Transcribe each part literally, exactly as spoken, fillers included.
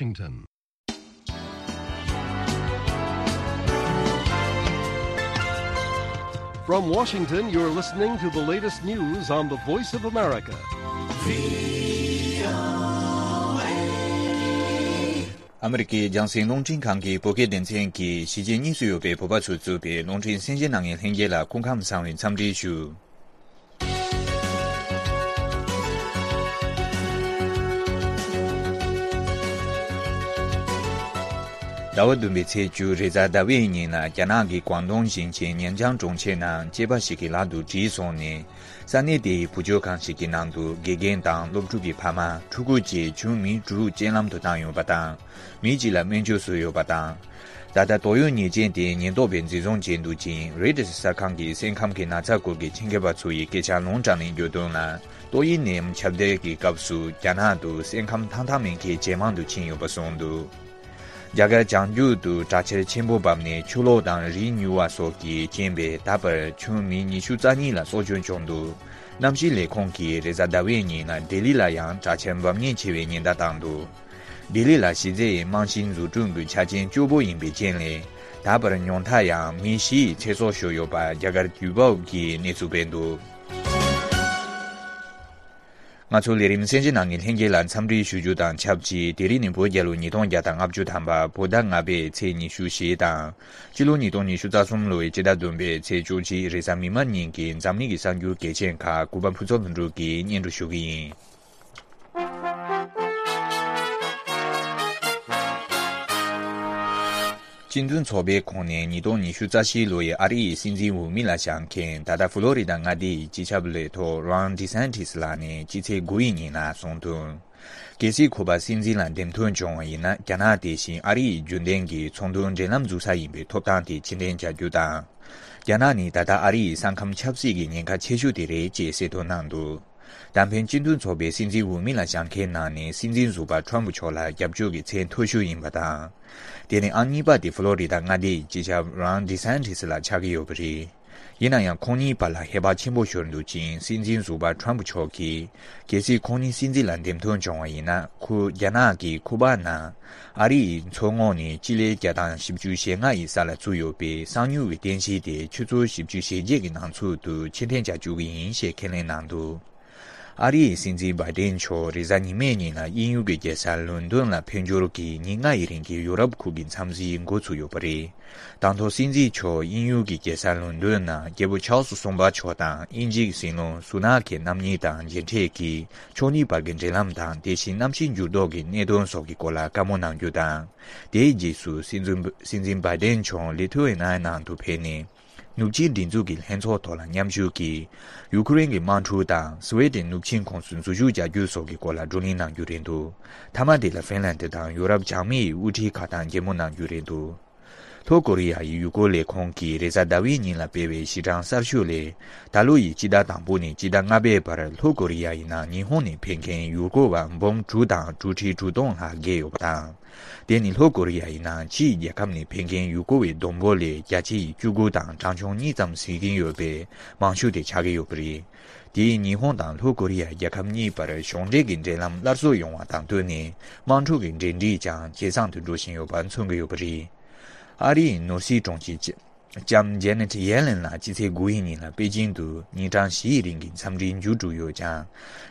Washington. From Washington, you're listening to the latest news on the Voice of America. ཨ་མི་རི་ཀའི་རྒྱང་སྲིང་རླུང་འཕྲིན་ཁང་གི་བོད་སྐད་སྡེ་ཚན་གྱིས་གཞིས་བྱེས་གཉིས་སུ་ཡོད་པའི་བོད་པ་ཚོས་བཙུགས་པའི་རླུང་འཕྲིན་གསན་བརྗོད་གནང་མཁན་ལྷན་རྒྱས་ལ་སྐུ་ཁམས་བཟང་བའི་འཚམས་འདྲི་ཞུ། ཟླ་བ་བདུན་པའི་ཚེས་བཅུ་རེས་གཟའ་ཟླ་བའི་ཉིན་ལ་རྒྱ་ནག་གི་ཀོང་ཏུང་ཞིང་ཆེན་ཉན་ཅང་གྲོང་ཁྱེར་ནང་སྐྱེས་པ་ཞིག་གི་ལག་ཏུ་གྲིབ་སོང་ནས། ས་གནས་དེའི་བུ་བཅོལ་ཁང་ཞིག་གི་ནང་དུ་དགེ་རྒན་དང་སློབ་ཕྲུག་གི་ཕ་མ། ཕྲུ་གུ་བཅས་ཁྱོན་མི་དྲུག་རྐྱེན་ལམ་དུ་བཏང་ཡོད་པ་དང་། མི་གཅིག་ལ་སྨན་བཅོས་སུ་ཡོད་པ་དང་། ད་ལྟ་ཏོག་དབྱིབས་ཉེས་ཅན་དེ་ཉེན་རྟོག་པས་འཛིན་བཟུང་བྱས་འདུག་ཅིང་། རོའི་ཊར་གསར་ཁང་གིས་སེམས་ཁམས་ཀྱི་ན་ཚ་སྐོར་གྱི་ཆེད་མཁས་པ་ཚོ་ཡི་སྐད་ཆ་ལུང་དྲངས་ནས་བརྗོད་དོན་ལ། ཏོག་དབྱིབས་ནད་ཡམས་ཁྱབ་གདལ་གྱི་སྐབས་སུ་རྒྱ་ནག་ཏུ་སེམས་ཁམས་ཐང་ཐང་མེད་མཁན་ཇེ་མང་དུ་ཕྱིན་ཡོད་པ་གསུངས་འདུག་རྒྱ་གར་བྱང་རྒྱུད་དུ་དྲག་ཆར་ཆེན་པོ་བབས་ནས་ཆུ་ལོག་དང་རི་མྱུར་བ་སོགས་ཀྱི་རྐྱེན་པས་ད་བར་ཁྱོན་མི་ཉི་ཤུ་རྩ་གཉིས་ལ་སྲོག་སྐྱོན་བྱུང་འདུག་གནམ་གཤིས་ལས་ཁུངས་ཀྱིས་རེས་གཟའ་ཟླ་བའི་ཉིན་ལ་ལྡི་ལི་ལ་ཡང་དྲག་ཆར་འབབ་ཉེན་ཆེ་བའི་ཉེན་བརྡ་བཏང་འདུག་ལྡི་ལི་ལ་གཞི་རྩའི་རྨང་གཞིའི་འཛུགས་སྐྲུན་གྱི་ཆ་རྐྱེན་སྐྱོ་པོ་ཡིན་པའི་རྐྱེན་ལས། ད་བར་ཉུང་མཐའ་ཡང་མི་བཞི་ཡི་ཚེ་སྲོག་ཤོར་ཡོད་པ་རྒྱ་གར་དུས་བབ་ཀྱིས་གནས་ཚུལ་སྤེལ་འདུག་ང་ཚོ་ལས་རིམ་གསན་བརྗོད་གནང་མཁན་ལྷན་རྒྱས་ལ་འཚམས་འདྲི་ཞུ་རྒྱུ་དང་ཆབས་ཅིག་དེ་རིང་ནི་བོད་རྒྱལ་ལོ་ཉིས་སྟོང་བརྒྱ་དང་ལྔ་བཅུ་ཐམ་པ་བོད་ཟླ་ལྔ་པའི་ཚེས་ཉི་ཤུ་བཞི་དང་། སྤྱི་ལོ་ཉིས་སྟོང་ཉི་ཤུ་རྩ་གསུམ་ལོའི་སྤྱི་ཟླ་བདུན་པའི་ཚེས་བཅུ་གཅིག་རེས་གཟའ་མིག་དམར་ཉིན་གྱི་འཛམ་གླིང་གི་གསར་འགྱུར་གལ་ཆེན་ཁག་གུས་པ་ཕུན་ཚོགས་ལྷུན་གྲུབ་ཀྱིས་སྙན་སྒྲོན་ཞུ་གི་ཡིན། སྤྱི་མཐུན་ཚོགས་པའི་ཁོངས་ནས་ཉིས་སྟོང་ཉི་ཤུ་རྩ་བཞི་ལོ་ཡི་ཨ་རི་ཡི་སྲིད་འཛིན་འོས་མི་ལ་བཞེངས་མཁན་ད་ལྟ་ཕུ་ལོ་རི་ད་མངའ་སྡེ་ཡི་སྤྱི་ཁྱབ་ལས་ཐོག་རོན་ཌི་སན་ཊི་སི་ལགས་ནས་སྤྱི་ཚེས་དགུ་ཡི་ཉིན་ལ་གསུངས་དོན། གལ་སྲིད་ཁོ་པ་སྲིད་འཛིན་ལ་འདེམས་ཐོན་བྱུང་བ་ཡིན་ན་རྒྱ་ནག་དེ་བཞིན་ཨ་རི་ཡི་རྒྱུན་ལྡན་གྱི་ཚོང་དོན་འབྲེལ་ལམ་འཛུགས་ས་ཡིན་པའི་ཐོབ་ཐང་དེ་ཕྱིར་འཐེན་བྱ་རྒྱུ་དང་། རྒྱ་ནག་ནི་ད་ལྟ་ཨ་རི་ཡི་ས་ཁམས་ཆབ་སྲིད་ཀྱི་ཉེན་ཁ་ཆེ་ཤོས་དེ་རེད་ཅེས་གསལ་སྟོན་གནང་འདུག་ད་ཕན་སྤྱི་མཐུན་ཚོགས་པའི་སྲིད་འཛིན་འོས་མི་ལ་བཞེངས་མཁན་ནང་ནས་སྲིད་འཛིན་ཟུར་པ་ཊརམ་ཕུ་མཆོག་ལ་རྒྱབ་སྐྱོར་གྱི་ཚད་མཐོ་ཤོས་ཡིན་པ་དང་། དེ་ནི་ཨང་གཉིས་པ་དེ་ཕུ་ལོ་རི་ད་མངའ་སྡེ་ཡི་སྤྱི་ཁྱབ་རོན་ཌི་སན་ཊི་སི་ལ་ཆགས་ཀྱི་ཡོད་པ་རེད། ཡིན་ན་ཡང་ཁོང་གཉིས་བར་ལ་ཧེ་བག་ཆེན་པོ་ཤོར་འདུག་ཅིང་། སྲིད་འཛིན་ཟུར་པ་ཊརམ་ཕུ་མཆོག་གིས་གལ་སྲིད་ཁོང་གཉིས་སྲིད་འཛིན་ལ་འདེམས་ཐོན་བྱུང་བ་ཡིན་ན། ཁོས་རྒྱ་ནག་གི་ཁུ་པཱག་ནང་ཨ་རི་ཡི་མཚོ་ངོས་ནས་སྤྱི་ལེ་བརྒྱ་དང་བཞི་བཅུ་ཞེ་ལྔ་ཡི་ས་ལ་བཙུགས་ཡོད་པའི་གསང་མྱུལ་བའི་རྟེན་གཞི་དེ་ཆུ་ཚོད་བཞི་བཅུ་ཞེ་བརྒྱད་ཀྱི་ནང་ཚུད་དུ་ཕྱིར་འཐེན་བྱ་བཅུག་གི་ཡིན་ཞེས་ཁས་ལེན་གནང་འདུག་ཨ་རིའི་སྲིད་འཛིན་བྷའི་ཏིན་མཆོག་རེས་གཟའ་ཉི་མའི་ཉིན་ལ་དབྱིན་ཡུལ་གྱི་རྒྱལ་ས་ལོན་ཌོན་ལ་ཕེབས་འབྱོར་གྱིས་ཉིན་ལྔ་ཡི་རིང་གི་ཡུ་རོབ་ཁུལ་གྱི་འཚམས་གཟིགས་འགོ་ཚུགས་ཡོད་པ་རེད། དང་ཐོག་སྲིད་འཛིན་མཆོག་དབྱིན་ཡུལ་གྱི་རྒྱལ་ས་ལོན་ཌོན་ནང་རྒྱལ་པོ་ཆཱལ་སི་གསུམ་པ་མཆོག་དང་དབྱིན་ཇིའི་སྲིད་བློན་སུ་ནག་གི་རྣམ་གཉིས་དང་མཇལ་འཕྲད་ཀྱིས་ཕྱོགས་གཉིས་བར་གྱི་འབྲེལ་ལམ་དང་དེ་བཞིན་གནམ་གཤིས་འགྱུར་ལྡོག་གི་གནད་དོན་སོགས་ཀྱི་སྐོར་ལ་བཀའ་མོལ་གནང་རྒྱུ་དང་། དེའི་རྗེས་སུ་སྲིད་འཛིན་སྲིད་འཛིན་བྷའི་ཏིན་མཆོག་ལི་ཐུ་ཨེ་ན་ནང་དུ་ཕེབས་ནས། ནུབ་ཕྱིའི་སྒྲིག་འཛུགས་ཀྱི་ལྷན་ཚོགས་ཐོག་ལ་མཉམ་ཞུགས་ཀྱིས། ཡུ་ཁུ་རེན་གྱི་དམག་འཁྲུག་དང་སི་ཝེ་ཏན་ནུབ་ཆིངས་ཁོངས་སུ་འཛུལ་ཞུགས་བྱ་རྒྱུ་སོགས་ཀྱི་སྐོར་ལ་བགྲོ་གླེང་གནང་རྒྱུ་རེད་འདུག་མཐའ་མ་དེ་ལ་ཧྥིན་ལན་ཌི་དང་ཡུ་རོབ་བྱང་མིའི་དབུ་ཁྲིད་ཁག་དང་མཇལ་མོལ་གནང་རྒྱུ་རེད་འདུག་ལྷོ་ཀོ་རི་ཡ་ཡི་ཡུལ་སྐོར་ལས་ཁུངས་ཀྱིས་རེས་གཟའ་ཟླ་བའི་ཉིན་ལ་སྤེལ་བའི་གཞི་གྲངས་གསར་ཤོས་ལས། ད་ལོ་ཡི་སྤྱི་ཟླ་དང་པོ་ནས་སྤྱི་ཟླ་ལྔ་པའི་བར་ལྷོ་ཀོ་རི་ཡ་ཡི་ནང་ཉི་ཧོང་ནས་ཕེབས་མཁན་ཡུལ་སྐོར་བ་འབུམ་དྲུག་དང་དྲུག་ཁྲི་དྲུག་སྟོང་ལྷག་བརྒལ་ཡོད་པ་དང་། དེ་ནི་ལྷོ་ཀོ་རི་ཡ་ཡི་ནང་ཕྱིའི་རྒྱལ་ཁབ་ནས་ཕེབས་མཁན་ཡུལ་སྐོར་བའི་བསྡོམས་འབོར་ལས་བརྒྱ་ཆའི་བཅུ་དགུ་དང་གྲངས་ཆུང་གཉིས་ཙམ་ཟིན་གྱིན་ཡོད་པའི་མང་ཤོས་དེ་ཆགས་ཀྱི་ཡོད་པ་རེད། དེས་ཉི་ཧོང་དང་ལྷོ་ཀོ་རི་ཡ་རྒྱལ་ཁབ་གཉིས་བར་གཞུང་འབྲེལ་གྱི་འབྲེལ་ལམ་སླར་གསོ་ཡོང་བ་དང་བསྟུན་ནས་དམག་འཁྲུག་གི་འབྲེལ་འདྲིས་ཀྱང་ཇེ་བཟང་དུ་འགྲོ་བཞིན་ཡོད་པ་མཚོན་གྱི་ཡོད་པ་རེད། ཨ་རིའི་ནོར་སྲིད་དྲུང་ཆེ་ལྕམ་ཇེ་ནེ་ཊི་ཡེ་ལེན་ལགས་སྤྱི་ཚེས་དགུ་ཡི་ཉིན་ལ་པེ་ཅིང་དུ་ཉིན་གྲངས་བཞི་ཡི་རིང་གི་འཚམས་འདྲིའི་མཇུག་གྲུབ་ཡོད་ཀྱང་།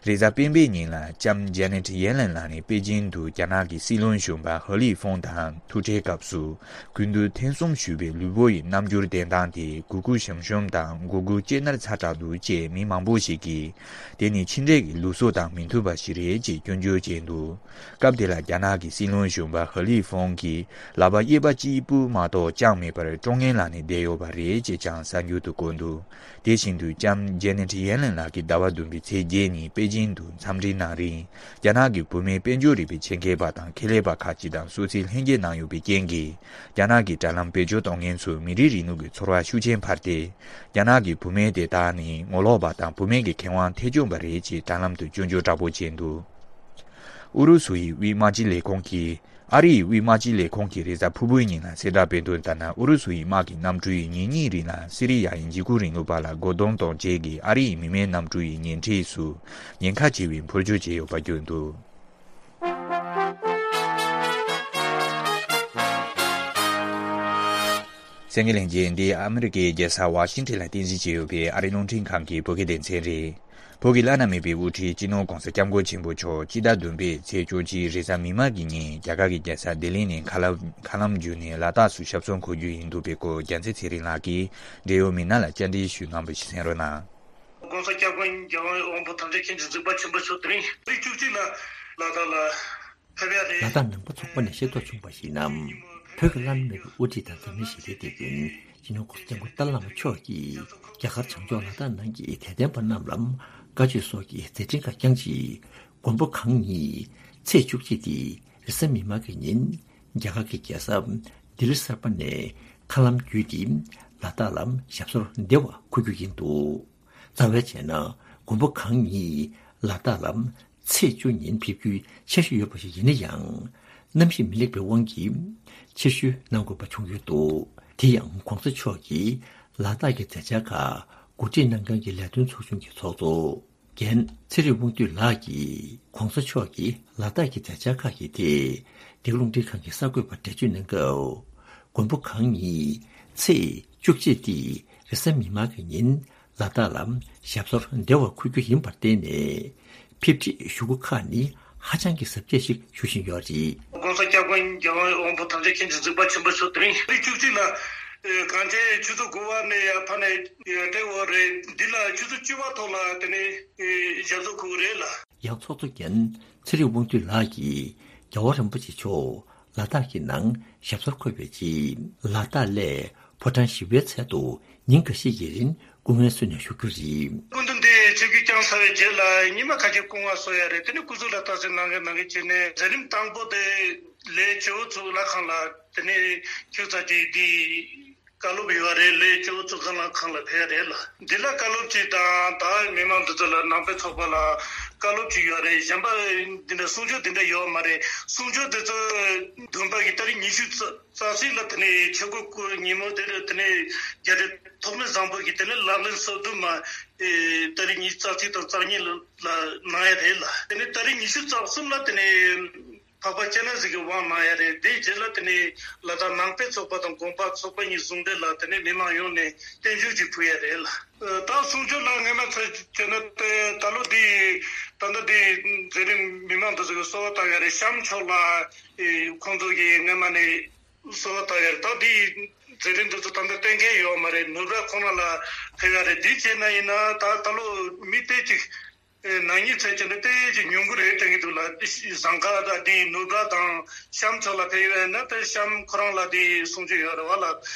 རེས་གཟའ་སྤེན་པའི་ཉིན་ལ་ལྕམ་ཇེ་ནེ་ཊི་ཡེ་ལེན་ལགས་ནས་པེ་ཅིང་དུ་རྒྱ་ནག་གི་སྲིད་བློན་གཞོན་པ་ཧ་ལི་ཧྥོང་དང་ཐུག་འཕྲད་སྐབས་སུ། དགུན་དུས་ཐེངས་གསུམ་ཞུས་པའི་ལུས་པོ་ཡི་རྣམ་འགྱུར་བསྟན་སྟངས་དེ་གུ་གུ་ཞུམ་ཞུམ་དང་མགོ་གུ་ལྕེ་ནར་ཚ་དྲགས་འདུག་ཅེས་མི་མང་པོ་ཞིག་གིས། དེ་ནི་ཕྱི་འབྲེལ་གྱི་ལུགས་སྲོལ་དང་མི་མཐུན་པ་ཞིག་རེད་ཅེས་སྐྱོན་བརྗོད་བྱས་འདུག་སྐབས་དེ་ལ་རྒྱ་ནག་གི་སྲིད་བློན་གཞོན་པ་ཧ་ལི་ཧྥོང་གིས་ལག་པ་གཡས་པ་གཅིག་པུ་མ་གཏོགས་བརྐྱངས་མེད་པར་ཀྲོང་ངེར་ལངས་ནས་བསྡད་ཡོད་པ་རེད་ཅེས་ཀྱང་གསར་འགྱུར་དུ་བཀོད་འདུག་དེ་བཞིན་དུ་ལྕམ་ཇེ་ནེ་ཊི་ཡེ་ལེན་ལགས་ཀྱིས་ཟླ་བ་བདུན་པའི་ཚེས་བརྒྱད་ཉིན་པེ་ཅིང་དུ་འཚམས་འདྲིའི་གནང་རིང་། རྒྱ་ནག་གི་བུད་མེད་དཔལ་འབྱོར་རིག་པའི་ཆེད་མཁས་པ་དང་ཁེ་ལས་པ་ཁག་ཅིག་དང་སོ་སོའི་ལྷན་རྒྱས་གནང་ཡོད་པའི་རྐྱེན་གྱིས། རྒྱ་ནག་གི་དྲ་ལམ་བེད་སྤྱོད་གཏོང་མཁན་ཚོས་མི་རིགས་རིང་ལུགས་ཀྱི་ཚོར་བ་ཤུགས་ཆེན་འཕར་ཏེ། རྒྱ་ནག་གི་བུད་མེད་དེ་དག་ནི་ངོ་ལོག་པ་དང་བུད་མེད་ཀྱི་ཁེ་དབང་ཐེ་བྱུང་པ་རེད་ཅེས་དྲ་ལམ་དུ་སྐྱོན་བརྗོད་དྲག་པོ་བྱས་འདུག་ཨུ་རུ་སུ་ཡི་དབུས་དམག་སྤྱི་ལས་ཁུངས་ཀྱིས། ཨ་རི་ཡི་དབུས་དམག་སྤྱི་ལས་ཁུངས་ཀྱིས་རེས་གཟའ་ཕུར་བུའི་ཉིན་ལ་གསལ་བསྒྲགས་སྤེལ་དོན་ལྟར་ན། ཨུ་རུ་སུ་ཡི་དམག་གི་གནམ་གྲུ་ཡིས་ཉིན་གཉིས་རིང་ལ་སི་རི་ཡ་ཡི་འཇིགས་སྐུལ་རིང་ལུགས་པ་ལ་རྒོལ་རྡུང་གཏོང་བྱེད་ཀྱི་ཨ་རི་ཡི་མི་མེད་གནམ་གྲུ་ཡི་ཉེ་འཁྲིས་སུ་ཉེན་ཁ་ཆེ་བའི་འཕུར་སྐྱོད་བྱས་ཡོད་པ་བརྗོད་འདུག་གསན་མཁན་ལྷན་རྒྱས། འདི་ཨ་མི་རི་ཀའི་རྒྱལ་ས་ཝ་ཤིང་ཊོན་ལ་རྟེན་གཞི་བྱས་ཡོད་པའི་ཨ་རིའི་རླུང་འཕྲིན་ཁང་གི་བོད་སྐད་སྡེ་ཚན་རེད། བོད་ཀྱི་བླ་ན་མེད་པའི་དབུ་ཁྲིད་སྤྱི་ནོར་༧གོང་ས་༧སྐྱབས་མགོན་ཆེན་པོ་མཆོག་སྤྱི་ཟླ་བདུན་པའི་ཚེས་བཅུ་གཅིག་རེས་གཟའ་མིག་དམར་གྱི་ཉིན་རྒྱ་གར་གྱི་རྒྱལ་ས་ལྡི་ལི་ནས་མཁའ་ལམ་མཁའ་ལམ་བརྒྱུད་ནས་ལ་དྭགས་སུ་ཞབས་སོར་འཁོད་རྒྱུ་ཡིན་འདུག་པའི་སྐོར་རྒྱལ་མཚན་ཚེ་རིང་ལགས་ཀྱིས་འབྲེལ་ཡོད་མི་སྣ་ལ་བཅར་འདྲི་ཞུས་གནང་བ་ཞིག་གསན་རོགས་གནང་།༧གོང་ས་༧སྐྱབས་མགོན་རྒྱལ་བ་ཡིད་འོང་བོད་དམ་བཅའ་མཁན་གྱི་གཟིགས་པ་ཆེན་པོ་མཆོག་དེ་རིང་ཚེས་བཅུ་གཅིག་ལ་ལ་དྭགས་ལ་ཕེབས་ཡ་རེད། ལ་དྭགས་ནང་པ་ཚོགས་པ་ནས་ཤེས་རྟོགས་བྱུང་བར་གཞིགས་ན། བོད་ཀྱི་བླ་ན་མེད་པའི་དབུ་ཁྲིད་དང་འཛམ་གླིང་ཞི་བདེའི་དེད་དཔོན་སྤྱི་ནོར་༧གོང་ས་༧སྐྱབས་མགོན་ཏཱ་ལའི་བླ་མ་མཆོག་གིས་རྒྱ་གར་བྱང་ཕྱོགས་ལ་དྭགས་ནང་གི་དད་ལྡན་པ་རྣམས་ལ་བཀའ་ཆོས་སོགས་ཀྱི་མཛད་འཕྲིན་ཁག་བསྐྱངས་རྗེས། མགོན་པོ་གང་ཉིད་ཚེས་བཅུ་གཅིག་སྟེ་རེས་གཟའ་མིག་དམར་གྱི་ཉིན་རྒྱ་གར་གྱི་རྒྱལ་ས་ལྡི་ལི་གསར་པ་ནས་མཁའ་ལམ་བརྒྱུད་དེ་ལ་དྭགས་ལ་ཞབས་སོར་བདེ་བར་འཁོད་རྒྱུ་ཡིན་འདུག་རྩ་བའི་བྱས་ན་མགོན་པོ་གང་ཉིད་ལ་དྭགས་ལ་ཚེས་བཅུ་ཉིན་ཕེབས་རྒྱུའི་འཆར་གཞི་ཡོད་པ་ཞིག་ཡིན་ན་ཡང་། གནམ་གཤིས་མི་ལེགས་པའི་དབང་གིས་ཕྱིར་བཤོལ་གནང་དགོས་པ་བྱུང་ཡོད་འདུག་དེ་ཡང་༧གོང་ས་མཆོག་གིས་ལ་དྭགས་ཀྱི་མཛད་འཆར་ཁག་གོ་སྒྲིག་གནང་མཁན་གྱི་ལས་དོན་ཚོགས་ཆུང་གི་ཚོགས་གཙོ་རྒན་ཚེ་རིང་དབང་འདུས་ལགས་ཀྱིས་༧གོང་ས་མཆོག་གིས་ལ་དྭགས་ཀྱི་མཛད་འཆར་ཁག་གི་ཐད་འདི་ག་རླུང་འཕྲིན་ཁང་གི་གསར་འགོད་པར་འགྲེལ་བརྗོད་གནང་སྐབས། མགོན་པོ་གང་ཉིད་ཚེས་བཅུ་གཅིག་སྟེ་རེས་གཟའ་མིག་དམར་གྱི་ཉིན་ལ་དྭགས་ལ་ཞབས་སོར་བདེ་བར་འཁོད་རྒྱུ་ཡིན་པར་བརྟེན་ནས། ཕེབས་སྒྲིག་ཞུ་སྒོ་ཁག་ནི་ཧ་ཅང་གི་གཟབ་རྒྱས་ཤིག་ཞུ་བཞིན་ཡོད་རེད། ༧གོང་ས་༧སྐྱབས་མགོན་རྒྱལ་བ་ཡིད་འོང་བོད་དམ་བཅའ་མཁན་གྱི་གཟིགས་པ་ཆེན་པོ་མཆོག་དེ་རིང་ཚེས་བཅུ་གཅིག་ལ་གངས་ཅན་ཆུ་ཚོད་དགུ་པ་ནས་ཡར་ཕར་ནས་སྤྲད་ཡོད་རེད། འདི་ལ་ཆུ་ཚོད་བཅུ་པ་ཐོག་ལ་དེ་ནས་ཞབས་སོར་འཁོད་རེད་ལ། ཡང་ཚོགས་གཙོ་རྒན་ཚེ་རིང་དབང་འདུས་ལགས་ཀྱིས་རྒྱལ་བ་རིན་པོ་ཆེ་མཆོག་ལ་དྭགས་ཀྱི་ནང་ཞབས་སོར་འཁོད་པའི་རྗེས། ལ་དྭགས་སླེབས་ཕོ་བྲང་བཞི་པའི་ཚལ་དུ་ཉིན་འགའ་ཤས་ཀྱི་རིང་སྐུ་ངལ་གསོས་ནས་བཞུགས་རྒྱུ་རེད། སྐུ་མདུན་དེ་ཆིབས་བསྒྱུར་བསྐྱངས་ཚར་བའི་རྗེས་ལ་ཉི་མ་ཁ་ཤས་སྐུ་ངལ་གསོ་ཡ་རེད། དེ་ནས་སྐུ་གཟུགས་ལ་རྟགས་གསལ་གནང་གི་གནང་གི་བྱས་ནས་མཛད་རིམ་དང་པོ་དེ་ལས་བྱེའུ་ཚོ་ལྷ་ཁང་ལ་དེ་ནས་ཁྱུག་ཙམ་ཅིག་འདི། བཀའ་སློབ་ཡོད་རེད། ལས་ཆེ་བོ་ཚོ་ཁང་ལ་ཁང་ལ་ཕེབས་རེད་ལ། འདི་ལ་བཀའ་སློབ་ཅིག་དང་ད་མི་མང་འདི་ཚོ་ལ་ནང་པའི་ཚོགས་པ་ལ་བཀའ་སློབ་ཅིག་ཡོད་རེད། གཞན་པ་འདི་འདྲ་གསུང་ཆོས་འདི་འདྲ་ཡོད་མ་རེད། གསུང་ཆོས་འདི་ཚོ་བདུན་པ་གི་ཏ་རིག་ཉི་ཤུ་རྩ་རྩ་གཅིག་ལ་དེ་ནས་ཆོས་འཁོར་སྐོར་ཉིན་མོ་དེ་ལ་དེ་ནས་རྒྱ་རི་ཐོགས་མེད་བཟང་པོ་གི་དེ་ནས་ལག་ལེན་སོ་བདུན་མ་ཏ་རིག་ཉི་ཤུ་རྩ་གཅིག་དང་རྩ་གཉིས་ལ་ལ་གནང་ཡ་རེད་ལ། དེ་ནས་ཏ་རིག་ཉི་ཤུ་རྩ་གསུམ་ལ་དེ་ནས། འཕགས་པ་སྤྱན་རས་གཟིགས་ཀྱི་དབང་གནང་ཡ་རེད། དེའི་རྗེས་ལ་དེ་ནས་ལ་དྭགས་ནང་པའི་ཚོགས་པ་དང་དགོན་པ་ཚོགས་པ་གཉིས་ཟུང་འབྲེལ་ལ་དེ་ནས་མི་མང་ཡོངས་ནས་བརྟན་བཞུགས་ཅིག་ཕུལ་ཡ་རེད་ལ། ད་གསུང་ཆོས་ལ་སྔས་མ་ཚོས་བྱས་ན་དེ་ད་ལོ་འདི་ད་ལྟ་འདི་མཛད་རིམ་མི་མང་དེ་ཚོ་གིས་གསོལ་བ་བཏབ་ཡ་རེད། གཤམ་ཕྱོགས་ལ་ཁོང་ཚོ་གིས་སྔས་མ་ནས་གསོལ་བ་བཏབ་ཡ་རེད། ད་འདི་མཛད་རིམ་དེ་ཚོ་ད་ལྟ་གཏན་འཁེལ་ཡོད་མ་རེད། ནུབ་ར་ཁོ་ན་ལ་ཕེབས་ཡ་རེད། འདི་བྱས་ན་ཡིན་ན་ད་ད་ལོ་མི་སྟོང་གཅིག་ནང་ཉིན་ཚེས་བཅད་ནས་ཏོག་ཙམ་ཉུང་གི་རེད་དྲན་གྱི་འདུག་ལ། ཟངས་དཀར་དང་དེའི་ནུབ་ར་དང་གཤམ་ཕྱོགས་ལ་ཕེབས་ཡོད་ན་དེ་གཤམ་ཁོ་རང་ལ་དེའི་གསུང་ཆོས་ཡོད་རེད་བ་ལ།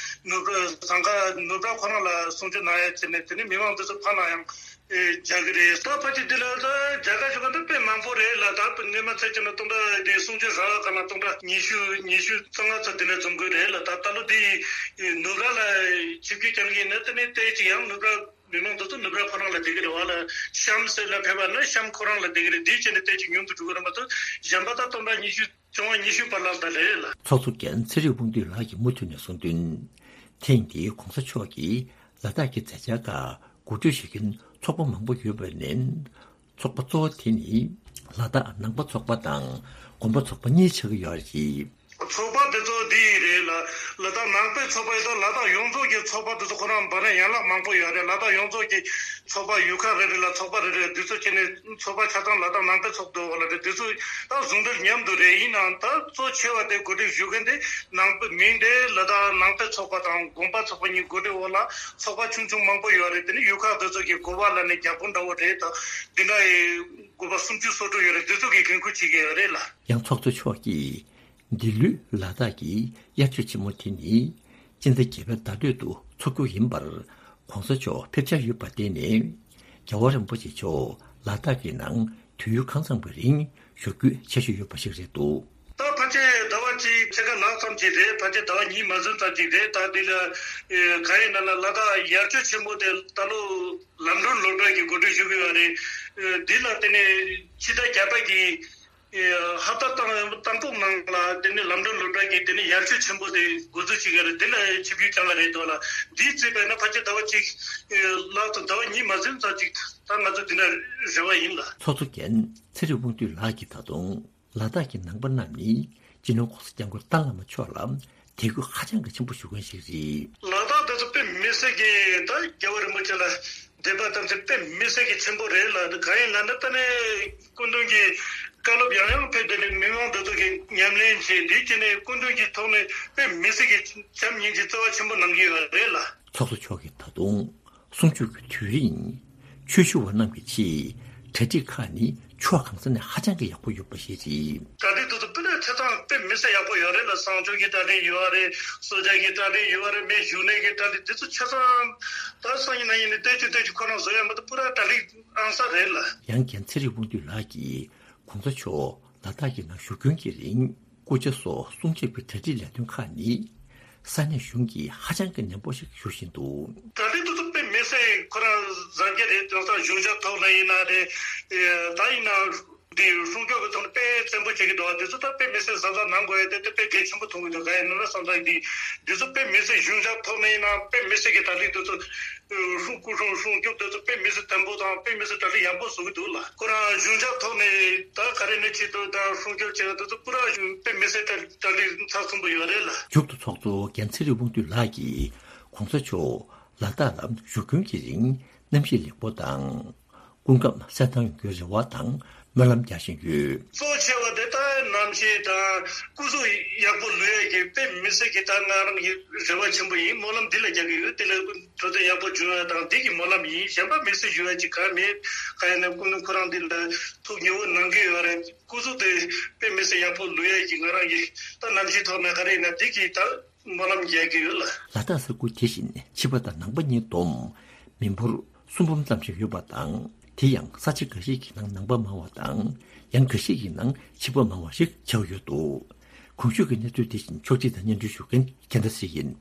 ནུབ་ར་ཟངས་དཀར་ནུབ་ར་ཁོ་རང་ལ་གསུང་ཆོས་གནང་ཡ་བྱས་ནས་དེ་ནས་མི་མང་འདི་ཚོ་ཕར་ནང་ཡང་རྒྱག་གི་རེད། ད་ཕལ་ཆེར་འདི་ལ་ད་རྒྱ་གར་ཞོགས་པ་འདི་དཔེ་མང་པོ་རེད་ལ། ད་སྔོན་མ་ཚེས་བཅད་ནས་སྟོང་ཕྲག་དེའི་གསུང་ཆོས་རག་ག་ན་སྟོང་ཕྲག་ཉི་ཤུ་ཉི་ཤུ་རྩ་ལྔ་ཙམ་དེ་ནས་འཛོམས་གི་རེད་ལ། ད་ད་ལོ་དེའི་ནུབ་ར་ལ་ཆིབས་བསྒྱུར་བསྐྱངས་གི་ཡིན་ན་དེ་ནས་ཏོག་ཙམ་ཡང་ནུབ་ར། མི་མང་དེ་ཚོ་ནུབ་ར་ཁོ་རང་ལ་བསྡད་ཀྱི་རེད་བ་ལ། གཤམ་ཟེར་ལ་ཕེབས་པ་ན་གཤམ་ཁོ་རང་ལ་བསྡད་ཀྱི་རེད། འདིའི་ཆེད་ནས་ཏོག་ཙམ་ཉུང་དུ་འགྲོ་གི་རེད་མ་གཏོགས་གཞན་པ་ད་སྟོང་ཕྲག་ཉི་ཤུ་བཅོ་ལྔ་ཉི་ཤུ་བར་ལ་ད་རེད་ལ། ཚོགས་གཙོ་རྒན་ཚེ་རིང་དབང་འདུས་ལགས་ཀྱིས་མུ་མཐུད་ནས་གསུངས་དོན། ཐེངས་འདིའི་གོང་ས་མཆོག་གིས་ལ་དྭགས་ཀྱི་མཛད་འཆར་ཁག་གོ་སྒྲིག་ཞུ་མཁན་ཚོགས་པ་མང་པོ་ཡོད་པ་ནས། ཚོགས་པ་གཙོ་བོ་དེ་ནི་ལ་དྭགས་ནང་པ་ཚོགས་པ་དང་དགོན་པ་ཚོགས་པ་གཉིས་ཆགས་ཀྱི་ཡོད་རེད། ཚོགས་པ་དེ་ཚོ་འདི་ཡིན་རེད་ལ། ལ་དྭགས་ནང་པའི་ཚོགས་པ་ཡིན་ད་ལ་དྭགས་ཡོངས་རྫོགས་ཀྱི་ཚོགས་པ་དེ་ཚོ་ཁོ་རང་འབར་ན་ཡན་ལག་མང་པོ་ཡོད་རེད། ལ་དྭགས་ཡོངས་རྫོགས་ཀྱི་ཚོགས་པ་ཡུལ་ཁག་རེ་རེ་ལ་ཚོགས་པ་རེ་རེ་འདི་ཚོ་བྱས་ནས་ཚོགས་པ་ཆ་ཚང་ལ་དྭགས་ནང་པའི་ཚོགས་འདུ་འོག་ལ་རེད། འདི་ཚོ་ད་ཟུང་འབྲེལ་མཉམ་དུ་རེད། ཡིན་ནའང་ད་གཙོ་ཆེ་བ་དེ་གོ་སྒྲིག་ཞུ་མཁན་དེ་ནང་པའི་མིང་དེ་ལ་དྭགས་ནང་པའི་ཚོགས་པ་དང་དགོན་པ་ཚོགས་པ་གཉིས་གོ་སྒྲིག་འོག་ལ་ཚོགས་པ་ཆུང་ཆུང་མང་པོ་ཡོད་རེད། དེ་ནི་ཡུལ་ཁག་དེ་ཚོ་གི་འགོ་པ་ལ་ནི་བརྒྱ་དཔོན་འདྲ་བོ་རེད། ད་འདི་འདྲ་ཡི་དགོན་པ་སུམ་ཅུ་སོ་དྲུག་ཡོད་རེད། འདི་ཚོ་གི་འགན་ཁུར་བྱེད་ཀྱི་ཡོད་རེད་ལ། ཡང་ཚོགས་གཙོ་མཆོག་གིས་འདི་ལོའི་ལ་དྭགས་ཀྱི་དབྱར་ཆོས་ཆེན་མོ་དེ་ནི་སྤྱི་ཟླ་བརྒྱད་པའི་ཟླ་སྟོད་དུ་འཚོགས་རྒྱུ་ཡིན་པར་གོང་ས་མཆོག་ཕེབས་འཆར་ཡོད་པར་བརྟེན་ནས། རྒྱལ་བ་རིན་པོ་ཆེ་མཆོག་ལ་དྭགས་ཀྱི་ནང་དུས་ཡུན་གང་འཚམ་གྱི་རིང་བཞུགས་རྒྱུའི་འཆར་གཞི་ཡོད་པ་ཞིག་རེད་འདུག་ད་ཕལ་ཆེར་ཟླ་བ་གཅིག་ཕྱེད་ཀ་ལྷག་ཙམ་ཅིག་རེད། ཕལ་ཆེར་ཟླ་བ་གཉིས་མ་ཟིན་ཙམ་ཅིག་རེད། ད་འདི་ལ་གང་ཡིན་ན་ལ་ལ་དྭགས་དབྱར་ཆོས་ཆེན་མོ་དེ་ད་ལོ་ལམ་སྒྲོན་སློབ་གྲྭ་གི་གོ་སྒྲིག་ཞུ་གི་ཡོད་རེད། འདི་ལ་དེ་ནས་ཕྱི་ཟླ་བརྒྱད་པ་གི་ཧབ་ཏ་དང་དང་པོ་ནང་ལ་དེ་ནས་ལམ་སྒྲོན་སློབ་གྲྭ་གི་དེ་ནས་དབྱར་ཆོས་ཆེན་པོ་དེ་འགོ་འཛུགས་བྱེད་ཀྱི་རེད། དེ་ལ་ཆིབས་བསྒྱུར་བསྐྱངས་པ་རེད་འདུག་ལ། འདི་བརྩིས་པས་ན་ཕལ་ཆེར་ཟླ་བ་གཅིག་ལྷག་ཙམ་ཟླ་བ་གཉིས་མ་ཟིན་ཙམ་ཅིག་ད་ང་ཚོ་འདི་འདྲ་རེ་བ་ཡིན་ལ། ཚོགས་གཙོ་རྒན་ཚེ་རིང་དབང་འདུས་ལགས་ཀྱིས་ད་དུང་ལ་དྭགས་ཀྱི་ནང་པ་རྣམས་ནི་སྤྱི་ནོར་༧གོང་ས་༧སྐྱབས་མགོན་ཏཱ་བླ་མ་མཆོག་ལ་དད་གུས་ཧ་ཅང་གི་ཆེན་པོ་ཞུ་མཁན་ཞིག་རེད། ལ་ སྲིད་ཀྱི་ད་རྒྱལ་བ་རིན་པོ་ཆེ་ལ་དད་པ་དམ་ཚིག་དཔེ་མི་སྲིད་ཀྱི་ཆེན་པོ་རེད་ལ། འདི་གང་ཡིན་ལབ་ན། ད་ནི་སྐུ་མདུན་གྱི་བཀའ་སློབ་ཡང་ཡང་ཕེབས། དེ་ནས་མི་མང་འདི་ཚོ་གི་ཉམས་ལེན་བྱས། དེའི་རྗེས་ནས་སྐུ་མདུན་གྱི་ཐོག་ནས་དཔེ་མི་སྲིད་ཀྱི་བྱམས་སྙིང་རྗེ་བརྩེ་བ་ཆེན་པོ་གནང་གི་ཡོད་རེད་ལ། ཚོགས་གཙོ་མཆོག་གིས་ད་དུང་གསུང་ཆོས་ཀྱི་དུས་རིང་ཆོས་ཞུ་བ་རྣམས་ཀྱི་ཆེད་གྲ་སྒྲིག་ཁག་ནི་ཕྱོགས་གང་ས་ནས་ཧ་ཅང་གི་ཡག་པོ་ཡོད་པ་ཞིག་རེད། གྲ་སྒྲིག་དེ་ཚོ་དཔེ་ཆ་ཚང་དཔེ་མི་སྲིད་ཡག་པོ་ཡོད་རེད་ལ། གསང་སྤྱོད་ཀྱི་གྲ་སྒྲིག་ཡོད་རེད། གསོལ་ཇ་གི་གྲ་སྒྲིག་ཡོད་རེད། མི་བཞུགས་གནས་ཀྱི་གྲ་སྒྲིག་དེ་ཚོ་ཆ་ཚང་ད་སང་ཉིན་གནངས་ཉིན་ནས་ལྟོས་ཀྱི་ལྟོས་ཀྱི་ཁོ་རང་བཟོ་ཡ་མ་གཏོགས་པུ་ར་གྲ་སྒྲིག་ཨང་ས་རེད་ལ། ཡང་རྒན་ཚེ་རིང་དབང་འདུས་ལགས་ཀྱིས་གོང་ས་མཆོག་ལ་དྭགས་ཀྱི་ནང་བཞུགས་མཁན་གྱི་རིང་སྐུ་ཕྱྭ་སོགས་གསུང་ཆོས་ཀྱི་གྲ་སྒྲིག་ལས་དོན་ཁག་ནི་ས་གནས་གཞུང་གིས་ཧ་ཅང་གི་ནན་པོ་ཞིག་ཞུ་བཞིན་འདུག། གྲ་སྒྲིག་དེ་ཚོ་དཔེ་མི་སྲིད་ཁོ་རང་གཟབ་རྒྱས་རེད། དེང་སང་གཞུང་ཞབས་ཐོག་ནས་ཡིན་ན་རེད། ད་ཡིན་ན་འདི་སྲུང་སྐྱོབ་ཀྱི་ཐོག་ནས་དཔེ་བཙན་པོ་བྱེད་ཀྱི་འདུག། དེ་ཚོ་ད་དཔེ་མི་སྲིད་གཟབ་གཟབ་གནང་དགོས་ཡ་དེ་དེ་དཔེ་གལ་ཆེན་པོ་མཐོང་གི་འདུག། གང་ཡིན་ན་བསམ་ཚང་འདི་འདི་ཚོ་དཔེ་མི་སྲིད། གཞུང་ཞབས་ཐོག་ནས་ཡིན་ན་དཔེ་མི་སྲིད་ཀྱི་གྲ་སྒྲིག་དེ་ཚོ། སྲུང་སྐུ་སྲུང་སྲུང་སྐྱོབ་དེ་ཚོ་དཔེ་མི་སྲིད་བརྟན་པོ་དང་དཔེ་མི་སྲིད་གྲ་སྒྲིག་ཡག་པོ་བཟོ་གི་འདུག་ལ། ཁོ་རང་གཞུང་ཞབས་ཐོག་ནས་ད་ག་རེ་ནས་ཆེད་དུ་དང་སྲུང་སྐྱོབ་བྱེད་ཡ་དེ་ཚོ་པུ་ར་དཔེ་མི་སྲིད་གྲ་གྲ་སྒྲིག་ཚགས་ཚུད་པོ་ཡོད་རེད་ལ། མཇུག་ཏུ་ཚོགས་གཙོ་རྒན་ཚེ་རིང་དབང་འདུས་ལགས་ཀྱིས་གོང་ས་མཆོག་ལ་དྭགས་ལ་བཞུགས་སྐྱོང་གི་རིང་གནམ་གཤིས་ལེགས་པོ་དང་། སྐུ་ཁམས་གསལ་ཐང་ཡོང་རྒྱུའི་རེ་བ་དང་སྨོན་ལམ་རྒྱག་བཞིན་ཡོད། གཙོ་ཆེ་བ་དེ་ད་གནམ་གཤིས་དང་སྐུ་གཟུགས་ཡག་པོ་ལུས་ཡས་ཀྱི་དཔེ་མི་སྲིད་ཀྱི་ད་ང་རང་གི་རེ་བ་ཆེན་པོ་ཡིན། སྨོན་ལམ་འདི་ལ་རྒྱག་གི་ཡོད། དེ་ལ་འཕྲོད་བསྟེན་ཡག་པོ་བྱུང་ཡ་དང་འདི་གི་སྨོན་ལམ་ཡིན། གཞན་པ་མི་སྲིད་ཞུ་ཡ་ཅིག་གང་མེད། གང་ཡིན་ན་སྐུ་མདུན་ཁོ་རང་འདི་ལ་ཐུགས་མཉེས་པོ་གནང་གི་ཡོད་རེད། སྐུ་གཟུགས་དེ་དཔེ་མི་སྲིད་ཡག་པོ་ལུས་ཡས་ཀྱི་ང་རང་གི་ད་གནམ་གཤིས་ཐོག་ནས་ག་རེ་ཡིན་ན་འདི་གི་ད། སྨོན་ལམ་རྒྱག་གི་ཡོད་ལ། ལ་དྭགས་ས་ཁུལ་དེ་བཞིན་ཕྱི་པ་དང་ནང་པ་གཉིས་བསྡོམས་མི་འབོར་གསུམ་འབུམ་ཙམ་ཞིག་ཡོད་པ་དང་། དེ་ཡང་ས་ཆ་འགའ་ཞིག་གི་ནང་ནང་པ་མང་བ་དང་། ཡང་འགའ་ཞིག་གི་ནང་ཕྱི་པ་མང་བ་ཞིག་ཆགས་ཡོད་འདུག། གོང་ཞུས་ཀྱི་གནས་ཚུལ་དེ་བཞིན་ཕྱོགས་སྒྲིག་དང་སྙན་སྒྲོན་ཞུ་མཁན་རྒྱལ་མཚན་ཡིན།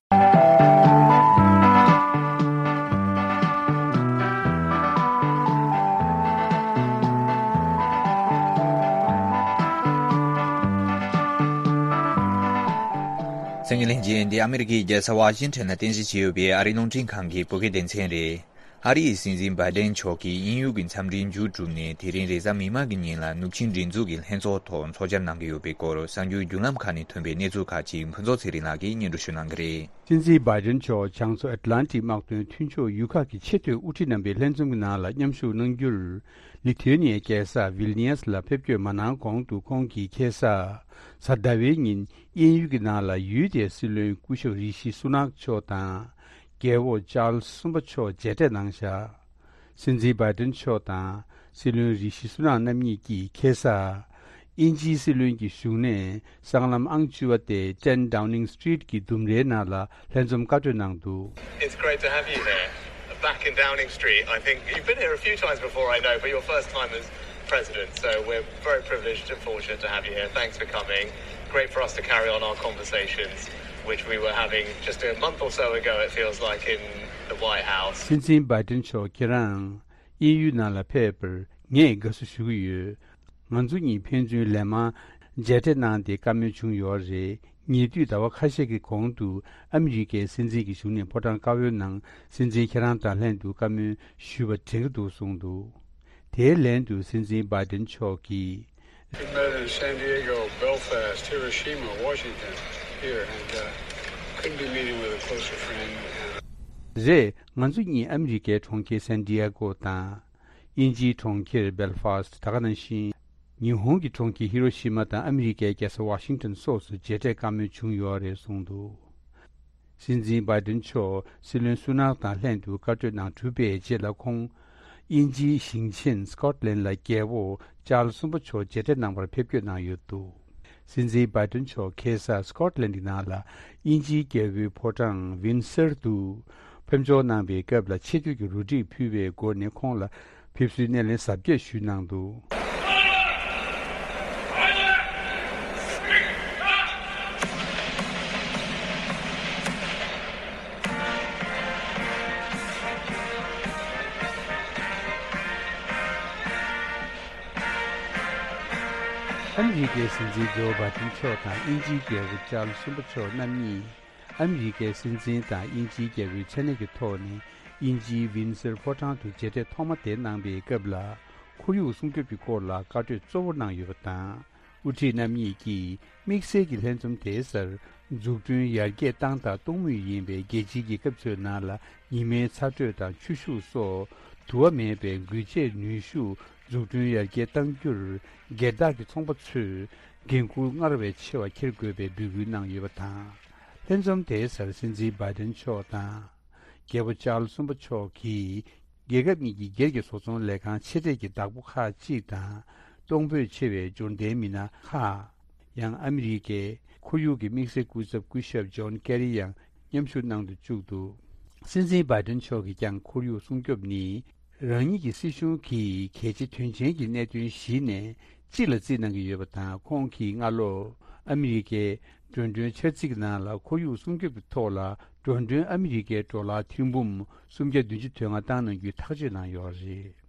གསན་མཁན་ལྷན་རྒྱས། འདི་ཨ་མི་རི་ཀའི་རྒྱལ་ས་ཝ་ཤིང་ཊོན་ལ་རྟེན་གཞི་བྱས་ཡོད་པའི་ཨ་རིའི་རླུང་འཕྲིན་ཁང་གི་བོད་སྐད་སྡེ་ཚན་རེད། ཨ་རིའི་སྲིད་འཛིན་བྷའི་ཌེན་མཆོག་གིས་དབྱིན་ཡུལ་གྱི་འཚམས་འདྲི་མཇུག་གྲུབ་ནས་དེ་རིང་རེས་གཟའ་མིག་དམར་གྱི་ཉིན་ལ་ནུབ་ཆིངས་སྒྲིག་འཛུགས་ཀྱི་ལྷན་ཚོགས་ཐོག་ཚོགས་བཅར་གནང་གི་ཡོད་པའི་སྐོར་གསར་འགྱུར་བརྒྱུད་ལམ་ཁག་ནས་ཐོན་པའི་གནས་ཚུལ་ཁག་ཅིག་ཕུན་ཚོགས་ཚེ་རིང་ལགས་ཀྱིས་སྙན་སྒྲོན་ཞུ་གནང་གི་རེད། སྲིད་འཛིན་བྷའི་ཌེན་མཆོག་བྱང་མཚོ་ཨེཊ་ལན་ཊིག་དམག་དོན་མཐུན་ཕྱོགས་ཡུལ་ཁག་གི་ཆེས་མཐོའི་དབུ་ཁྲིད་རྣམ་པའི་ལྷན་འཛོམས་ཀྱི་ནང་ལ་མཉམ་ཞུགས་གནང་རྒྱུར། ལི་ཐུ་ཨེ་ནི་ཡའི་རྒྱལ་ས་ཝིལ་ནི་ཡས་ལ་ཕེབས་སྐྱོད་མ་གནང་གོང་དུ་ཁོང་གིས་ཁ་སང་གཟའ་ཟླ་བའི་ཉིན་དབྱིན་ཡུལ་གྱི་ནང་ལ་ཡུལ་དེའི་སྲིད་བློན་སྐུ་ཞབས་རི་ཤི་སུ་ནག་མཆོག་དང་། རྒྱལ་པོ་ཅཱལ་སི་གསུམ་པ་མཆོག་མཇལ་འཕྲད་གནང་བཞག། སྲིད་འཛིན་བྷའི་ཌེན་མཆོག་དང་སྲིད་བློན་རི་ཤི་སུ་ནག་རྣམ་གཉིས་ཀྱིས་ཁ་སང་། དབྱིན་ཇིའི་སྲིད་བློན་གྱི་བཞུགས་གནས་སྲང་ལམ་ཨང་བཅུ་པ་སྟེ་ཊེན་ཌའུ་ནིང་སི་ཊི་རིཊ་གྱི་ལྡུམ་རའི་ནང་ལ་ལྷན་འཛོམས་བཀའ་གྲོས་གནང་འདུག། It's great to have you here, back in Downing Street. I think you've been here a few times before, I know, but your first time as president. So we're very privileged and fortunate to have you here. Thanks for coming. Great for us to carry on our conversations, which we were having just a month or so ago, it feels like, in the White House. སྲིད་འཛིན་བྷའི་ཌེན་མཆོག་ཁྱེད་རང་དབྱིན་ཡུལ་ནང་ལ་ཕེབས་པར་ངས་དགའ་བསུ་ཞུ་གི་ཡོད། ང་ཚོ་གཉིས་ཕན་ཚུན་ལན་མང་མཇལ་འཕྲད་གནང་སྟེ་བཀའ་མོལ་བྱུང་ཡོད་རེད། ཉེ་དུས་ཟླ་བ་ཁ་ཤས་ཀྱི་གོང་དུ་ཨ་མི་རི་ཀའི་སྲིད་འཛིན་གྱི་བཞུགས་གནས་ཕོ་བྲང་དཀར་པོའི་ནང་སྲིད་འཛིན་ཁྱེད་རང་དང་ལྷན་དུ་བཀའ་མོལ་ཞུས་པ་དྲན་གྱི་འདུག་གསུངས་འདུག། དེའི་ལན་དུ་སྲིད་འཛིན་བྷའི་ཌེན་མཆོག་གིས། We met in San Diego, Belfast, Hiroshima, Washington, here, and uh, couldn't be meeting with a closer friend. And རེད། ང་ཚོ་གཉིས་ཨ་མི་རི་ཀའི་གྲོང་ཁྱེར་སན་ཏི་ཡ་གོ་དང་། དབྱིན་ཇིའི་གྲོང་ཁྱེར་སྦེལ་ཧྥ་སི་ད་ག་ནང་བཞིན། ཉི་ཧོང་གི་གྲོང་ཁྱེར་ཧི་རོ་ཤི་མ་དང་ཨ་མི་རི་ཀའི་རྒྱལ་ས་ཝ་ཤིང་ཊོན་སོགས་སུ་མཇལ་འཕྲད་བཀའ་མོལ་བྱུང་ཡོད་རེད་གསུངས་འདུག། སྲིད་འཛིན་བྷའི་ཌེན་མཆོག་སྲིད་བློན་སུ་ནག་དང་ལྷན་དུ་བཀའ་གྲོས་གནང་གྲུབ་པའི་རྗེས་ལ་ཁོང་། དབྱིན་ཇིའི་ཞིང་ཆེན་སི་ཀོཊ་ལན་ལ་རྒྱལ་པོ་ཅཱལ་སི་གསུམ་པ་མཆོག་མཇལ་འཕྲད་གནང་བར་ཕེབས་སྐྱོད་གནང་ཡོད་འདུག། སྲིད་འཛིན་བྷའི་ཌེན་མཆོག་ཁ་སང་སི་ཀོཊ་ལན་གྱི་ནང་ལ་དབྱིན་ཇིའི་རྒྱལ་པོའི་ཕོ་བྲང་ཝིན་སར་དུ་ཕེབས་འབྱོར་གནང་བའི་སྐབས་ལ་ཆེ་བསྟོད་ཀྱི་རོལ་དབྱངས་ཕུལ་བའི་སྒོ་ནས་ཁོང་ལ་ཕེབས་བསུའི་སྣེ་ལེན་གཟབ་རྒྱས་ཞུས་གནང་འདུག། ཨ་མི་རི་ཀའི་སྲིད་འཛིན་ཇོ་བྷའི་ཌེན་མཆོག་དང་དབྱིན་ཇིའི་རྒྱལ་པོ་ཅཱལ་སི་གསུམ་པ་མཆོག་རྣམ་གཉིས། ཨ་མི་རི་ཀའི་སྲིད་འཛིན་དང་དབྱིན་ཇིའི་རྒྱལ་པོའི་མཚན་གནས་ཀྱི་ཐོག་ནས་དབྱིན་ཇིའི་ཝིན་སར་ཕོ་བྲང་དུ་མཇལ་འཕྲད་ཐོག་མ་དེ་གནང་པའི་སྐབས་ལ། ཁོར་ཡུག་སྲུང་སྐྱོབ་ཀྱི་སྐོར་ལ་བཀའ་གྲོས་གཙོ་བོ་གནང་ཡོད་པ་དང་། དབུ་ཁྲིད་རྣམ་གཉིས་ཀྱིས་དམིགས་བསལ་གྱི་ལྷན་འཛོམས་དེའི་སར་འཛུགས་སྐྲུན་ཡར་རྒྱས་བཏང་དང་གཏོང་མུས་ཡིན་པའི་རྒྱལ་སྤྱིའི་རྒྱལ་ཁབ་ཚོའི་ནང་ལ་ཉི་མའི་ཚ་དྲོད་དང་ཆུ་ཤུགས་སོགས་དུ་བ་མེད་པའི་འགུལ་ཆས་ནུས་ཤུགས་འཛུགས་སྐྲུན་ཡར་རྒྱས་གཏང་རྒྱུར་སྒེར་བདག་གི་ཚོང་པ་ཚོས་འགན་འཁུར་སྔར་བས་ཆེ་བ་འཁྱེར་དགོས་པའི་འབོད་སྐུལ་གནང་ཡོད་པ་དང་། ལྷན་འཛོམས་དེའི་སར་སྲིད་འཛིན་བྷའི་ཏིན་མཆོག་དང་། རྒྱལ་པོ་ཅཱརལ་གསུམ་པ་མཆོག་གིས་རྒྱལ་ཁབ་གཉིས་ཀྱི་སྒེར་གྱི་བཟོ་ཚོང་ལས་ཁང་ཆེ་གྲས་ཀྱི་བདག་པོ་ཁག་ཅིག་དང་། གཏོང་ཕོད་ཆེ་བའི་འབྱོར་ལྡན་མི་སྣ་ཁག་ཡང་ཨ་མི་རི་ཀའི་ཁོར་ཡུག་གི་དམིགས་བསལ་སྐུ་ཚབ་སྐུ་ཞབས་ཇོན་ཀེ་རི་ཡང་མཉམ་ཞུགས་གནང་དུ་བཅུག་འདུག་སྲིད་འཛིན་བྷའི་ཏིན་མཆོག་གིས་ཀྱང་ཁོར་ཡུག་སྲུང་སྐྱོབ་ནི་རང་ཉིད་ཀྱི་སྲིད་གཞུང་གི་གལ་ཆེ་དོན་ཆེན་གྱི་གནད་དོན་བཞི་ནས་གཅིག་ལ་བརྩིས་གནང་གི་ཡོད་པ་དང་། ཁོང་གིས་སྔ་ལོ་ཨ་མི་རི་ཀའི་འགྲོ་གྲོན་འཆར་རྩིས་ཀྱི་ནང་ལ་ཁོར་ཡུག་སྲུང་སྐྱོབ་ཀྱི་ཐོག་ལ་འགྲོ་གྲོན་ཨ་མི་རི་ཀའི་ཌོ་ལར་ཐེར་འབུམ་སུམ་བརྒྱ་བདུན་ཅུ་དོན་ལྔ་བཏང་གནང་རྒྱུའི་ཐག་གཅོད་གནང་ཡོད་རེད།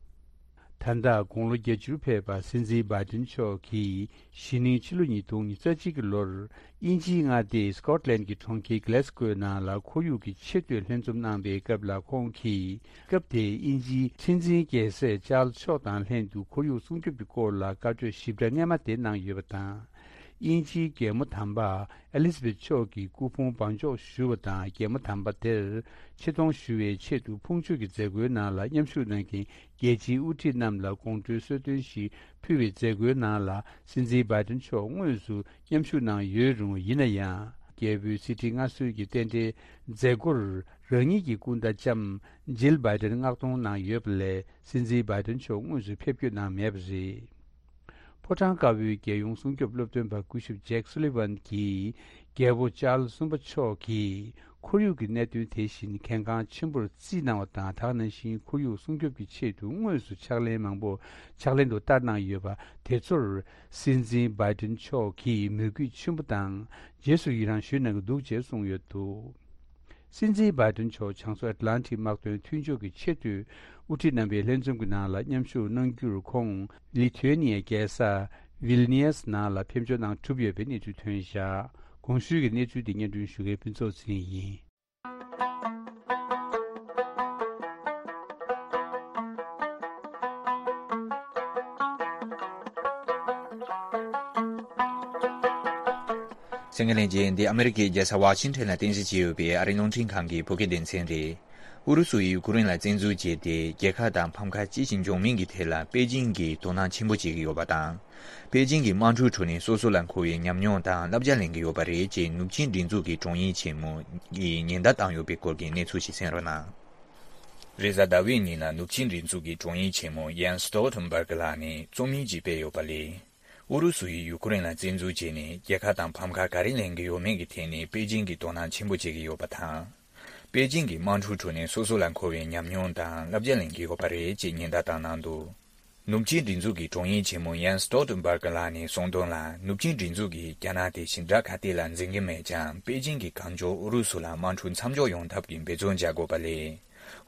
ད་ལྟ་དགུང་ལོ་བརྒྱད་ཅུར་ཕེབས་པ་སྲིད་འཛིན་བྷའི་ཏིན་མཆོག་གིས་གཞེས་ནིང་ཕྱི་ལོ་ཉིས་སྟོང་ཉི་ཤུ་རྩ་གཅིག་གི་ལོར་དབྱིན་ཇིའི་མངའ་སྡེ་སི་ཀོཊ་ལན་གྱི་གྲོང་ཁྱེར་གྷི་ལེ་སི་ཀོའི་ནང་ལ་ཁོར་ཡུག་གི་ཆེས་མཐོའི་ལྷན་འཛོམས་གནང་པའི་སྐབས་ལ། ཁོང་གིས་སྐབས་དེའི་དབྱིན་ཇིའི་སྲིད་འཛིན་རྒྱལ་སྲས་ཅཱརལ་མཆོག་དང་ལྷན་དུ་ཁོར་ཡུག་སྲུང་སྐྱོབ་ཀྱི་སྐོར་ལ་བཀའ་གྲོས་ཞིབ་ཕྲ་སྔས་མ་དེ་གནང་ཡོད་པ་དང་། དབྱིན་ཇིའི་རྒྱལ་མོ་དམ་པ་ཨེ་ལི་ཛ་བེཐ་མཆོག་གི་སྐུ་ཕུང་བང་འཇོག་ཞུ་བ་དང་། རྒྱལ་མོ་དམ་པ་དེར་ཆེ་མཐོང་ཞུ་བའི་ཆེད་དུ་ཕུང་མཆོད་ཀྱི་མཛད་སྒོའི་ནང་ལ་མཉམ་ཞུགས་གནང་མཁན་རྒྱལ་སྤྱིའི་དབུ་ཁྲིད་རྣམས་ལ་དགོང་དྲོའི་གསོལ་སྟོན་ཞིག་ཕུལ་བའི་མཛད་སྒོའི་ནང་ལ། སྲིད་འཛིན་བྷའི་ཏིན་མཆོག་དངོས་སུ་མཉམ་ཞུགས་གནང་ཡོད་རུང་། ཡིན་ན་ཡང་། རྒྱལ་པོའི་གཟི་བརྗིད་མངའ་གསོལ་གྱི་རྟེན་འབྲེལ་མཛད་སྒོར་རང་ཉིད་ཀྱི་སྐུ་ཟླ་ལྕམ་ཇིལ་བྷའི་ཏིན་མངགས་གཏོང་གནང་ཡོད་པ་ལས། སྲིད་འཛིན་བྷའི་ཏིན་མཆོག་དངོས་སུ་ཕེབས་སྐྱོད་གནང་མེད་པ་རེད། ཕོ་བྲང་དཀར་པོའི་རྒྱལ་ཡོངས་སྲུང་སྐྱོབ་སློབ་སྟོན་པ་སྐུ་ཞབས་ཇེག་སུ་ལི་ཝན་གྱིས། རྒྱལ་པོ་ཅཱརལ་གསུམ་པ་མཆོག་གིས་ཁོར་ཡུག་གི་གནད་དོན་དེ་བཞིན་གལ་འགངས་ཆེན་པོར་བརྩིས་གནང་བ་དང་། དེ་ནང་བཞིན་ཁོར་ཡུག་སྲུང་སྐྱོབ་ཀྱི་ཆེད་དུ་དངོས་སུ་ཕྱག་ལེན་མང་པོ་ཕྱག་ལེན་དུ་བསྟར་གནང་ཡོད་པ་དེ་ཚོར། སྲིད་འཛིན་བྷའི་ཏིན་མཆོག་གིས་མོས་གུས་ཆེན་པོ་དང་རྗེས་སུ་ཡི་རང་ཞུས་གནང་གི་འདུག་ཅེས་གསུངས་ཡོད་འདུག་སྲིད་འཛིན་བྷའི་ཏིན་མཆོག་བྱང་མཚོ་ཨེཊ་ལན་ཊིག་དམག་དོན་མཐུན་ཕྱོགས་ཀྱི་ཆེས་མཐོའི་དབུ་ཁྲིད་རྣམ་པའི་ལྷན་འཛོམས་ཀྱི་ནང་ལ་མཉམ་ཞུགས་གནང་རྒྱུར། ཁོང་ལི་ཐུ་ཨེ་ནི་ཡའི་རྒྱལ་ས་ཝིལ་ནི་ཡས་ནང་ལ་ཕེབས་འབྱོར་གནང་གྲུབ་ཡོད་པའི་གནས་ཚུལ་ཐོན་བཞག་གོང་ཞུས་ཀྱི་གནས་ཚུལ་འདི་སྙན་སྒྲོན་ཞུ་མཁན་ཕུན་ཚོགས་ཚེ་རིང་ཡིན། གསན་མཁན་ལྷན་རྒྱས། འདི་ཨ་མི་རི་ཀའི་རྒྱལ་ས་ཝ་ཤིང་ཊོན་ལ་རྟེན་གཞི་བྱས་ཡོད་པའི་ཨ་རིའི་རླུང་འཕྲིན་ཁང་གི་བོད་སྐད་སྡེ་ཚན་རེད། ཨུ་རུ་སུ་ཡིས་ཡུ་ཀེ་རེན་ལ་བཙན་འཛུལ་བྱས་ཏེ། རྒྱལ་ཁབ་དང་ཕམ་ཁ་ཅི་ཞིག་འབྱུང་མིན་གྱི་ཐད་ལ་པེ་ཅིང་གིས་དོ་སྣང་ཆེན་པོ་བྱེད་ཀྱི་ཡོད་པ་དང་། པེ་ཅིང་གི་དམག་འཁྲུག་ཁྲོད་ནས་སོ་སོ་ལ་མཁོ་བའི་ཉམས་མྱོང་དང་བསླབ་བྱ་ལེན་གྱི་ཡོད་པ་རེད་ཅེས་ནུབ་ཆིངས་སྒྲིག་འཛུགས་ཀྱི་དྲུང་ཡིག་ཆེན་མོ་ཡིས་ཉེན་བརྡ་བཏང་ཡོད་པའི་སྐོར་གྱི་གནས་ཚུལ་ཞིག་གསན་རོགས་གནང་། རེས་གཟའ་ཟླ་བའི་ཉིན་ལ་ནུབ་ཆིངས་སྒྲིག་འཛུགས་ཀྱི་དྲུང་ཡིག་ཆེན་མོ་ཡན་སི་སྟོལ་ཐེན་བྷར་གྷི་ལགས་ནས་རྩོམ་ཡིག་ཅིག་སྤེལ་ཡོད་པ་ལས། ཨུ་རུ་སུ་ཡིས་ཡུ་ཀེ་རེན་ལ་བཙན་འཛུལ་བྱས་ནས་རྒྱལ་ཁ་དང་ཕམ་ཁ་ག་རེ་ལེན་གྱི་ཡོད་མེད་ཀྱི་ཐད་ནས་པེ་ཅིང་གིས་དོ་སྣང་ཆེན་པོ་བྱེད་ཀྱི་ཡོད་པ་དང་། པེ་ཅིང་གིས་དམག་འཁྲུག་ཁྲོད་ནས་སོ་སོ་ལ་མཁོ་བའི་ཉམས་མྱོང་དང་བསླབ་བྱ་ལེན་གྱི་ཡོད་པ་རེད་ཅེས་ཉེན་བརྡ་བཏང་གནང་འདུག་ནུབ་ཆིངས་སྒྲིག་འཛུགས་ཀྱི་དྲུང་ཡིག་ཆེན་མོ་ཡན་སི་སྟོལ་ཐེན་བྷར་གྷི་ལགས་ནས་གསུངས་དོན་ལ། ནུབ་ཆིངས་སྒྲིག་འཛུགས་ཀྱིས་རྒྱ་ནག་དེ་ཞིང་ཁྲ་ག་ཏེ་ལ་འཛིན་གྱི་མེད་ཀྱང་། པེ་ཅིང་གིས་གང་མགྱོགས་ཨུ་རུ་སུ་ལ་དམག་འཁྲུག་མཚམས་འཇོག་ཡོང་ཐབས་ཀྱི་འབད་བརྩོན་བྱ་དགོས་པ་ལས།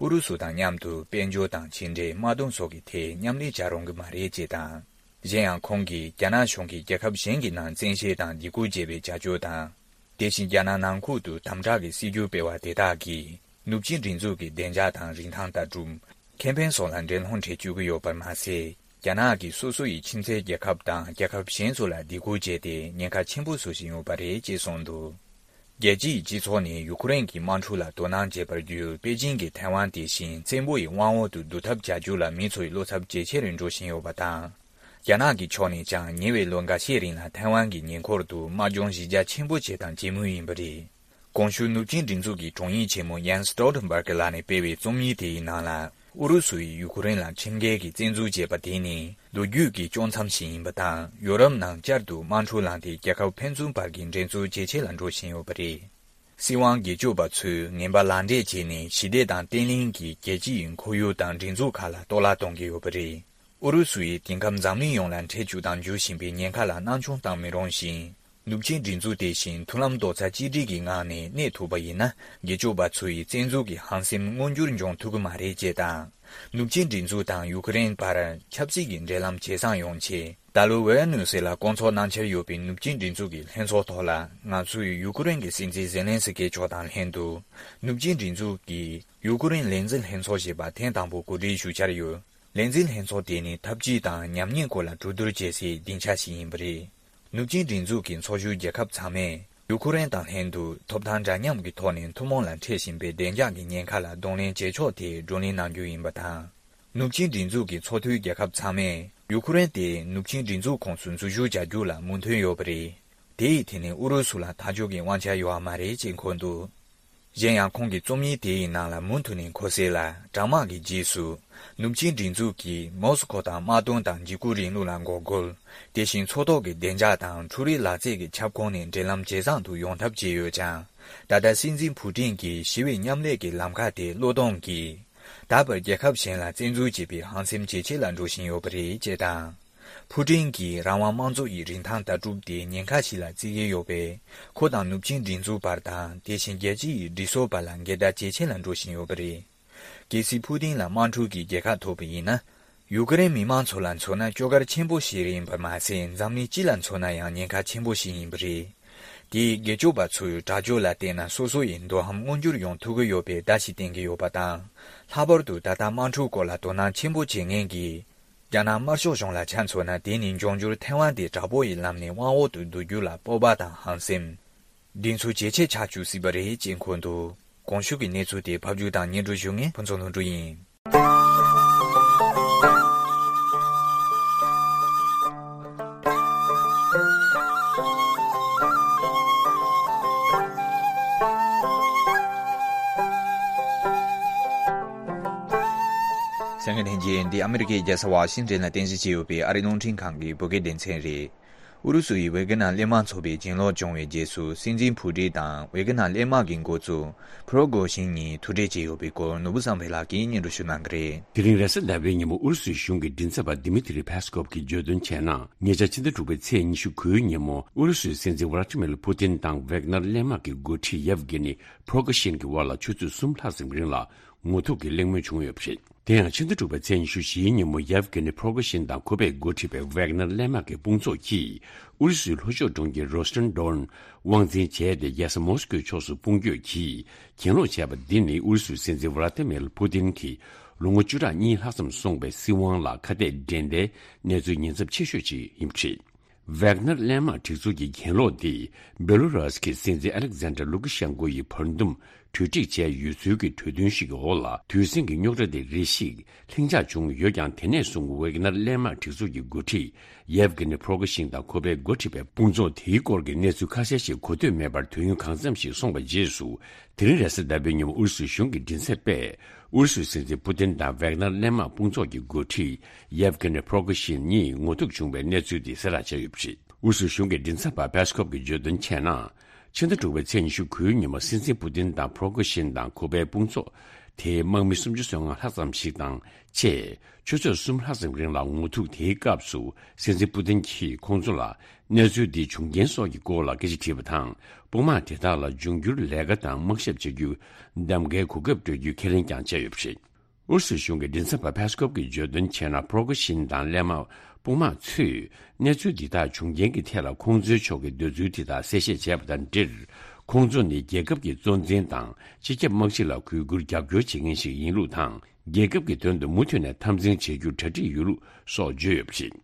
ཨུ་རུ་སུ་དང་མཉམ་དུ་དཔལ་འབྱོར་དང་ཕྱི་འབྲེལ། དམག་དོན་སོགས་ཀྱི་ཐད་མཉམ་ལས་བྱ་རུང་གི་མ་རེད་ཅེས་དང་། གཞན་ཡང་། ཁོང་གིས་རྒྱ་ནག་གཞུང་གིས་རྒྱལ་ཁབ་གཞན་གྱི་ནང་བཙན་ཤེད་དང་སྡིགས་སྐུལ་བྱེད་པའི་བྱ་སྤྱོད་དང་། དེ་བཞིན་རྒྱ་ནག་ནང་ཁུལ་དུ་དམ་དྲག་གི་སྲིད་ཇུས་སྤེལ་བ་དེ་དག་གིས། ནུབ་ཆིངས་སྒྲིག་འཛུགས་ཀྱི་བདེ་འཇགས་དང་རིན་ཐང་ལྟ་གྲུབ། ཁེ་ཕན་སོགས་ལ་འགྲན་སློང་སྤྲད་བཅུག་གི་ཡོད་པར་མ་ཟད། རྒྱ་ནག་གིས་སོ་སོ་ཡི་ཁྱིམ་མཚེས་རྒྱལ་ཁབ་དང་རྒྱལ་ཁབ་གཞན་ཚོ་ལ་སྡིགས་སྐུལ་བྱས་ཏེ། ཉེན་ཁ་ཆེན་པོ་བཟོ་བཞིན་ཡོད་པ་རེད་ཅེས་གསུངས་འདུག་རྒྱལ་སྤྱིའི་སྤྱི་ཚོགས་ནས་ཡུ་ཀེ་རེན་གྱི་དམག་འཁྲུག་ལ་དོ་སྣང་བྱེད་པར་བརྒྱུད། པེ་ཅིང་གིས་ཐའེ་ཝན་དེ་བཞིན་བཙན་པོ་ཡི་དབང་འོག་ཏུ་བསྡུ་ཐབས་བྱ་རྒྱུ་ལ་མི་ཚོའི་བློ་འཚབ་ཇེ་ཆེ་རུ་འགྲོ་བཞིན་ཡོད་པ་དང་། རྒྱ་ནག་གི་ཕྱོགས་ནས་ཀྱང་ཉེ་བའི་ལོ་འགའ་ཤས་རིང་ལ་ཐའེ་ཝན་གྱི་ཉེ་འཁོར་དུ་དམག་སྦྱོང་གཞི་རྒྱ་ཆེན་པོ་བྱས་དང་བྱེད་མུས་ཡིན་པ་རེད། གོང་ཞུས་ནུབ་ཆིངས་སྒྲིག་འཛུགས་ཀྱི་དྲུང་ཡིག་ཆེན་མོ་ཡན་སི་སྟོལ་ཐེན་བྷར་གྷི་ལགས་ནས་སྤེལ་བའི་རྩོམ་ཡིག་དེའི་ནང་ལ། ཨུ་རུ་སུ་ཡིས་ཡུ་ཀེ་རེན་ལ་ཁྲིམས་འགལ་གྱི་བཙན་འཛུལ་བྱས་པ་དེ་ནི་ལོ་རྒྱུས་ཀྱི་དཀྱོག་མཚམས་ཤིག་ཡིན་པ་དང་། ཡོ་རོབ་ནང་བསྐྱར་དུ་དམག་འཁྲུག་ལངས་ཏེ། རྒྱལ་ཁབ་ཕན་ཚུན་བར་གྱི་འགྲན་རྩོད་ཇེ་ཆེ་ལ་འགྲོ་བཞིན་ཡོད་པ་རེད། སྲིད་དབང་སྒེར་གཅོད་པ་ཚོས་ངན་པ་ལག་འབྲེལ་བྱས་ནས། ཞི་བདེ་དང་བརྟན་ལྷིང་གིས་རྒྱལ་སྤྱི་ཡི་ཁོར་ཡུག་དང་སྒྲིག་འཛུགས་ཁག་ལ་གཏོར་བརླག་གཏོང་གི་ཡོད་པ་རེད། ཨུ་རུ་སུ་ཡིས་དེང་སྐབས་འཛམ་གླིང་ཡོངས་ལ་འཕྲད་བཅུག་དང་འཇུ་བཞིན་པའི་ཉེན་ཁ་ལ་སྣང་ཆུང་བཏང་མི་རུང་ཞིང་། ནུབ་ཆིངས་སྒྲིག་འཛུགས་དེ་བཞིན་མཐུན་ལམ་རྡོག་རྩ་གཅིག་སྒྲིལ་གྱི་ངང་ནས་གནས་ཐུབ་པ་ཡིན་ན། སྒེར་གཅོད་པ་ཚོ་ཡི་བཙན་འཛུལ་གྱི་ཧམ་སེམས་མངོན་འགྱུར་འབྱུང་ཐུབ་ཀྱི་མ་རེད་ཅེས་དང་། ནུབ་ཆིངས་སྒྲིག་འཛུགས་དང་ཡུ་ཀེ་རེན་བར་ཆབ་སྲིད་ཀྱི་འབྲེལ་ལམ་ཇེ་བཟང་ཡོང་ཆེད། ད་ལོ་ཝེ་ནུ་སེ་ལ་བསྐོང་ཚོགས་གནང་འཆར་ཡོད་པའི་ནུབ་ཆིངས་སྒྲིག་འཛུགས་ཀྱི་ལྷན་ཚོགས་ཐོག་ལ། ང་ཚོས་ཡུ་ཀེ་རེན་གྱི་སྲིད་འཛིན་ཛེ་ལན་སི་ཀེ་མཆོག་དང་ལྷན་དུ། ནུབ་ཆིངས་སྒྲིག་འཛུགས་ཀྱི་ཡུ་ཀེ་རེན་ལས་འཛིན་ལྷན་ཚོགས་ཞེས་པ་ཐེངས་དང་པོ་གོ་སྒྲིག་ཞུ་འཆར་ཡོད། ལས་འཛིན་ལྷན་ཚོགས་དེ་ནི་འཐབ་ཇུས་དང་ཉམས་ཉེས་སྐོར་ལ་གྲོས་བསྡུར་བྱེད་སའི་སྡིངས་ཆ་ཞིག་ཡིན་པ་རེད། ནུབ་ཆིངས་སྒྲིག་འཛུགས་ཀྱི་ཚོགས་ཞུགས་རྒྱལ་ཁབ་ཚང་མས་ཡུ་ཁུ་རེན་དང་ལྷན་དུ་ཐོབ་ཐང་འདྲ་མཉམ་གྱི་ཐོག་ནས་ཐུན་མོང་ལ་འཕྲད་བཞིན་པའི་བདེ་འཇགས་ཀྱི་ཉེན་ཁ་ལ་གདོང་ལེན་བྱེད་ཕྱོགས་དེ་བགྲོ་གླེང་གནང་རྒྱུ་ཡིན་པ་དང་། ནུབ་ཆིངས་སྒྲིག་འཛུགས་ཀྱི་ཚོགས་འཐུས་རྒྱལ་ཁབ་ཚང་མས་ཡུ་ཁུ་རེན་དེ་ནུབ་ཆིངས་སྒྲིག་འཛུགས་ཁོངས་སུ་འཛུལ་ཞུགས་བྱ་རྒྱུ་ལ་མོས་མཐུན་ཡོད་པ་རེད། དེ་ཡི་ཐད་ནས་ཨུ་རུ་སུ་ལ་ཐག་གཅོད་ཀྱི་དབང་ཆ་ཡོད་པ་མ་རེད་ཅེས་འཁོད་འདུག་གཞན་ཡང་ཁོང་གིས་རྩོམ་ཡིག་དེ་ཡི་ནང་ལ་མུ་མཐུད་ནས་འཁོད་གསལ་ལ། དྲག་དམག་གི་རྗེས་སུ་ནུབ་ཆིངས་སྒྲིག་འཛུགས་ཀྱིས་མོ་སི་ཁོ་དང་དམག་དོན་དང་འཇིགས་སྐུལ་རིང་ལུགས་ལ་འགོག་རྒོལ། དེ་བཞིན་མཚོ་ཐོག་གི་བདེ་འཇགས་དང་འཕྲུལ་རིག་ལག་རྩལ་གྱི་ཁྱབ་ཁོངས་ནས་འབྲེལ་ལམ་ཇེ་བཟང་དུ་ཡོང་ཐབས་བྱས་ཡོད་ཀྱང་། ད་ལྟ་སྲིད་འཛིན་ཕུ་ཀྲིན་གྱིས་ཞི་བའི་མཉམ་ལས་ཀྱི་ལམ་ཁ་དེ་བློས་གཏོང་གིས། ད་བར་རྒྱལ་ཁབ་གཞན་ལ་བཙན་འཛུལ་བྱེད་པའི་ཧམ་སེམས་ཇེ་ཆེ་ལ་འགྲོ་བཞིན་ཡོད་པ་རེད་ཅེས་དང་། ཕུ་ཀྲིན་གྱིས་རང་དབང་དམངས་གཙོ་ཡི་རིན་ཐང་ལྟ་གྲུབ་དེ་ཉེན་ཁ་ཞིག་ལ་བརྩི་གི་ཡོད་པས། ཁོ་དང་ནུབ་ཆིངས་སྒྲིག་འཛུགས་བར་དང་དེ་བཞིན་རྒྱལ་སྤྱི་ཡི་སྒྲིག་སྲོལ་བར་ལ་འགལ་ཟླ་ཇེ་ཆེ་ལ་འགྲོ་བཞིན་ཡོད་པ་རེད། གལ་སྲིད་ཕུ་ཏིན་ལ་དམག་འཁྲུག་གི་རྒྱལ་ཁ་ཐོབ་པ་ཡིན་ན། ཡུ་ཀེ་རེན་མི་མང་ཚོ་ལ་མཚོན་ན་སྐྱོ་གར་ཆེན་པོ་ཞིག་རེད་ཡིན་པ་མ་ཟད། འཛམ་གླིང་སྤྱི་ལ་མཚོན་ན་ཡང་ཉེན་ཁ་ཆེན་པོ་ཞིག་ཡིན་པ་རེད། དེས་སྒེར་གཅོད་པ་ཚོའི་དྲག་སྤྱོད་ལ་བལྟས་ན་སོ་སོ་ཡི་འདོད་ཧམ་མངོན་འགྱུར་ཡོང་ཐུབ་ཀྱི་ཡོད་པའི་བརྡ་ཞིག་བསྟན་གྱི་ཡོད་པ་དང་། ལྷག་པར་དུ་ད་ལྟ་དམག་འཁྲུག་སྐོར་ལ་དོ་སྣང་ཆེན་པོ་བྱེད་མཁན་གྱི་རྒྱ་ནག་དམར་ཤོག་གཞུང་ལ་ཆ་མཚོན་ན། དེ་ནི་འབྱུང་འགྱུར་ཐའེ་ཝན་དེ་དྲག་པོ་ཡི་ལམ་ནས་དབང་འོག་ཏུ་བསྡུ་རྒྱུ་ལ་སྤོབས་པ་དང་ཧམ་སེམས་འདི་ཚོ་ཇེ་ཆེ་ཆགས་བཅུག་སྲིད་པ་རེད་ཅེས་འཁོད་འདུག་གོང་ཞུས་ཀྱི་གནས་ཚུལ་དེ་ཕབ་སྒྱུར་དང་སྙན་སྒྲོན་ཞུ་མཁན་ཕུན་ཚོགས་ལྷུན་གྲུབ་ཡིན། གསན་མཁན་ལྷན་རྒྱས། འདི་ཨ་མི་རི་ཀའི་རྒྱལ་ས་ཝ་ཤིང་ཏོན་ལ་རྟེན་གཞི་བྱས་ཡོད་པའི་ཨ་རིའི་རླུང་འཕྲིན་ཁང་གི་བོད་སྐད་སྡེ་ཚན་རེད། ཨུ་རུ་སུ་ཡིས་ཝེ་གྷི་ནར་གླས་དམག་ཚོགས་པའི་གྱེན་ལོག་བྱུང་བའི་རྗེས་སུ། སྲིད་འཛིན་ཕུ་ཀྲིན་དང་ཝེ་གྷི་ནར་གླས་དམག་གི་འགོ་གཙོ་ཕྲོ་གོ་ཤིན་གཉིས་ཐུག་འཕྲད་བྱས་ཡོད་པའི་སྐོར་ནོར་བུ་བསམ་འཕེལ་ལགས་ཀྱིས་སྙན་སྒྲོན་ཞུ་གནང་གི་རེད། དེ་རིང་རེས་གཟའ་ཟླ་བའི་ཉིན་མོ་ཨུ་རུ་སུའི་གཞུང་གི་མགྲིན་ཚབ་པ་ཌི་མི་ཏི་རི་ཕེ་སི་ཀོབ་ཀྱིས་བརྗོད་དོན་བྱས་ན། ཉེ་ཆར་ཕྱི་ཟླ་དྲུག་པའི་ཚེས་ཉི་ཤུ་དགུའི་ཉིན་མོ་ཨུ་རུ་སུའི་སྲིད་འཛིན་ཝ་ལ་ཏི་མིར་ཕུ་ཏིན་དང་ཝེ་གྷི་ནར་གླས་དམག་གི་འགོ་ཁྲིད་ཡེབ་གྷི་ནི་ཕྲོ་གོ་ཤིན་གྱི་དབར་ལ་ཆུ་ཚོད་གསུམ་ལྷག་ཙམ་རིང་ལ་ངོ་ཐུག་གི་གླེང་མོལ་བྱུང་ཡོད་པ་རེད། དེ་ཡང་ཕྱི་ཟླ་དྲུག་པའི་ཚེས་ཉི་ཤུ་བཞིའི་ཉིན་མོ་ཡེབ་གྷི་ནི་ཕྲོ་གོ་ཤིན་དང་ཁོ་པས་འགོ་ཁྲིད་པའི་ཝེག་ནར་གླས་དམག་གི་དཔུང་ཚོགས་ཀྱིས་ཨུ་རུ་སུའི་ལྷོ་ཕྱོགས་གྲོང་ཁྱེར་རོ་སི་ཏན་ཌོར་ནི་དབང་འཛིན་བྱས་ཏེ། རྒྱལ་ས་མོ་སི་ཀོའི་ཕྱོགས་སུ་དཔུང་སྐྱོད་ཀྱིས་གྱེན་ལོག་བྱས་པ་འདི་ནི་ཨུ་རུ་སུའི་སྲིད་འཛིན་ཝ་ལ་ཏི་མིར་ཕུ་ཏིན་གྱི་ལོ་ངོ་བཅུ་ཕྲག་གཉིས་ལྷག་ཙམ་སོང་བའི་སྲིད་དབང་ལ་ཁ་གཏད་འགྲན་ཟླའི་གནས་ཚུལ་ཉེན་ཚབས་ཆེ་ཤོས་ཅིག་ཡིན་པ་རེད། ཝེག་ནར་གླས་དམག་སྒྲིག་འཛུགས་ཀྱི་གྱེན་ལོག་འདི་བེ་ལོ་རུ་སི་ཀྱི་སྲིད་འཛིན་ཨ་ལེག་ཛན་ཌར་ལུ་ཀ་ཤན་ཀོ་ཡིས་བར་འདུམ་གྲོས་འགྲིག་བྱས་ཡོད་ཚུལ་གྱི་གྲོས་མཐུན་ཞིག་གི་འོག་ལ། དུས་ཟིང་གི་རྙོག་དྲ་དེ་རེ་ཞིག་ལྷིང་འཇགས་བྱུང་ཡོད་ཀྱང་། དེ་ནས་བཟུང་ཝེག་ནར་གླས་དམག་སྒྲིག་འཛུགས་ཀྱི་འགོ་ཁྲིད་ཡེབ་གྷི་ནི་ཕྲོ་གོ་ཤིན་དང་ཁོ་པས་འགོ་ཁྲིད་པའི་དཔུང་ཚོགས་དེའི་སྐོར་གྱི་གནས་ཚུལ་ཁ་གསལ་ཞིག་གོ་ཐོས་མེད་པར་དུས་ཡུན་གང་འཚམ་ཞིག་སོང་བའི་རྗེས་སུ། དེ་རིང་རེས་གཟའ་ཟླ་བའི་ཉིན་མོ་ཨུ་རུ་སུའི་གཞུང་གི་མགྲིན་ཚབ་པས་ཨུ་རུ་སུའི་སྲིད་འཛིན་ཕུ་ཏིན་དང་ཝེག་ནར་གླས་དམག་དཔུང་ཚོགས་ཀྱི་འགོ་ཁྲིད་ཡེབ་གྷི་ནི་ཕྲོ་གོ་ཤིན་གཉིས་ངོ་ཐུག་བྱུང་བའི་གནས་ཚུལ་དེ་གསལ་བསྒྲགས་བྱས་ཡོད་པ་རེད། ཨུ་རུ་སུའི་གཞུང་གི་མགྲིན་ཚབ་པ་ཕེ་སི་ཀོབ་ཀྱིས་བརྗོད་དོན་བྱས་ན། ཕྱི་ཟླ་དྲུག་པའི་ཚེས་ཉི་ཤུ་དགུའི་ཉིན་མོ་སྲིད་འཛིན་པུ་ཏིན་དང་ཕྲོ་གོ་ཤིན་དང་ཁོ་པའི་དཔུང་ཚོགས་དེའི་དམག་མི་སུམ་ཅུ་སོ་ལྔ་ལྷག་ཙམ་ཞིག་དང་བཅས་ཆུ་ཚོད་གསུམ་ལྷག་ཙམ་རིང་ལ་ངོ་ཐུག་དེའི་སྐབས་སུ། སྲིད་འཛིན་པུ་ཏིན་གྱིས་ཁོང་ཚོ་ལ་གནས་ཚུལ་འདིའི་བྱུང་རྐྱེན་སོགས་ཀྱི་སྐོར་ལ་སྐད་ཆ་དྲིས་པ་དང་། དཔུང་དམག་དེ་དག་ལ་འབྱུང་འགྱུར་ལས་ཀ་དང་དམག་ཞབས་བྱེད་རྒྱུ་གདམ་གའི་གོ་སྐབས་སྤྲོད་རྒྱུའི་ཁས་ལེན་ཀྱང་བྱས་ཡོད་པ་རེད། ཨུ་རུ་སུའི་གཞུང་གི་མགྲིན་ཚབ་པ་ཕེ་སི་ཀོབ་ཀྱིས་བརྗོད་དོན་བྱས་ན། ཕྲོ་གོ་ཤིན་དང་གླས་དམག་དཔུང་དམག་ཚོས་གནས་ཚུལ་འདི་དག་བྱུང་རྐྱེན་གྱི་ཐད་ལ་ཁོང་ཚོའི་ཕྱོགས་ཀྱི་འདོད་ཚུལ་དེ་དག་གསལ་བཤད་བྱས་པ་དང་འབྲེལ། ཁོང་ཚོ་ནི་རྒྱལ་ཁབ་ཀྱི་གཙོ་འཛིན་དང་སྤྱི་ཁྱབ་དམག་སྤྱི་ལ་གུས་བཀུར་རྒྱབ་སྐྱོར་བྱེད་མཁན་ཞིག་ཡིན་ལུགས་དང་། རྒྱལ་ཁབ་ཀྱི་དོན་དུ་མུ་མཐུད་ནས་འཐབ་འཛིང་བྱེད་རྒྱུར་གྲ་སྒྲིག་ཡོད་ལུགས་སོགས་བརྗོད་ཡོད་པ་རེད།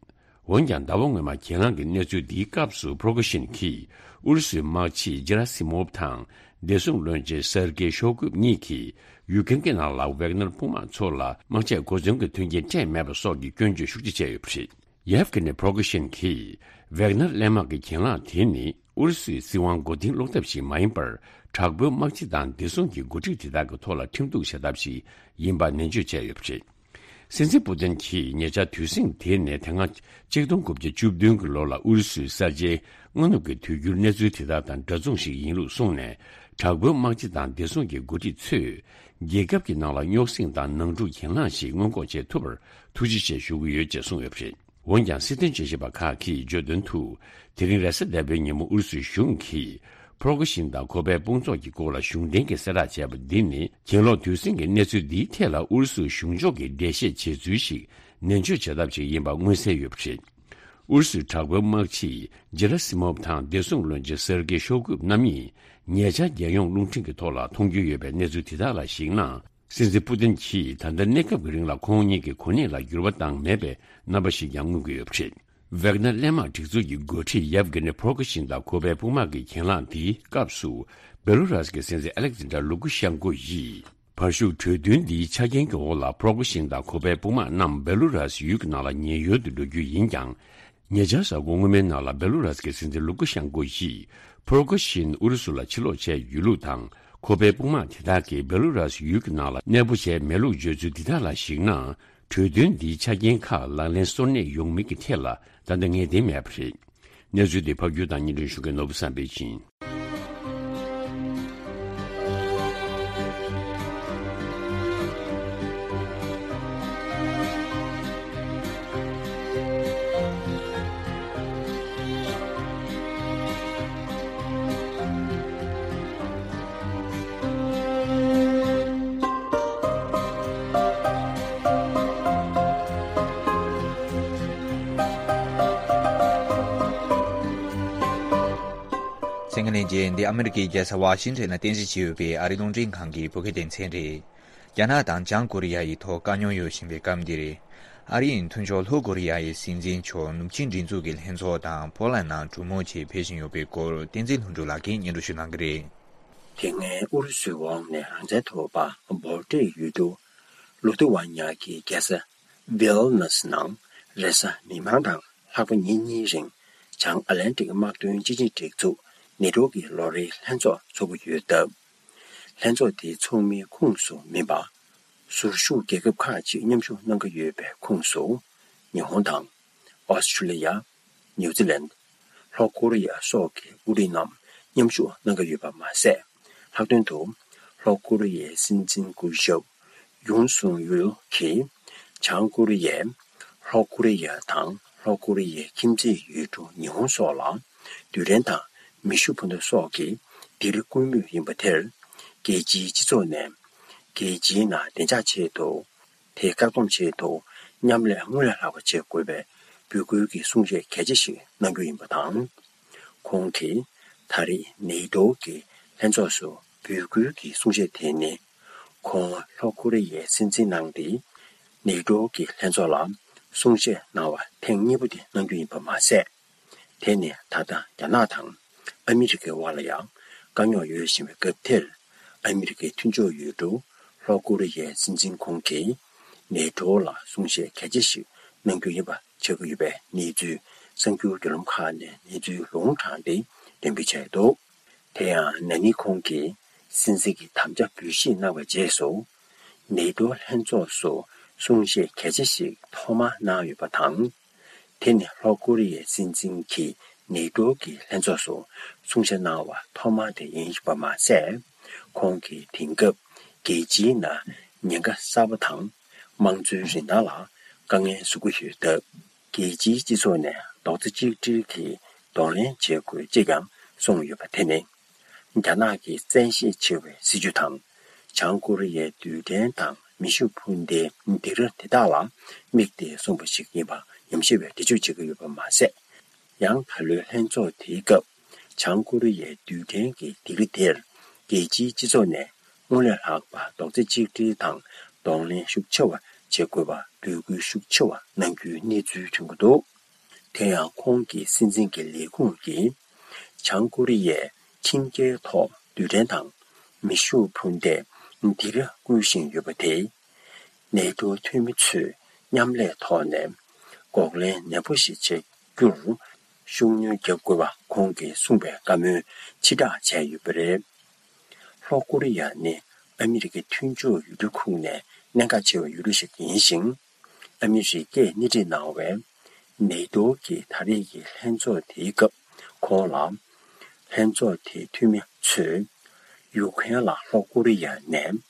འོན་ཀྱང་། ཟླ་བ་སྔོན་མ་གྱེན་ལངས་ཀྱི་གནས་ཚུལ་འདིའི་སྐབས་སུ། ཕྲོ་གོ་ཤིན་གྱིས་ཨུ་རུ་སུའི་དམག་སྤྱི་ཇེ་ར་སི་མོབ་དང་བདེ་སྲུང་བློན་ཆེན་སེར་གེ་ཤོ་གུབ་གཉིས་ཀྱིས་ཡུ་ཀེ་རེན་གྱི་ནང་ལ་ཝེག་ནར་དཔུང་དམག་ཚོ་ལ་དམག་ཆས་གོ་མཚོན་གྱི་མཐུན་རྐྱེན་སྤྲད་མེད་པ་སོགས་ཀྱི་སྐྱོན་བརྗོད་ཤུགས་ཆེ་བྱས་ཡོད་པ་རེད། ཡེབ་གྷི་ནི་ཕྲོ་གོ་ཤིན་གྱིས་ཝེག་ནར་གླས་དམག་གི་གྱེན་ལངས་དེ་ནི། ཨུ་རུ་སུའི་སྲིད་དབང་མགོ་རྟིང་སློག་ཐབས་ཤིག་མ་ཡིན་པར། དྲག་པོའི་དམག་སྤྱི་དང་བདེ་སྲུང་གི་འགོ་ཁྲིད་དེ་དག་གི་ཐོག་ལ་ཁྲིམས་གཏུག་བྱ་ཐབས་ཤིག་ཡིན་པ་ནན་བརྗོད་བྱས་ཡོད་པ་རེད། སྲིད་འཛིན་པུ་ཏིན་གྱིས་ཉེ་ཆར་དུས་ཟིང་དེ་ནས་དེ་སྔ་གཅིག་སྟོང་དགུ་བརྒྱ་བཅུ་བདུན་གྱི་ལོ་ལ་ཨུ་རུ་སུའི་གསར་བརྗེའི་སྔ་ནུབ་ཀྱི་དུས་འགྱུར་གནས་ཚུལ་དེ་དག་དང་འདྲ་མཚུངས་ཤིག་ཡིན་ལུགས་གསུངས་ནས། དྲག་པོའི་དམག་སྤྱི་དང་བདེ་སྲུང་གི་འགོ་ཁྲིད་ཚོས་རྒྱལ་ཁབ་ཀྱི་ནང་ལ་རྙོག་ཟིང་དང་ནང་འཁྲུག་གྱེན་ལངས་ཤིག་སྔོན་འགོག་བྱེད་ཐུབ་པར་ཐུགས་རྗེ་ཆེ་ཞུ་གི་ཡོད་ཅེས་གསུངས་ཡོད་པ་རེད། འོན་ཀྱང་། སྲིད་དོན་དཔྱད་ཞིབ་པ་ཁག་གིས་བརྗོད་དོན་དུ། དེ་རིང་རེས་གཟའ་ཟླ་བའི་ཉིན་མོ་ཨུ་རུ་སུའི་གཞུང་གིས་ཕྲོ་གོ་ཤིན་དང་ཁོ་པའི་དཔུང་ཚོགས་ཀྱི་སྐོར་ལ་གཞུང་འབྲེལ་གྱི་གསལ་བསྒྲགས་བྱས་པ་འདི་ནི། གྱེན་ལོག་དུས་ཟིང་གི་གནས་ཚུལ་འདིའི་ཐད་ལ་ཨུ་རུ་སུ་གཞུང་ཕྱོགས་ཀྱིས་འགྲེལ་བཤད་བྱེད་ཚུལ་ཞིག་ནན་བརྗོད་བྱ་ཐབས་ཤིག་ཡིན་པ་མངོན་གསལ་ཡོད་པ་རེད། ཨུ་རུ་སུའི་དྲག་པོའི་དམག་སྤྱི་ཇེ་ར་སི་མོབ་དང་བདེ་སྲུང་བློན་ཆེན་སེར་གེ་ཤོ་གུབ་རྣམ་གཉིས་ཉེ་ཆར་རྒྱལ་ཡོངས་རླུང་འཕྲིན་གྱི་ཐོག་ལ་མཐོང་རྒྱུ་ཡོད་པའི་གནས་ཚུལ་དེ་དག་ལ་གཞིགས་ན། སྲིད་འཛིན་པུ་ཏིན་གྱིས་ད་ལྟ་གནས་སྐབས་ཀྱི་རིང་ལ་ཁོང་གཉིས་ཀྱི་གོ་གནས་ལ་འགྱུར་བ་བཏང་མེད་པའི་རྣམ་པ་ཞིག་ཀྱང་མངོན་གྱི་ཡོད་པ་རེད། ཝེག་ནར་གླས་དམག་སྒྲིག་འཛུགས་ཀྱི་འགོ་ཁྲིད་ཡེབ་གྷི་ནི་ཕོར་ཀུ་ཤིན་དང་ཁོ་པའི་དཔུང་དམག་གི་གྱེན་ལངས་འདིའི་སྐབས་སུ། བེ་ལུ་རཱས་ཀྱི་སྲིད་འཛིན་ཨ་ལེག་ཛན་ཏྲ་ལུ་ཀུ་ཤན་ཀོ་ཡིས། བར་བཞུགས་གྲོས་མཐུན་འདིའི་ཆ་རྐྱེན་གྱི་འོག་ལ་ཕོར་ཀུ་ཤིན་དང་ཁོ་པའི་དཔུང་དམག་རྣམས་བེ་ལུ་རཱས་ཡུལ་གྱི་ནང་ལ་ཉེན་གཡོལ་དུ་འགྲོ་རྒྱུ་ཡིན་ཀྱང་། ཉེ་ཆར་གཟའ་འཁོར་སྔོན་མའི་ནང་ལ་བེ་ལུ་རཱས་ཀྱི་སྲིད་འཛིན་ལུ་ཀུ་ཤན་ཀོ་ཡིས་ཕོར་ཀུ་ཤིན་ཨུ་རུ་སུ་ལ་ཕྱིར་ལོག་བྱས་ཡོད་ལུགས་དང་། ཁོ་པའི་དཔུང་དམག་དེ་དག་གིས་བེ་ལུ་རཱས་ཡུལ་གྱི་ནང་ལ་གནས་སྤོ་བྱས་མེད་ལུགས་བརྗོད་ཚུལ་འདི་དག་ལ་གཞིགས་ན། གྲོས་མཐུན་འདིའི་ཆ་རྐྱེན་ཁག་ལག་ལེན་སོར་གནས་ཡོང་མིན་གྱི་ཐད་ལ་ད་ལྟ་ངེས་གཏན་མེད་པ་རེད། གནས་ཚུལ་འདི་ཕབ་སྒྱུར་དང་སྙན་སྒྲོན་ཞུ་མཁན་ནོར་བུ་བསམ་འཕེལ་ཡིན། གསན་མཁན་ལྷན་རྒྱས། འདི་ཨ་མི་རི་ཀའི་རྒྱལ་ས་ཝ་ཤིང་ཊོན་ལ་རྟེན་གཞི་བྱས་ཡོད་པའི་ཨ་རིའི་རླུང་འཕྲིན་ཁང་གི་བོད་སྐད་སྡེ་ཚན་རེད། རྒྱ་ནག་དང་བྱང་ཀོ་རི་ཡ་ཡི་ཐོག་དཀའ་རྙོག་ཡོད་བཞིན་པའི་སྐབས་འདིར། ཨ་རིའི་མཐུན་ཕྱོགས་ལྷོ་ཀོ་རི་ཡ་ཡི་སྲིད་འཛིན་མཆོག་ནུབ་ཆིངས་སྒྲིག་འཛུགས་ཀྱི་ལྷན་ཚོགས་དང་ཕོ་ལན་ནང་གྲོས་མོལ་ཆེད་ཕེབས་བཞིན་ཡོད་པའི་སྐོར་བསྟན་འཛིན་ལྷུན་གྲུབ་ལགས་ཀྱིས་སྙན་སྒྲོན་ཞུ་གནང་གི་རེད། དེ་སྔའི་ཨུ་རུ་སུའི་འོག་ནས་རང་བཙན་ཐོབ་པ་བྷོལ་ཏྲའི་ཡུལ་གྲུ་ལུ་ཐུ་ཝ་ཉ་གི་རྒྱལ་ས་ཝི་ལ་ནུ་སི་ནང་རེས་གཟའ་མིག་དམར་དང་ལྷག་པ་ཉིན་གཉིས་རིང་བྱང་ཨ་ལན་ཏིག་དམག་དོན་སྤྱི་ཆིངས་སྒྲིག་འཛུགས་ནེ་ཊོ་གི་ལོ་རེའི་ལྷན་ཚོགས་འཚོགས་ཀྱི་ཡོད་སྟབས། ལྷན་ཚོགས་དེའི་ཚོགས་མིའི་ཁོངས་སུ་མིན་པ། ཟུར་ཞུགས་རྒྱལ་ཁབ་ཁག་ཅིག་མཉམ་ཞུགས་གནང་གི་ཡོད་པའི་ཁོངས་སུ། ཉི་ཧོང་དང་། ཨོ་སི་ཁྲུ་ལི་ཡ། ནིའུ་ཛི་ལན། ལྷོ་ཀོ་རི་ཡ་སོགས་ཀྱི་དབུ་ཁྲིད་རྣམས་མཉམ་ཞུགས་གནང་གི་ཡོད་པ་མ་ཟད། ལྷག་དོན་དུ། ལྷོ་ཀོ་རི་ཡའི་སྲིད་འཛིན་སྐུ་ཞབས་ཡུན་སུང་ཡུལ་གྱིས། བྱང་ཀོ་རི་ཡས་ལྷོ་ཀོ་རི་ཡ་དང་ལྷོ་ཀོ་རི་ཡའི་ཁྱིམ་མཚེས་ཡུལ་གྲུ་ཉི་ཧོང་སོགས་ལ། རྡུལ་ཕྲན་དང་མེ་ཤུགས་འཕུར་མདའ་སོགས་ཀྱི་སྡིགས་ར་བསྐུལ་མུས་ཡིན་པ་དེར། རྒྱལ་སྤྱིའི་སྤྱི་ཚོགས་ནས། རྒྱལ་སྤྱིའི་ནང་བདེ་འཇགས་ཆེད་དུ། དེའི་བཀག་སྡོམ་ཆེད་དུ་མཉམ་ལས་སྔོན་ལས་ལྷག་པ་བྱེད་དགོས་པའི་འབོད་སྐུལ་གྱི་གསུང་བཤད་གལ་ཆེ་ཞིག་གནང་རྒྱུ་ཡིན་པ་དང་། ཁོང་གིས་ད་རེས་ནེ་ཏོ་གི་ལྷན་ཚོགས་སུ་འབོད་སྐུལ་གྱི་གསུང་བཤད་དེ་ནི། ཁོང་ལྷོ་ཀོ་རི་ཡའི་སྲིད་འཛིན་གནང་སྟེ། ནེ་ཏོ་གི་ལྷན་ཚོགས་ལ་གསུང་བཤད་གནང་བ་ཐེངས་གཉིས་པ་དེ་གནང་རྒྱུ་ཡིན་པ་མ་ཟད། དེ་ནི་ད་ལྟ་རྒྱ་ནག་དང་ཨ་མི་རི་ཀའི་དབར་ལ་ཡང་དཀའ་རྙོག་ཡོད་བཞིན་པའི་སྐབས་དེར། ཨ་མི་རི་ཀའི་མཐུན་ཕྱོགས་ཡུལ་གྲུ་ལྷོ་ཀོ་རི་ཡའི་སྲིད་འཛིན་ཁོང་གིས་ནེ་ཏོ་ལ་གསུང་བཤད་གལ་ཆེ་ཞིག་གནང་རྒྱུ་ཡིན་པ་ཆགས་ཀྱི་ཡོད་པའི་གནས་ཚུལ་གསར་འགྱུར་བརྒྱུད་ལམ་ཁག་ནས་གནས་ཚུལ་ལུང་དྲངས་ཏེ་འགྲེམས་སྤེལ་བྱས་འདུག། དེ་ཡང་ན་ནིང་ཁོང་གིས་སྲིད་འཛིན་གྱི་དམ་བཅའ་འབུལ་བཞེས་གནང་བའི་རྗེས་སུ། ནེ་ཏོ་ལྷན་ཚོགས་སུ་གསུང་བཤད་གལ་ཆེ་ཞིག་ཐོག་མར་གནང་ཡོད་པ་དང་། དེ་ནི་ལྷོ་ཀོ་རི་ཡའི་སྲིད་འཛིན་གྱིས་ནེ་ཏོ་གི་ལྷན་ཚོགས་སུ་གསུང་བཤད་གནང་བ་ཐོག་མ་དེ་ཡིན་པ་མ་ཟད། ཁོང་གིས་དེང་སྐབས་རྒྱལ་སྤྱིའི་ནང་ཉེན་ཁ་གསར་པ་དང་དམངས་གཙོའི་རིན་ཐང་ལ་དཀའ་ངལ་བཟོ་གི་ཡོད་སྟབས། རྒྱལ་སྤྱིའི་སྤྱི་ཚོགས་ནས་རྡོག་རྩ་གཅིག་སྒྲིལ་གྱིས་གདོང་ལེན་བྱེད་དགོས་ཅེས་ཀྱང་གསུངས་ཡོད་པ་དེ་ནི། རྒྱ་ནག་གི་བཙན་ཤེད་ཆེ་བའི་སྲིད་ཇུས་དང་། བྱང་ཀོ་རི་ཡའི་རྡུལ་ཕྲན་དང་མེ་ཤུགས་འཕུར་མདའི་སྡིགས་ར་དེ་དག་ལ་དམིགས་ཏེ་གསུངས་པ་ཞིག་ཡིན་པ་ཉམས་ཞིབ་པས་འགྲེལ་བརྗོད་བྱེད་ཀྱི་ཡོད་པ་མ་ཟད། ཡང་ད་ལོའི་ལྷན་ཚོགས་དེའི་སྐབས། བྱང་ཀོ་རི་ཡའི་རྡུལ་ཕྲན་གྱི་སྡིགས་ར་དེར་རྒྱལ་སྤྱིའི་སྤྱི་ཚོགས་ནས་སྔོན་ལས་ལྷག་པ་རྡོག་རྩ་གཅིག་སྒྲིལ་དང་གདོང་ལེན་ཤུགས་ཆེ་བ་བྱེད་དགོས་པ་འབོད་སྐུལ་ཤུགས་ཆེ་བ་གནང་རྒྱུའི་གནས་ཚུལ་ཐོན་གྱི་འདུག། དེ་ཡང་ཁོང་གི་སྲིད་འཛིན་གྱི་ལས་ཁུངས་ཀྱིས། བྱང་ཀོ་རི་ཡས་ཁྲིམས་འགལ་ཐོག་རྡུལ་ཕྲན་དང་མེ་ཤུགས་འཕུར་མདའི་སྡིགས་ར་བསྐུལ་བཞིན་ཡོད་པ་དེས། ནེ་ཏོ་འཐུས་མི་ཚོས་མཉམ་ལས་ཐོག་ནས་འགོག་ལན་ནན་པོ་ཞིག་བྱེད་རྒྱུར་ཤུགས་སྣོན་རྒྱག་དགོས་པ་ཁོང་གིས་གསུངས་པའི་བཀའ་མོལ་ཕྱིར་བསྒྲགས་བྱས་ཡོད་པ་རེད། ལྷོ་ཀོ་རི་ཡ་ནི་ཨ་མི་རི་ཀའི་མཐུན་ཕྱོགས་ཡུལ་གྲུ་ཁོངས་ནས་གནད་འགག་ཆེ་བའི་ཡུལ་གྲུ་ཞིག་ཡིན་ཞིང་། ཨ་མི་རི་ཀས་སྣེ་ཁྲིད་གནང་བའི་ནེ་ཏོ་གི་ད་རེས་ཀྱི་ལྷན་ཚོགས་དེའི་སྐབས་ཁོང་ལ། ལྷན་ཚོགས་དེའི་འཐུས་མི་ཚོས་ཡུ་ཁུ་རེན་ལ་ལྷོ་ཀོ་རི་ཡ་ནས་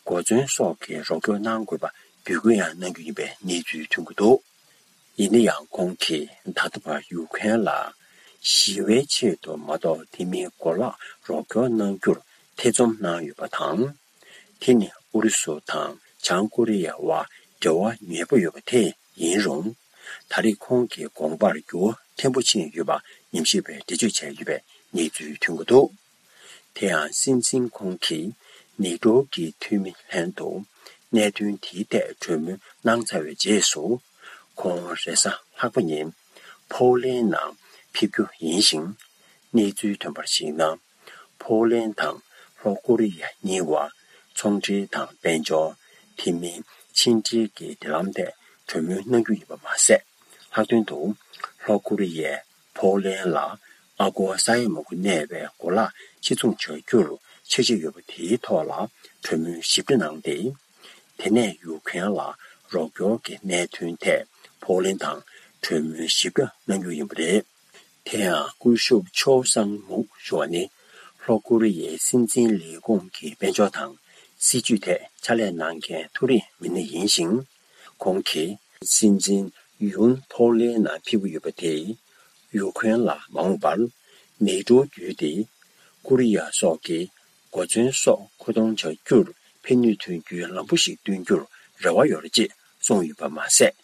གོ་མཚོན་སོགས་ཀྱི་རོགས་སྐྱོར་གནང་དགོས་པ་འབོད་སྐུལ་ཡང་གནང་རྒྱུ་ཡིན་པའི་གནས་ཚུལ་ཐོན་གྱི་འདུག། ཡིན་ན་ཡང་ཁོང་གིས་ད་ལྟ་བར་ཡུ་ཁུ་རེན་ལ་ཞི་བའི་ཆེད་དུ་མ་གཏོགས་དེ་མིན་གོ་ལག་རོགས་སྐྱོར་གནང་རྒྱུར་ཐེ་ཚོམ་གནང་ཡོད་པ་དང་། དེ་ནི་ཨུ་རུ་སུ་དང་བྱང་ཀོ་རི་ཡའི་དབར་འབྲེལ་བ་ཉེ་པོ་ཡོད་པ་དེ་ཡིན་རུང་། ད་རེས་ཁོང་གི་དགོངས་པར་འགྱུར་བ་ཕྲན་བུ་ཕྱིན་ཡོད་པ་ཉམས་ཞིབ་པས་འགྲེལ་བརྗོད་བྱས་ཡོད་པའི་གནས་ཚུལ་ཐོན་གྱི་འདུག། དེ་ཡང་སྲིད་འཛིན་ཁོང་གིས་ནེ་ཏོ་གི་འཐུས་མི་ལྷན་དུ་གནད་དོན་དེའི་ཐད་གྲོས་མོལ་གནང་ཚར་བའི་རྗེས་སུ། ཁོང་རེས་གཟའ་ལྷག་པ་ཉིན་ ཕོ་ལན་ནང་ཕེབས་རྒྱུ་ཡིན་ཞིང་། གནས་ཚུལ་ཐོན་པར་གཞིགས་ན། ཕོ་ལན་དང་ལྷོ་ཀོ་རི་ཡ་གཉིས་བར་ཚོང་འབྲེལ་དང་དཔལ་འབྱོར། དེ་མིན་ཕྱི་འབྲེལ་གྱི་འབྲེལ་ལམ་ཐད་གྲོས་མོལ་གནང་རྒྱུ་ཡིན་པ་མ་ཟད། ལྷག་དོན་དུ་ལྷོ་ཀོ་རི་ཡས་ཕོ་ལན་ལ་ཨ་སྒོར་ས་ཡ་མང་པོ་གནས་པའི་གོ་ལག་ཕྱིར་ཚོང་བྱ་རྒྱུར་འཆར་གཞི་ཡོད་པ་དེའི་ཐོག་ལ་གྲོས་མོལ་ཞིབ་ཕྲ་གནང་སྟེ། དེ་ནས་ཡུཀ་རེན་ལ་རོགས་སྐྱོར་གྱི་གནད་དོན་ཐད་ཕོ་ལན་དང་གྲོས་མོལ་ཞིབ་ཕྲ་གནང་རྒྱུ་ཡིན་པ་རེད། དེ་ཡང་སྐུ་ཞབས་ཆོའུ་སང་མུག་ཞུ་བ་ནི་ལྷོ་ཀོ་རི་ཡའི་སྲིད་འཛིན་ལས་ཁུངས་ཀྱི་དཔལ་འབྱོར་དང་སྲིད་ཇུས་ཐད་ཕྱག་ལས་གནང་མཁན་མཐོ་རིམ་མི་སྣ་ཡིན་ཞིང་། ཁོང་གིས་སྲིད་འཛིན་ཡུན་ཕོ་ལན་ནང་ཕེབས་ཀྱི་ཡོད་པ་དེས་ཡུཀ་རེན་ལ་མ་འོངས་པར་མེ་ཀྲོ་བརྒྱུད་དེ་ཀོ་རི་ཡ་སོགས་ཀྱི་གོ་མཚོན་སོགས་མཁོ་གཏོང་བྱ་རྒྱུར་ཕན་ནུས་ཐོན་རྒྱུའི་ལམ་བུ་ཞིག་སྟོན་རྒྱུར་རེ་བ་ཡོད་རེད་ཅེས་གསུངས་ཡོད་པ་མ་ཟད།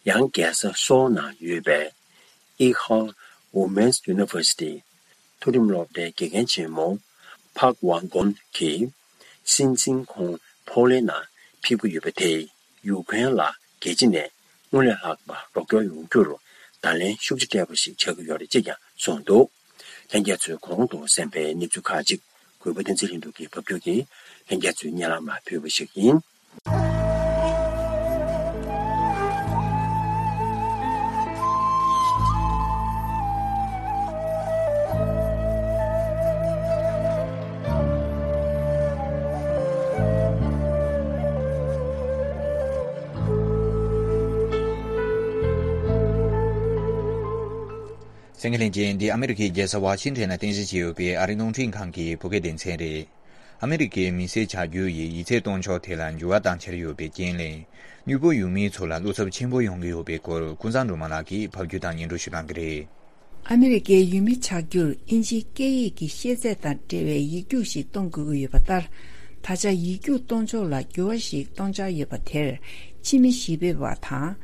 ཡང་རྒྱལ་ས་སོའུ་ནང་ཡོད་པའི་ཨི་ཧང་ཝུ་མེན་སི་ཡུ་ནི་ཝར་སི་ཊི་མཐོ་རིམ་སློབ་གྲྭའི་དགེ་རྒན་ཆེན་མོ་ཕག་ཝང་གོན་གྱིས། སྲིད་འཛིན་ཁོང་ཕོ་ལན་ནང་ཕེབས་ཀྱི་ཡོད་པ་དེས་ཡུཀ་རེན་ལ་རྒྱལ་སྤྱི་ནས་སྔོན་ལས་ལྷག་པ་རོགས་སྐྱོར་ཡོང་རྒྱུར་བརྡ་ལན་ཤུགས་ཆེ་སྤྲད་པ་ཞིག་ཆགས་ཀྱི་ཡོད་རེད་ཅེས་ཀྱང་གསུངས་འདུག་ལྷན་རྒྱས་ཚོས་གོང་དུ་གསན་པའི་གནས་ཚུལ་ཁག་ཅིག་གུས་པ་བསྟན་འཛིན་ལྷུན་གྲུབ་ཀྱིས་ཕབ་སྒྱུར་གྱིས་ལྷན་རྒྱས་ཚོའི་སྙན་ལམ་མ་ཕུལ་བ་ཞིག་ཡིན། གསན་མཁན་ལྷན་རྒྱས། འདི་ཨ་མི་རི་ཀའི་རྒྱལ་ས་ཝ་ཤིང་ཊོན་ན་རྟེན་གཞི་བྱས་ཡོད་པའི་ཨ་རིའི་རླུང་འཕྲིན་ཁང་གི་བོད་སྐད་སྡེ་ཚན་རེད། ཨ་མི་རི་ཀའི་མི་སེར་ཆགས་རྒྱུ་ཡི་ཡིག་ཚད་གཏོང་ཕྱོགས་ཐད་ལ་འགྱུར་བ་བཏང་འཆར་ཡོད་པའི་རྐྱེན་ལས། དངུལ་ཕོགས་ཡོད་མིའི་ཚོ་ལ་བློ་འཚབ་ཆེན་པོ་ཡོང་གི་ཡོད་པའི་སྐོར་ཀུན་བཟང་སྒྲོལ་མ་ལགས་ཀྱིས་ཕབ་སྒྱུར་དང་སྙན་སྒྲོན་ཞུ་གནང་གི་རེད། ཨ་མི་རི་ཀའི་ཡུལ་མི་ཆགས་རྒྱུར་དབྱིན་ཇིའི་སྐད་ཡིག་གི་ཤེས་ཚད་དང་འབྲེལ་བའི་ཡིག་རྒྱུགས་ཤིག་གཏོང་དགོས་ཀྱི་ཡོད་པ་ལྟར། ད་ཆ་ཡིག་རྒྱུགས་གཏོང་ཕྱོགས་ལ་འགྱུར་བ་ཞིག་གཏོང་འཆར་ཡོད་པ་དེར། ཕྱི་མི་གཞིས་སྤོས་པ་དང་།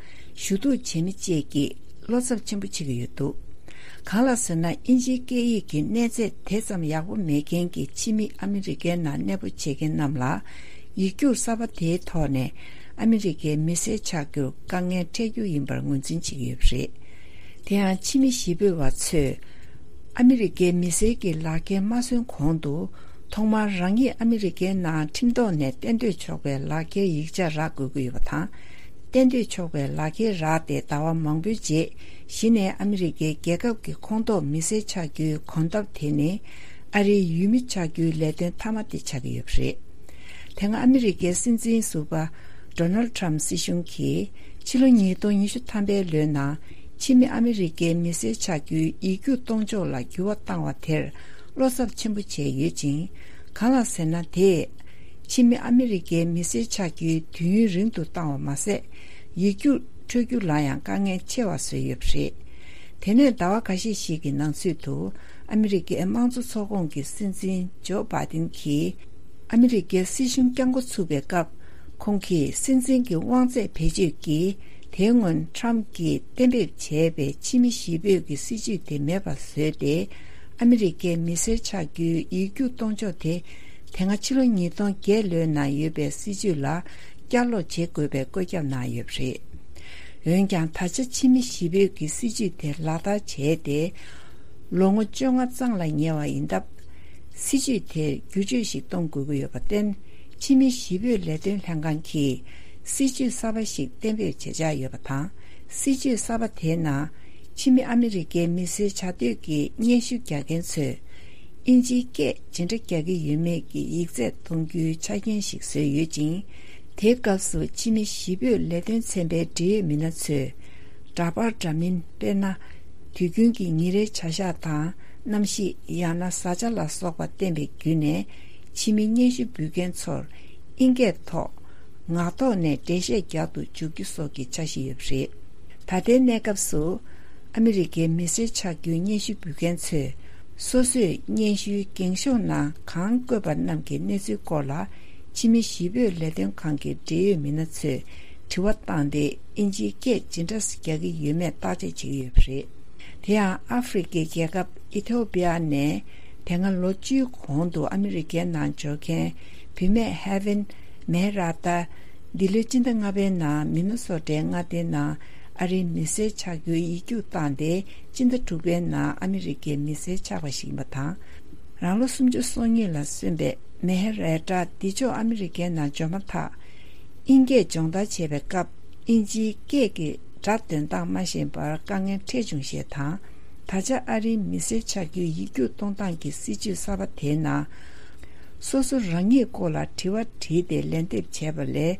ཞུ་གཏུག་བྱེད་མི་བཅས་ཀྱིས་བློ་འཚབ་ཆེན་པོ་བྱེད་ཀྱི་ཡོད་འདུག་གང་ལགས་ཟེར་ན། དབྱིན་ཇིའི་སྐད་ཡིག་གི་གནས་ཚད་དེ་ཙམ་ཡག་པོ་མེད་མཁན་གྱི་ཕྱི་མི་ཨ་མི་རི་ཀའི་ནང་གནས་སྤོ་བྱེད་མཁན་རྣམས་ལ། ཡིག་རྒྱུགས་གསར་པ་དེའི་ཐོག་ནས་ཨ་མི་རི་ཀའི་མི་སེར་ཆགས་རྒྱུར་དཀའ་ངལ་འཕྲད་རྒྱུ་ཡིན་པར་ངོས་འཛིན་བྱེད་ཀྱི་ཡོད་པ་རེད། དེ་ཡང་ཕྱི་མི་གཞིས་སྤོས་པ་ཚོས་ཨ་མི་རི་ཀའི་མི་སེར་གྱི་ལག་འཁྱེར་མ་སོན་གོང་དུ། ཐོག་མར་རང་ཉིད་ཨ་མི་རི་ཀའི་ནང་ཁྲིམས་ཐོག་ནས་གཏན་སྡོད་ཆོག་པའི་ལག་འཁྱེར་ཡིག་ཆ་རག་དགོས་ཀྱི་ཡོད་པ་དང་། གཏན་སྡོད་ཆོག་པའི་ལག་འཁྱེར་རག་སྟེ་ཟླ་བ་མང་པོའི་རྗེས་གཞི་ནས་ཨ་མི་རི་ཀའི་རྒྱལ་ཁབ་ཀྱི་ཁོངས་གཏོགས་མི་སེར་ཆགས་རྒྱུའི་གོམ་སྟབས་དེ་ནི། ཨ་རིའི་ཡུལ་མི་ཆགས་རྒྱུའི་ལས་དོན་མཐའ་མ་དེ་ཆགས་ཀྱི་ཡོད་པ་རེད། དེ་སྔ་ཨ་མི་རི་ཀའི་སྲིད་འཛིན་ཟུར་པ་ཌོ་ནལ་ཊམ་སྲིད་གཞུང་གིས་ཕྱི་ལོ་ཉིས་སྟོང་ཉི་ཤུ་ཐམ་པའི་ལོའི་ནང་ཕྱི་མི་ཨ་མི་རི་ཀའི་མི་སེར་ཆགས་རྒྱུའི་ཡིག་རྒྱུགས་གཏོང་ཕྱོགས་ལ་འགྱུར་བ་བཏང་བ་དེར་བློ་འཚབ་ཆེན་པོ་བྱས་ཡོད་ཅིང་། གང་ལགས་ཟེར་ན། དེས་ཕྱི་མི་ཨ་མི་རི་ཀའི་མི་སེར་ཆགས་རྒྱུའི་དུས་ཡུན་རིང་དུ་བཏང་བ་མ་ཟད། ཡིག་རྒྱུགས་འཕྲོད་རྒྱུ་ལ་ཡང་དཀའ་ངལ་ཆེ་བ་བཟོས་ཡོད་པ་རེད། དེ་ནས་ཟླ་བ་འགའ་ཤས་ཤིག་གི་ནང་ཚུད་དུ། ཨ་མི་རི་ཀའི་དམངས་གཙོ་ཚོགས་ཁོངས་ཀྱི་སྲིད་འཛིན་ཇོ་བྷའི་ཏིན་གྱིས་ཨ་མི་རི་ཀའི་སྲིད་གཞུང་བསྐྱངས་འགོ་ཚུགས་པའི་སྐབས། ཁོང་གིས་སྲིད་འཛིན་གྱི་དབང་ཚད་བེད་སྤྱོད་ཀྱིས། དེའི་སྔོན་ཊམ་གྱིས་གཏན་འབེབས་བྱས་པའི་ཕྱི་མི་གཞིས་སྤོས་ཀྱི་སྲིད་ཇུས་དེ་མེད་པར་བཟོས་ཏེ། ཨ་མི་རི་ཀའི་མི་སེར་ཆགས་རྒྱུའི་ཡིག་རྒྱུགས་གཏོང་ཕྱོགས་དེ། དེ་སྔ་ཕྱི་ལོ་ཉིས་སྟོང་བརྒྱད་ལོའི་ནང་ཡོད་པའི་སྲིད་ཇུས་ལ་བསྐྱར་ལོག་བྱེད་དགོས་པའི་བཀོད་ཁྱབ་གནང་ཡོད་པ་རེད། འོན་ཀྱང་། ད་ཆ་ཕྱི་མི་གཞིས་སྤོས་ཀྱི་སྲིད་ཇུས་དེ་ལག་བསྟར་བྱས་ཏེ། ལོ་ངོ་བཅོ་ལྔ་རྩ་ལ་ཉེ་བ་ཡིན་སྟབས། སྲིད་ཇུས་དེར་བསྒྱུར་བཅོས་ཤིག་གཏོང་དགོས་ཀྱི་ཡོད་པར་བརྟེན། ཕྱི་མི་གཞིས་སྤོས་ལས་དོན་ལྷན་ཁང་གིས་སྲིད་ཇུས་གསར་པ་ཞིག་གཏན་འབེབས་བྱེད་འཆར་ཡོད་པ་དང་། སྲིད་ཇུས་གསར་པ་དེའི་ནང་། ཕྱི་མི་ཨ་མི་རི་ཀའི་མི་སེར་བྱ་འདོད་ཀྱི་སྙན་ཞུ་རྒྱག་མཁན་ཚོས། དབྱིན་ཇིའི་སྐད་ཇི་འདྲ་རྒྱག་གི་ཡོད་མེད་ཀྱི་ཡིག་ཚད་གཏོང་རྒྱུའི་ཆ་རྐྱེན་ཞིག་བཟོས་ཡོད་ཅིང་། དེའི་སྐབས་སུ་ཕྱི་མི་གཞིས་སྤོས་ལས་དོན་ཚན་པའི་འབྲེལ་ཡོད་མི་སྣ་ཚོས། འདྲ་པར་འདྲ་མིན། དཔེར་ན། དུས་རྒྱུན་གྱི་ཉིན་རེའི་བྱ་གཞག་དང་། གནམ་གཤིས། ཡང་ན་བཟའ་བཅའ་ལ་སོགས་པ་བསྟན་པའི་བརྒྱུད་ནས། ཕྱི་མི་སྙན་ཞུ་འབུལ་མཁན་ཚོར། ཨིན་སྐད་ཐོག་ངག་ཐོག་ནས་འགྲེལ་བཤད་རྒྱག་ཏུ་འཇུག་རྒྱུ་སོགས་ཀྱི་འཆར་གཞི་ཡོད་པ་རེད། ད་ལྟའི་གནས་སྐབས་སུ། ཨ་མི་རི་ཀའི་མི་སེར་ཆགས་རྒྱུའི་སྙན་ཞུ་འབུལ་མཁན་ཚོས། སོ་སོས་སྙན་ཞུའི་འགེངས་ཤོག་ནང་གང་བཀོད་པ་རྣམས་ཀྱི་གནས་ཚུལ་སྐོར་ལ། ཕྱི་མི་གཞིས་སྤོས་ལས་དོན་ཁང་གི་འབྲེལ་ཡོད་མི་སྣ་ཚོས་དྲི་བ་བཏང་སྟེ། དབྱིན་ཇིའི་སྐད་ཇི་འདྲ་རྒྱག་གི་ཡོད་མེད་བརྟག་དཔྱད་བྱེད་ཀྱི་ཡོད་པ་རེད། དེ་ཡང་། ཨ་ཧྥེ་རི་ཁའི་རྒྱལ་ཁབ་ཨི་ཐོ་པི་ཡ་ནས། དེ་སྔ་ལོ་བཅུའི་གོང་དུ་ཨ་མི་རི་ཀའི་ནང་འབྱོར་མཁན་བུད་མེད་ཧེ་ཝན་མེ་ར་ཏཱ། འདི་ལོའི་སྤྱི་ཟླ་ལྔ་པའི་ནང་མི་ནི་སོ་ཊའི་མངའ་སྡེའི་ནང་ ཨ་རིའི་མི་སེར་ཆགས་རྒྱུའི་ཡིག་རྒྱུགས་བཏང་སྟེ། སྤྱི་ཟླ་དྲུག་པའི་ནང་ཨ་མི་རི་ཀའི་མི་སེར་ཆགས་པ་ཞིག་ཡིན་པ་དང་། རང་ལོ་སུམ་ཅུ་སོ་གཉིས་ལ་སོན་པའི་མེ་ཧེ་རེ་ཏྲ་འདི་ཕྱོགས་ཨ་མི་རི་ཀའི་ནང་འབྱོར་མ་ཐག་དབྱིན་སྐད་སྦྱོང་བརྡར་བྱས་པའི་སྐབས། དབྱིན་ཇིའི་སྐད་ཀྱི་སྒྲ་འདོན་སྟངས་མ་ཤེས་པར་དཀའ་ངལ་འཕྲད་བྱུང་ཞེས་དང་། ད་ཆ་ཨ་རིའི་མི་སེར་ཆགས་རྒྱུའི་ཡིག་རྒྱུགས་གཏོང་སྟངས་ཀྱི་སྲིད་ཇུས་གསར་པ་དེའི་ནང་། སོ་སོ་རང་ཉིད་སྐོར་ལ་དྲི་བ་དྲིས་ཏེ་ལན་འདེབས་བྱས་པ་ལས།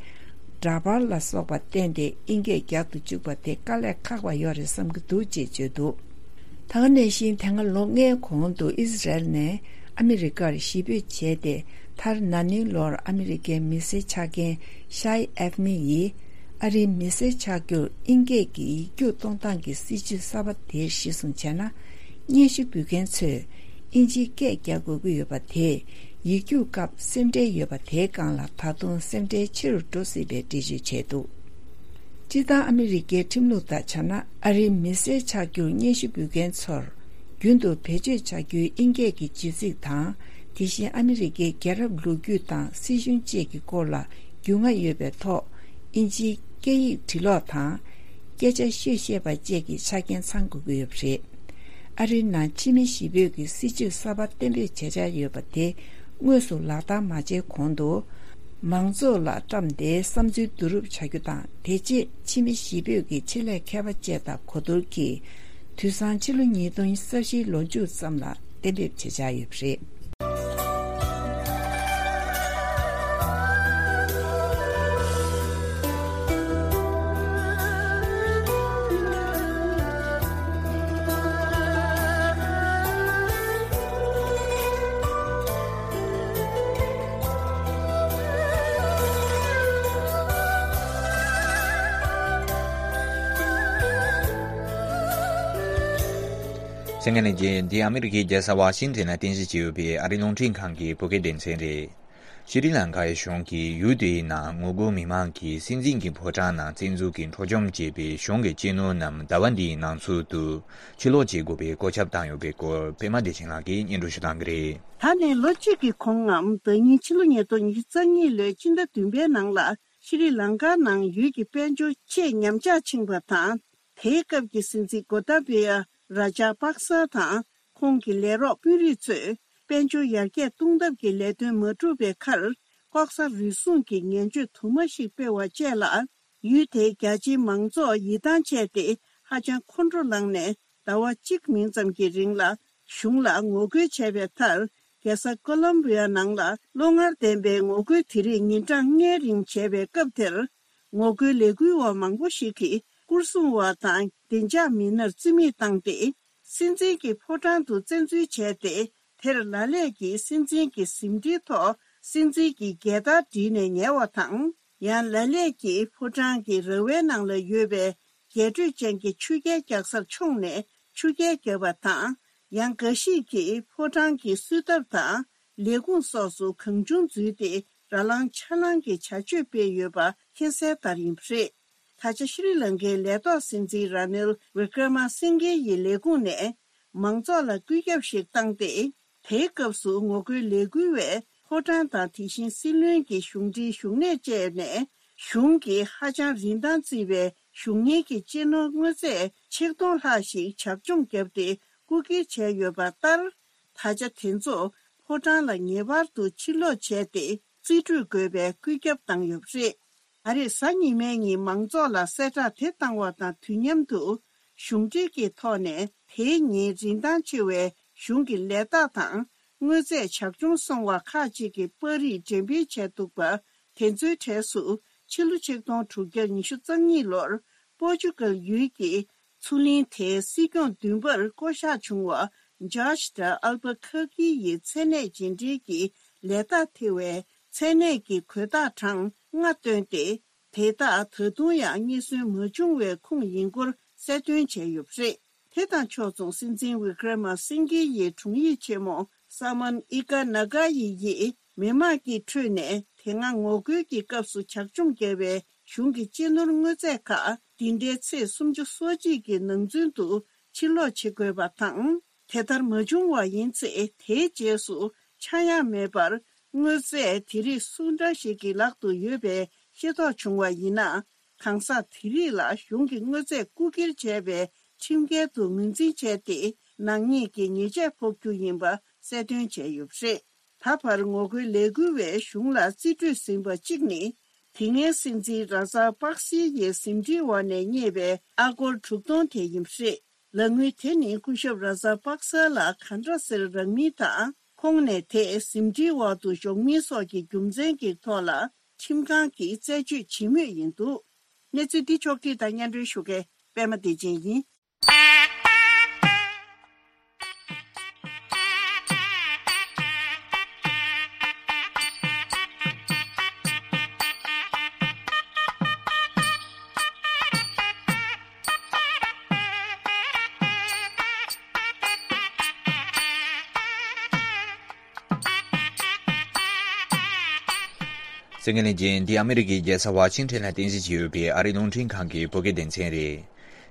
འདྲ་པར་ལ་སོགས་པ་བསྟན་ཏེ་དབྱིན་སྐད་རྒྱག་ཏུ་བཅུག་པ་དེ་དཀའ་ལས་ཁག་པ་ཡོད་རེད་བསམ་གྱི་འདུག་ཅེས་བརྗོད་འདུག་ད་ག་ནང་བཞིན། དེ་སྔ་ལོ་ལྔའི་གོང་དུ་ཨི་ཟི་རལ་ནས་ཨ་མི་རི་ཀར་གཞིས་སྤོས་བྱས་ཏེ། མཐར་ན་ནིང་ལོར་ཨ་མི་རི་ཀའི་མི་སེར་ཆགས་མཁན་ཤའི་ཨེབ་མི་ཡིས། ཨ་རིའི་མི་སེར་ཆགས་རྒྱུར་དབྱིན་སྐད་ཀྱི་ཡིག་རྒྱུགས་གཏོང་སྟངས་ཀྱི་སྲིད་ཇུས་གསར་པ་དེར་གཞི་བཟུང་བྱས་ན། སྙན་ཞུ་འབུལ་མཁན་ཚོས་དབྱིན་ཇིའི་སྐད་རྒྱག་དགོས་ཀྱི་ཡོད་པ་དེས། ཡིག་རྒྱུགས་སྐབས་སེམས་ཁྲལ་ཡོད་པ་དེའི་སྒང་ལ། ད་དུང་སེམས་ཁྲལ་ཆེ་རུ་འགྲོ་སྲིད་པའི་འགྲེལ་བརྗོད་བྱས་འདུག་སྤྱིར་བཏང་ཨ་མི་རི་ཀའི་ཁྲིམས་ལུགས་ལྟར་བྱས་ན། ཨ་རིའི་མི་སེར་ཆགས་རྒྱུར་སྙན་ཞུ་འབུལ་མཁན་ཚོར། རྒྱུན་དུ་བེད་སྤྱོད་བྱ་རྒྱུའི་དབྱིན་སྐད་ཀྱི་བརྗོད་ཚིག་དང་། དེ་བཞིན་ཨ་མི་རི་ཀའི་རྒྱལ་རབས་ལོ་རྒྱུས་དང་། སྲིད་གཞུང་བཅས་ཀྱི་སྐོར་ལ་རྒྱུས་མངའ་ཡོད་པའི་ཐོག་དབྱིན་ཇིའི་སྐད་ཡིག་འབྲི་ཀློག་དང་། སྐད་ཆ་ཤོད་ཤེས་པ་བཅས་ཀྱི་ཆ་རྐྱེན་ཚང་དགོས་ཀྱི་ཡོད་པ་རེད། ཨ་རིའི་ནང་ཕྱི་མི་གཞིས་སྤོས་ཀྱི་སྲིད་ཇུས་གསར་པ་གཏན་འབེབས་བྱེད་འཆར་ཡོད་པ་དེ་དངོས་སུ་ལག་བསྟར་མ་བྱས་གོང་དུ། མང་ཚོགས་ལ་བཀྲམ་སྟེ་བསམ་ཚུལ་བསྡུ་རུབ་བྱ་རྒྱུ་དང་། དེ་རྗེས་ཕྱི་མི་གཞིས་སྤོས་ཀྱི་ཆེད་ལས་མཁས་པ་བཅས་དང་གོ་བསྡུར་གྱིས། དུས་སང་ཕྱི་ལོ་ཉིས་སྟོང་ཉི་ཤུ་རྩ་བཞིའི་ལོ་མཇུག་ཙམ་ལ་གཏན་འབེབས་བྱེད་འཆར་ཡོད་པ་རེད། གསན་མཁན་ལྷན་རྒྱས། འདི་ཨ་མི་རི་ཀའི་རྒྱལ་ས་ཝ་ཤིང་ཊོན་ན་རྟེན་གཞི་བྱས་ཡོད་པའི་ཨ་རིའི་རླུང་འཕྲིན་ཁང་གི་བོད་སྐད་སྡེ་ཚན་རེད། ཤྲི་ལང་ཀའི་གཞུང་གིས་ཡུལ་དེའི་ནང་ངོ་རྒོལ་མི་མང་གིས་སྲིད་འཛིན་གྱི་ཕོ་བྲང་ནང་བཙན་འཛུལ་གྱིས་འཕྲོག་བཅོམ་བྱས་པའི་གཞུང་གི་གཅེས་ནོར་རྣམས་ཟླ་བ་འདིའི་ནང་ཚུད་དུ་ཕྱིར་སློག་བྱེད་དགོས་པའི་བཀོད་ཁྱབ་བཏང་ཡོད་པའི་སྐོར། པད་མ་བདེ་ཆེན་ལགས་ཀྱིས་སྙན་སྒྲོན་ཞུ་གནང་གི་རེད། ད་ནས་ལོ་གཅིག་གི་གོང་ངམ། ཟླ་ཉིན་ཕྱི་ལོ་ཉིས་སྟོང་ཉི་ཤུ་རྩ་གཉིས་ལོའི་སྤྱི་ཟླ་བདུན་པའི་ནང་ལ། ཤྲི་ལང་ཀ་ནང་ཡུལ་གྱི་དཔལ་འབྱོར་ཆེས་ཉམས་ཆག་ཕྱིན་པ་དང་། དེའི་སྐབས་ཀྱི་སྲིད་འཛིན་གོ་ཏཱ་བི་ཡ་ར་ཇ་པག་ས་དང་ཁོང་གི་ལས་རོགས་དཔོན་རིགས་ཚོས་དཔལ་འབྱོར་ཡར་རྒྱས་གཏོང་ཐབས་ཀྱི་ལས་དོན་མ་གྲུབ་པའི་ཁར། ལྐོག་ཟ་རུལ་སུངས་ཀྱི་ངན་སྤྱོད་དུ་མ་ཞིག་སྤེལ་བ་བཅས་ལ། ཡུལ་དེའི་རྒྱ་ཆེའི་མང་ཚོགས་ཡིད་ཐང་ཆད་དེ་ཧ་ཅང་ཁོང་ཁྲོ་ལངས་ནས། ཟླ་བ་གཅིག་མིན་ཙམ་གྱི་རིང་ལ་གཞུང་ལ་ངོ་རྒོལ་བྱས་པའི་མཐར། རྒྱལ་ས་ཀོ་ལོམ་བི་ཡ་ནང་ལ་བློ་ངར་ལྡན་པའི་ངོ་རྒོལ་དེ་རིགས་ཉིན་གྲངས་ལྔའི་རིང་བྱས་པའི་སྐབས་དེར། ངོ་རྒོལ་ལས་འགུལ་བ་མང་པོ་ཞིག་གིས་སྐོར་སྲུང་བ་དང་བདེ་འཇགས་མི་སྣར་རྩིས་མེད་བཏང་སྟེ། སྲིད་འཛིན་གྱི་ཕོ་བྲང་དུ་བཙན་འཛུལ་བྱས་ཏེ། དེར་ལ་ལས་ཀྱིས་སྲིད་འཛིན་གྱི་གཟིམ་ཁྲིའི་ཐོག་སྲིད་འཛིན་གྱི་རྒྱལ་དར་བསྒྲིགས་ནས་ཉལ་བ་དང་། ཡང་ལ་ལས་ཀྱིས་ཕོ་བྲང་གི་ར་བའི་ནང་ལ་ཡོད་པའི་རྒྱས་སྤྲོས་ཅན་གྱི་ཆུ་རྐྱལ་རྒྱག་སར་མཆོངས་ནས་ཆུ་རྐྱལ་བརྒྱབ་པ་དང་། ཡང་འགའ་ཞིག་གིས་ཕོ་བྲང་གི་གསོལ་ཐབ་དང་ལས་ཁུངས་སོགས་སུ་གང་བྱུང་འཛུལ་ཏེ་ར་ལངས་ཆ་ལངས་ཀྱི་བྱ་སྤྱོད་སྤེལ་ཡོད་པ་མཁྱེན་གསལ་ལྟར་ཡིན་པ་རེད། ད་ཆ་ཤྲི་ལང་ཀའི་ལས་ཐོག་སྲིད་འཛིན་ར་ནིལ་ཝི་ཀྲ་མ་སིང་གྷེ་ཡི་ལས་ཁུངས་ནས་མང་ཚོགས་ལ་བཀོད་ཁྱབ་ཞིག་བཏང་སྟེ། དེའི་སྐབས་སུ་ངོ་རྒོལ་ལས་འགུལ་བས་ཕོ་བྲང་དང་དེ་བཞིན་སྲིད་བློན་གྱི་གཞུང་འབྲེལ་བཞུགས་གནས་བཅས་ནས་གཞུང་གིས་ཧ་ཅང་རིན་ཐང་བརྩི་བའི་གཞུང་གཉེར་གྱི་གཅེས་ནོར་དངོས་རྫས་ཆིག་སྟོང་ལྷག་ཞིག་ཇག་བཅོམ་བརྒྱབ་སྟེ་རྐུ་འཁྱེར་བྱས་ཡོད་པ་ལྟར། ད་ཆ་དེ་ཚོ་ཕོ་བྲང་ལ་ངེས་པར་དུ་ཕྱིར་སློག་བྱས་ཏེ་རྩིས་སྤྲོད་དགོས་པའི་བཀོད་ཁྱབ་བཏང་ཡོད་པ་རེད། ད་རེས་གཟའ་ཉི་མའི་ཉིན་མང་ཚོགས་ལ་གསལ་བསྒྲགས་དེ་བཏང་བ་དང་དུས་མཉམ་དུ། གཞུང་འབྲེལ་གྱི་ཐོག་ནས་དེའི་ཉིན་རིན་ཐང་ཆེ་བའི་གཞུང་གི་ལས་རྟགས་དང་དངོས་རྫས་ཇག་བཅོམ་སོང་བ་ཁག་ཅིག་གི་པར་རིས་འགྲེམས་སྤེལ་བྱས་འདུག་པ། དེ་ཚོའི་གྲས་སུ་ཕྱི་ལོ་ཆིག་སྟོང་དྲུག་བརྒྱ་ཉི་ཤུ་རྩ་གཉིས་ལོར་པོར་ཅུ་གལ་ཡུལ་གྱི་མཚོ་གླིང་དེའི་སྲིད་སྐྱོང་བདུན་པར་བསྐོ་གཞག་བྱུང་བ་ཇོརྗ་དང་ཨལ་བ་ཁ་ཀི་ཡི་མཚན་གནས་རྗེས་འབྲེལ་གྱི་ལས་རྟགས་ཐེ་བའི་མཚན་གནས་ཀྱི་གོས་རྟགས་གྲངས་ལྔ་བཏོན་ཏེ། དེ་དག་ད་དུང་ཡང་རྙེད་སོན་མ་བྱུང་བའི་ཁུངས་ཡིན་སྐོར་གསལ་སྟོན་བྱས་ཡོད་པ་རེད། དེ་དང་ཕྱོགས་མཚུངས་སྲིད་འཛིན་ཝི་ཀྲ་མ་སིང་གྷེ་ཡི་དྲུང་ཡིག་ཆེན་མོ་ས་མན་ཨི་ཀ་ན་གྷ་ཡི་ཡིས་མི་མང་གི་ཁྲོད་ནས་དེ་སྔ་ངོ་རྒོལ་གྱི་སྐབས་སུ་ཇག་བཅོམ་བརྒྱབ་པའི་གཞུང་གི་གཅེས་ནོར་དངོས་རྫས་ཁག་འདི་འདྲའི་ཚེས་སུམ་ཅུ་སོ་གཅིག་གི་ནང་ཚུན་དུ་ཕྱིར་སློག་བྱེད་དགོས་པ་དང་། དེ་ལྟར་མ་བྱུང་བ་ཡིན་ཚེ། དེའི་རྗེས་སུ་ཆག་ཡང་མེད་པར་དངོས་རྫས་དེ་རིགས་སུ་འདྲ་ཞིག་གི་ལག་ཏུ་ཡོད་པའི་ཤེས་རྟོགས་བྱུང་བ་ཡིན་ན། གང་ཟག་དེ་རིགས་ལ་གཞུང་གིས་དངོས་རྫས་རྐུ་འཁྱེར་བྱས་པའི་ཁྲིམས་འགལ་དུ་ངོས་འཛིན་བྱས་ཏེ། ནག་ཉེས་ཀྱི་ཉེས་ཆད་ཕོག་རྒྱུ་ཡིན་པ་གསལ་སྟོན་བྱས་ཡོད་པ་རེད། ད་བར་ངོ་རྒོལ་ལས་འགུལ་བས་གཞུང་ལ་རྩིས་སྤྲོད་ཟིན་པ་གཅིག་ནི། དེ་སྔའི་སྲིད་འཛིན་ར་ཛ་པག་སི་ཡི་ཟིན་བྲིས་འོག་ནས་རྙེད་པའི་ཨ་སྒོར་དྲུག་སྟོང་དེ་ཡིན་པ་རེད། ལག་དངུལ་དེ་ནི་སྐུ་ཞབས་ར་ཛ་པག་ས་ལ་ག་འདྲ་སེ་རག་མིན་དང་། ཁོང་ནས་དེ་ཟིན་བྲིས་འོག་ཏུ་འཇོག་མིན་སོགས་ཀྱི་རྒྱུ་མཚན་གྱི་ཐོག་ལ་ཁྲིམས་ཁང་གིས་རྩད་གཅོད་བྱེད་མུས་ཡིན་འདུག། གནས་ཚུལ་འདི་ཕྱོགས་བསྒྲིགས་དང་སྙན་སྒྲོན་ཞུ་མཁན་པད་མ་བདེ་ཆེན་ཡིན། གསན་མཁན་ལྷན་རྒྱས། འདི་ཨ་མི་རི་ཀའི་རྒྱལ་ས་ཝ་ཤིང་ཊོན་ལ་རྟེན་གཞི་བྱས་ཡོད་པའི་ཨ་རིའི་རླུང་འཕྲིན་ཁང་གི་བོད་སྐད་སྡེ་ཚན་རེད།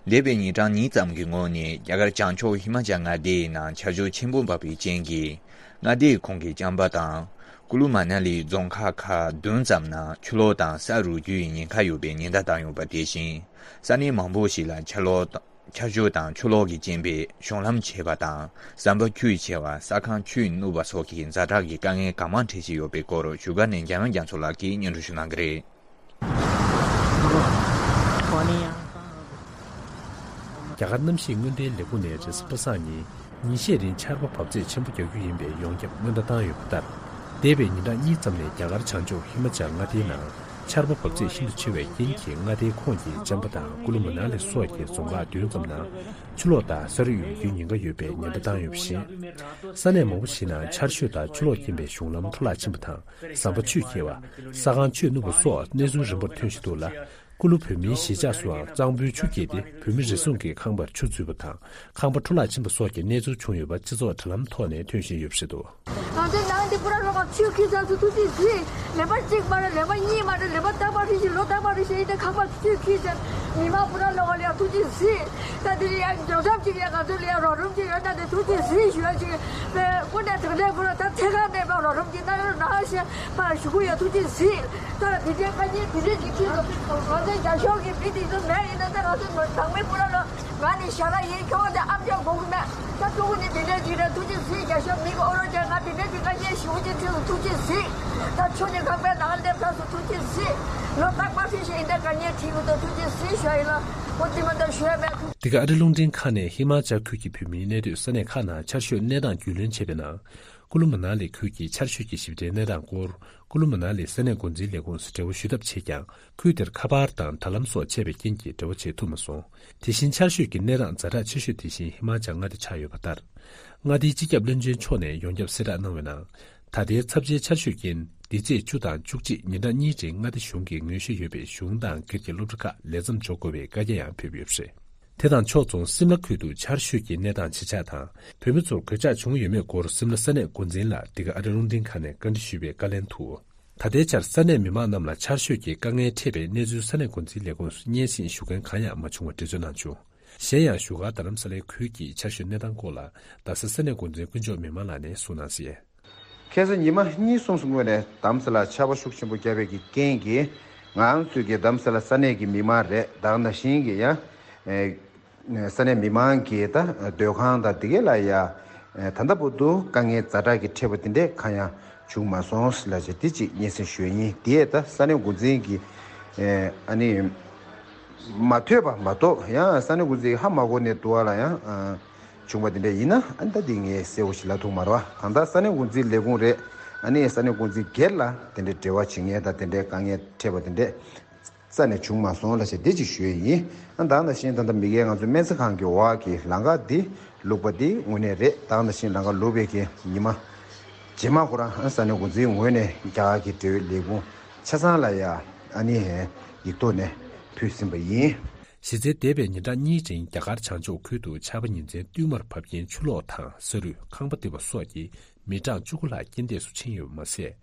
འདས་པའི་ཉིན་གྲངས་གཉིས་ཙམ་གྱི་སྔོན་ནས་རྒྱ་གར་བྱང་ཕྱོགས་ཧི་མ་ཅལ་མངའ་སྡེའི་ནང་ཆར་ཞོད་ཆེན་པོ་འབབ་པའི་རྐྱེན་གྱིས། མངའ་སྡེའི་ཁོངས་ཀྱི་ཅམ་པ་དང་། ཀུ་ལུ་མ་ན་ལི་རྫོང་ཁག་ཁག་བདུན་ཙམ་ནང་ཆུ་ལོག་དང་ས་རུབ་རྒྱུའི་ཉེན་ཁ་ཡོད་པའི་ཉེན་བརྡ་བཏང་ཡོད་པ། དེ་བཞིན་ས་གནས་མང་པོ་ཞིག་ལ་ཆར་ལོག་ཆར་ཞོད་དང་ཆུ་ལོག་གི་རྐྱེན་པས་གཞུང་ལམ་ཆད་པ་དང་ཟམ་པ་ཆུས་ཆད་པ། ས་ཁང་ཆུས་ནུབ་པ་སོགས་ཀྱི་ཛ་དྲག་གི་དཀའ་ངལ་གང་མང་འཕྲད་བཞིན་ཡོད་པའི་སྐོར་བཞུགས་སྒར་ནས་འཇམ་དབྱངས་རྒྱ་མཚོ་ལགས་ཀྱིས་སྙན་སྒྲོན་ཞུ་གནང་གི་རེད། རྒྱ་གར་གནམ་གཤིས་སྔོན་བརྡའི་ལས་ཁུངས་ནས་རེས་གཟའ་པ་སངས་ཉིན་ཉིན་ཤས་རིང་ཆར་པ་འབབ་ཚད་ཆེན་པོ་རྒྱག་རྒྱུ་ཡིན་པའི་ཡོངས་ཁྱབ་སྔོན་བརྡ་བཏང་ཡོད་པ་ལྟར། འདས་པའི་ཉིན་གྲངས་གཉིས་ཙམ་ནས་རྒྱ་གར་བྱང་ཕྱོགས་ཧི་མ་ཅལ་མངའ་སྡེའི་ནང་ཆར་པ་འབབ་ཚད་ཤིན་ཏུ་ཆེ་བའི་རྐྱེན་གྱིས་མངའ་སྡེའི་ཁོངས་ཀྱི་ཅམ་པ་དང་ཀུ་ལུ་མ་ན་ལི་སོགས་ཀྱི་རྫོང་ཁག་བདུན་ཙམ་ནང་ཆུ་ལོག་དང་ས་རུབ་ཡོང་རྒྱུའི་ཉེན་ཁ་ཡོད་པའི་ཉེན་བརྡ་བཏང་ཡོད་པ་བཞིན། ས་གནས་མང་པོ་ཞིག་ནང་ཆར་ཞོད་དང་ཆུ་ལོག་རྐྱེན་པས་གཞུང་ལམ་འཕྲོ་བརླག་ཕྱིན་པ་དང་ཟམ་པ་ཆུས་ཁེལ་བ། ས་ཁང་ཆུས་ནུབ་པ་སོགས་གནས་ཚུལ་རིམ་པར་ཐོན་བཞིན་འདུག་ལ། ཀུ་ལུ་བོད་མིའི་གཞིས་ཆགས་སུའང་གཙང་པོའི་ཆུ་རྐྱལ་ཏེ་བོད་མི་རེ་ཟུང་གི་ཁང་པར་ཆུ་འཛུལ་བ་དང་ཁང་པ་འཕྲོ་བརླག་ཕྱིན་པ་སོགས་ཀྱི་གནས་ཚུལ་བྱུང་ཡོད་པ་སྤྱི་ཚོགས་དྲ་ལམ་ཐོག་ནས་ཐོན་བཞིན་ཡོད་པ་རེད་འདུག། ང་ཚོའི་ནང་འདི་པུ་ར་ལོག་ག་ཆུ་ཁྱི་ཚ་སུ་ཐུགས་རྗེ་གཟིགས། ལེན་པ་གཅིག་མ་རེད། ལེན་པ་གཉིས་མ་རེད། ལེན་པ་རྟག་པར་རེ་བཞིན་ལོ་རྟག་པར་རེ་བཞིན་ཡིན་ཏེ་ཁང་པ་ཆུ་ཁྱི་ཚ་མི་མང་པུ་ར་ལོག་ག་ལ་ཡ་ཐུགས་རྗེ་གཟིགས། ད་འདི་ལ་ཡ་མགྱོགས་ཙམ་གཅིག་ལ་ཡ་ང་ཚོ་ལ་ཡ་རོགས་རམ་གཅིག་ཡོད་ན་དེ་ཐུགས་རྗེ་གཟིགས་ཞུ་ཡ་གཅིག་པའི་སྐུ་ནས་དྲང་གནས་ཁོ་ར་ད་ཚེ་གང་གནས་པ་རོགས་རམ་གཅིག་གནང་ཡོད་ན་ཞེས་ཕར་ཞུ་གི་ཡོད། ཐུགས་རྗེ་གཟིགས། ད་འདི་འདྲའི་དཀའ་ངལ་འདི་འདྲའི་གཅིག་ཁྱི་ཚོ་ང་ཚོའི་རྒྱ་ཤོག་གི་མི་དེ་ཚོ་མེད་ཡིན་ན་ད་ང་ཚོ་ནང་མི་པུ་ར་ལོག་ང་ནི་ཞྭ་ལ་ཡིན། ཁྱོད་ཀྱི་ཨམ་ཅོག་གོ་གི་མེད། ད་ཕྲུ་གུ་ནི་དེ་འདྲའི་ཅིག་རེད། ཐུགས་རྗེ་གཟིགས། རྒྱ་ཤོག་མི་གི་ཨོ་རོ་ཅན་ང་དེ་འདྲའི་ཅིག་ང་ཉན་ཞུ་ཅིག་ཁྱེད་ཚོ་ཐུགས་རྗེ་གཟིགས། ད་ཆུ་ནི་ཁང་པའི་ནང་སླེབས་ཚར་སོང་། ཐུགས་རྗེ་གཟིགས། ལོ་རྟག་པར་ཕྱིན་ཞིག་ཡིན་ད་ག་ཉན་ཁྲིད་གི་འདུག་ཐུགས་རྗེ་གཟིགས་ཞུ་ཡ་ཡིན་ལ། ཁོ་དེ་མ་ད་ཞུ་ཡ་མེད། འདི་ག་ཨ་རི་རླུང་འཕྲིན་ཁང་ནས་ཧི་མ་ཅལ་ཁུལ་གྱི་བོད་མིའི་གནས་སྡོད་ས་གནས་ཁག་ནང་ཆར་ཞོད་གནས་སྟངས་རྒྱུས་ལོན་བྱས་པའི་ནང་། ཀུ་ལུ་མ་ན་ལི་ཁུལ་གྱི་ཆར་ཞོད་ཀྱི་ཞིབ་ཕྲའི་གནས་སྟངས་སྐོར། ཀུ་ལུ་མ་ན་ལི་ས་གནས་འགོ་འཛིན་ལས་ཁུངས་སུ་འབྲེལ་བ་ཞུ་ཐབས་བྱས་ཀྱང་། ཁུལ་དེར་ཁ་པར་དང་དྲ་ལམ་སོགས་ཆད་པའི་རྐྱེན་གྱིས་འབྲེལ་བ་བྱེད་ཐུབ་མ་སོང་། དེ་བཞིན་ཆར་ཞོད་ཀྱི་གནས་སྟངས་ཛ་དྲག་ཆེ་ཤོས་དེ་བཞིན་ཧི་མ་ཅལ་མངའ་སྡེ་ཆགས་ཡོད་པ་ལྟར། མངའ་སྡེའི་སྤྱི་ཁྱབ་བློན་ཆེན་མཆོག་ནས་ཡོངས་ཁྱབ་གསལ་བསྒྲགས་གནང་བའི་ནང་། ད་ལྟའི་ཚབས་ཆེའི་ཆར་ཞོད་རྐྱེན་འདི་ཚེས་བཅུ་དང་བཅུ་གཅིག་ཉིན་གྲངས་གཉིས་རིང་མངའ་སྡེ་གཞུང་གིས་ངོས་བཞེས་ཡོད་པའི་གཞུང་དང་སྒེར་གྱི་སློབ་གྲྭ་ཁག་ལས་མཚམས་འཇོག་དགོས་པའི་བཀའ་རྒྱ་ཡང་ཕེབས་ཡོད་པ་རེད། དེ་དང་ཕྱོགས་མཚུངས་སིམ་ལ་ཁུལ་དུ་ཆར་ཞོད་ཀྱི་གནས་སྟངས་ཇི་ཆགས་དང་། བོད་མི་ཚོར་གོད་ཆག་བྱུང་ཡོད་མེད་སྐོར་སིམ་ལ་ས་གནས་འགོ་འཛིན་ལ་འདི་ག་ཨ་རི་རླུང་འཕྲིན་ཁང་ནས་བཀའ་འདྲི་ཞུས་པའི་བཀའ་ལན་དུ། ད་ལྟའི་ཆར་ས་གནས་མི་མང་རྣམས་ལ་ཆར་ཞོད་ཀྱི་དཀའ་ངལ་འཕྲད་པའི་གནས་ཚུལ་ས་གནས་འགོ་འཛིན་ལས་ཁུངས་སུ་སྙན་སེང་ཞུ་མཁན་གང་ཡང་མ་བྱུང་བ་འགྲེལ་བརྗོད་གནང་བྱུང་། གཞན་ཡང་བཞུགས་སྒར་རྡ་རམ་ས་ལའི་ཁུལ་གྱི་ཆར་ཞོད་གནས་སྟངས་སྐོར་ལ་རྡ་ས་ས་གནས་འགོ་འཛིན་དཀོན་མཆོག་མི་དམངས་ལགས་ནས་གསུངས་གནང་གསལ། ཁ་སང་ཉི་མ་གཉིས་གསུམ་སྔོན་ནས་རྡ་རམ་ས་ལར་ཆར་པ་ཤུགས་ཆེན་པོ་བརྒྱབ་པའི་གི་རྐྱེན་གྱིས་ང་རང་ཚོའི་གི་རྡ་རམ་ས་ལ་ས་གནས་ཀྱི་མི་མང་རེད། ད་ག་ནང་བཞིན་གྱི་ཡང་ས་གནས་མི་མང་གི་ད་སྡོད་ཁང་དང་དེ་གའི་ལ་ཡ་ད་ལྟ་བར་དུ་དཀའ་ངལ་ཛ་དྲག་གི་འཕྲད་པ་དེ་འདྲས་གང་ཡང་བྱུང་མ་སོང་ལ་བྱས་དེ་གཅིག་སྙན་སེང་ཞུ་ཡ་ཡིན། དེ་ད་ས་གནས་འགོ་འཛིན་གྱི་ཨ་ནི་མ་ཐོས་པ་མ་གཏོགས་ཡང་ས་གནས་འགོ་འཛིན་གྱི་ཧ་མ་གོ་ནས་འདུག་བ་ལ་ཡང་། བྱུང་བ་དེ་འདྲ་ཡིན་ན་ཨ་ནི་ད་དེ་ངས་གསལ་བོ་ཞིག་ལབ་ཐུབ་མ་རེད་བ། གང་ལྟར་ས་གནས་འགོ་འཛིན་ལས་ཁུངས་རེད། ཨ་ནི་ས་གནས་འགོ་འཛིན་སྒེར་ལ་དེ་འདྲའི་འབྲེལ་བ་བྱེད་མཁན་དང་དེ་འདྲའི་དཀའ་ངལ་འཕྲད་པ་དེ་འདྲས་རྩ་ནས་བྱུང་མ་སོང་ལ་བྱས་དེ་ཅིག་ཞུ་ཡས་ཡིན། ཨ་ད་ནང་བཞིན་ད་ལྟ་མི་སྒེར་ང་ཚོའི་སྨན་རྩིས་ཁང་གི་འོག་གི་ལམ་ཁ་འདི་བླུགས་པ་འདི་དངོས་གནས་རེད། ད་ནང་བཞིན་ལམ་ཁ་བླུགས་པའི་གི་ཉི་མ་རྗེས་མ་ཁོ་རང་ཨ་ས་གནས་འགོ་འཛིན་ངོས་ནས་རྒྱ་གར་གྱི་འབྲེལ་ཡོད་ལས་ཁུངས་ཆ་ཚང་ལ་ཡ་ཨ་ནི་ཡིག་ཐོག་ནས་ཕུལ་ཟིན་པ་ཡིན། གཞི་རྩའི་འདས་པའི་ཉིན་གྲངས་གཉིས་རིང་རྒྱ་གར་བྱང་ཕྱོགས་ཁུལ་དུ་ཆར་པ་ཉིན་མཚན་བསྟུད་མར་བབས་རྐྱེན་ཆུ་ལོག་དང་ས་རུད་ཁང་པ་རྡིབ་པ་སོགས་ཀྱིས་མི་གྲངས་བཅུ་དགུ་ལྷག་རྐྱེན་འདས་སུ་ཕྱིན་ཡོད་པ་མ་ཟད།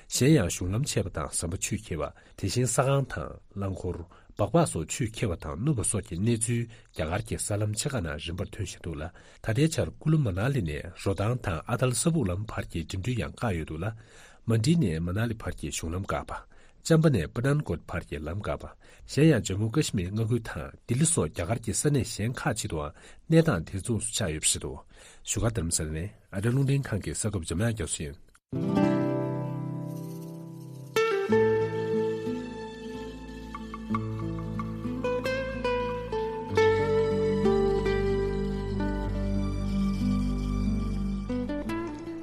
གཞན་ཡང་གཞུང་ལམ་ཆད་པ་དང་ཟམ་པ་ཆུས་ཁེལ་བ། དེ་བཞིན་ས་ཁང་དང་རླངས་འཁོར། སྦག་སྦག་སོགས་ཆུས་ཁེལ་བ་དང་བསྣུབས་པ་སོགས་ཀྱི་གནས་ཚུལ་རྒྱ་གར་གྱི་གསར་ལམ་ཆེ་ཁག་ནང་རིམ་པར་ཐོན་བཞིན་འདུག་ལ། ད་ལྟའི་ཆར་ཀུ་ལུ་མ་ན་ལི་ནས་རོ་ཐང་དང་ཨ་ཐལ་ས་སྦུག་ལམ་བར་གྱི་འགྲིམ་འགྲུལ་ཡང་བཀག་ཡོད་འདུག་ལ། མན་ཌི་ནས་མ་ན་ལི་བར་གྱི་གཞུང་ལམ་བཀག་པ། ཅམ་པ་ནས་པ་ཐན་ཀོཊ་བར་གྱི་ལམ་བཀག་པ། གཞན་ཡང་ཇམ་མུ་ཀ་ཤི་མིར་མངའ་ཁུལ་དང་ལྡི་ལི་སོགས་རྒྱ་གར་གྱི་ས་གནས་གཞན་ཁག་ཅིག་ཏུའང་གནས་སྟངས་དེ་མཚུངས་སུ་ཆགས་ཡོད་པ་རེད་འདུག་བཞུགས་སྒར་རྡ་རམ་ས་ལ་ནས་ཨ་རིའི་རླུང་འཕྲིན་ཁང་གི་གསར་འགོད་པ་འཇམ་དབྱངས་རྒྱ་མཚོ་ཡིན།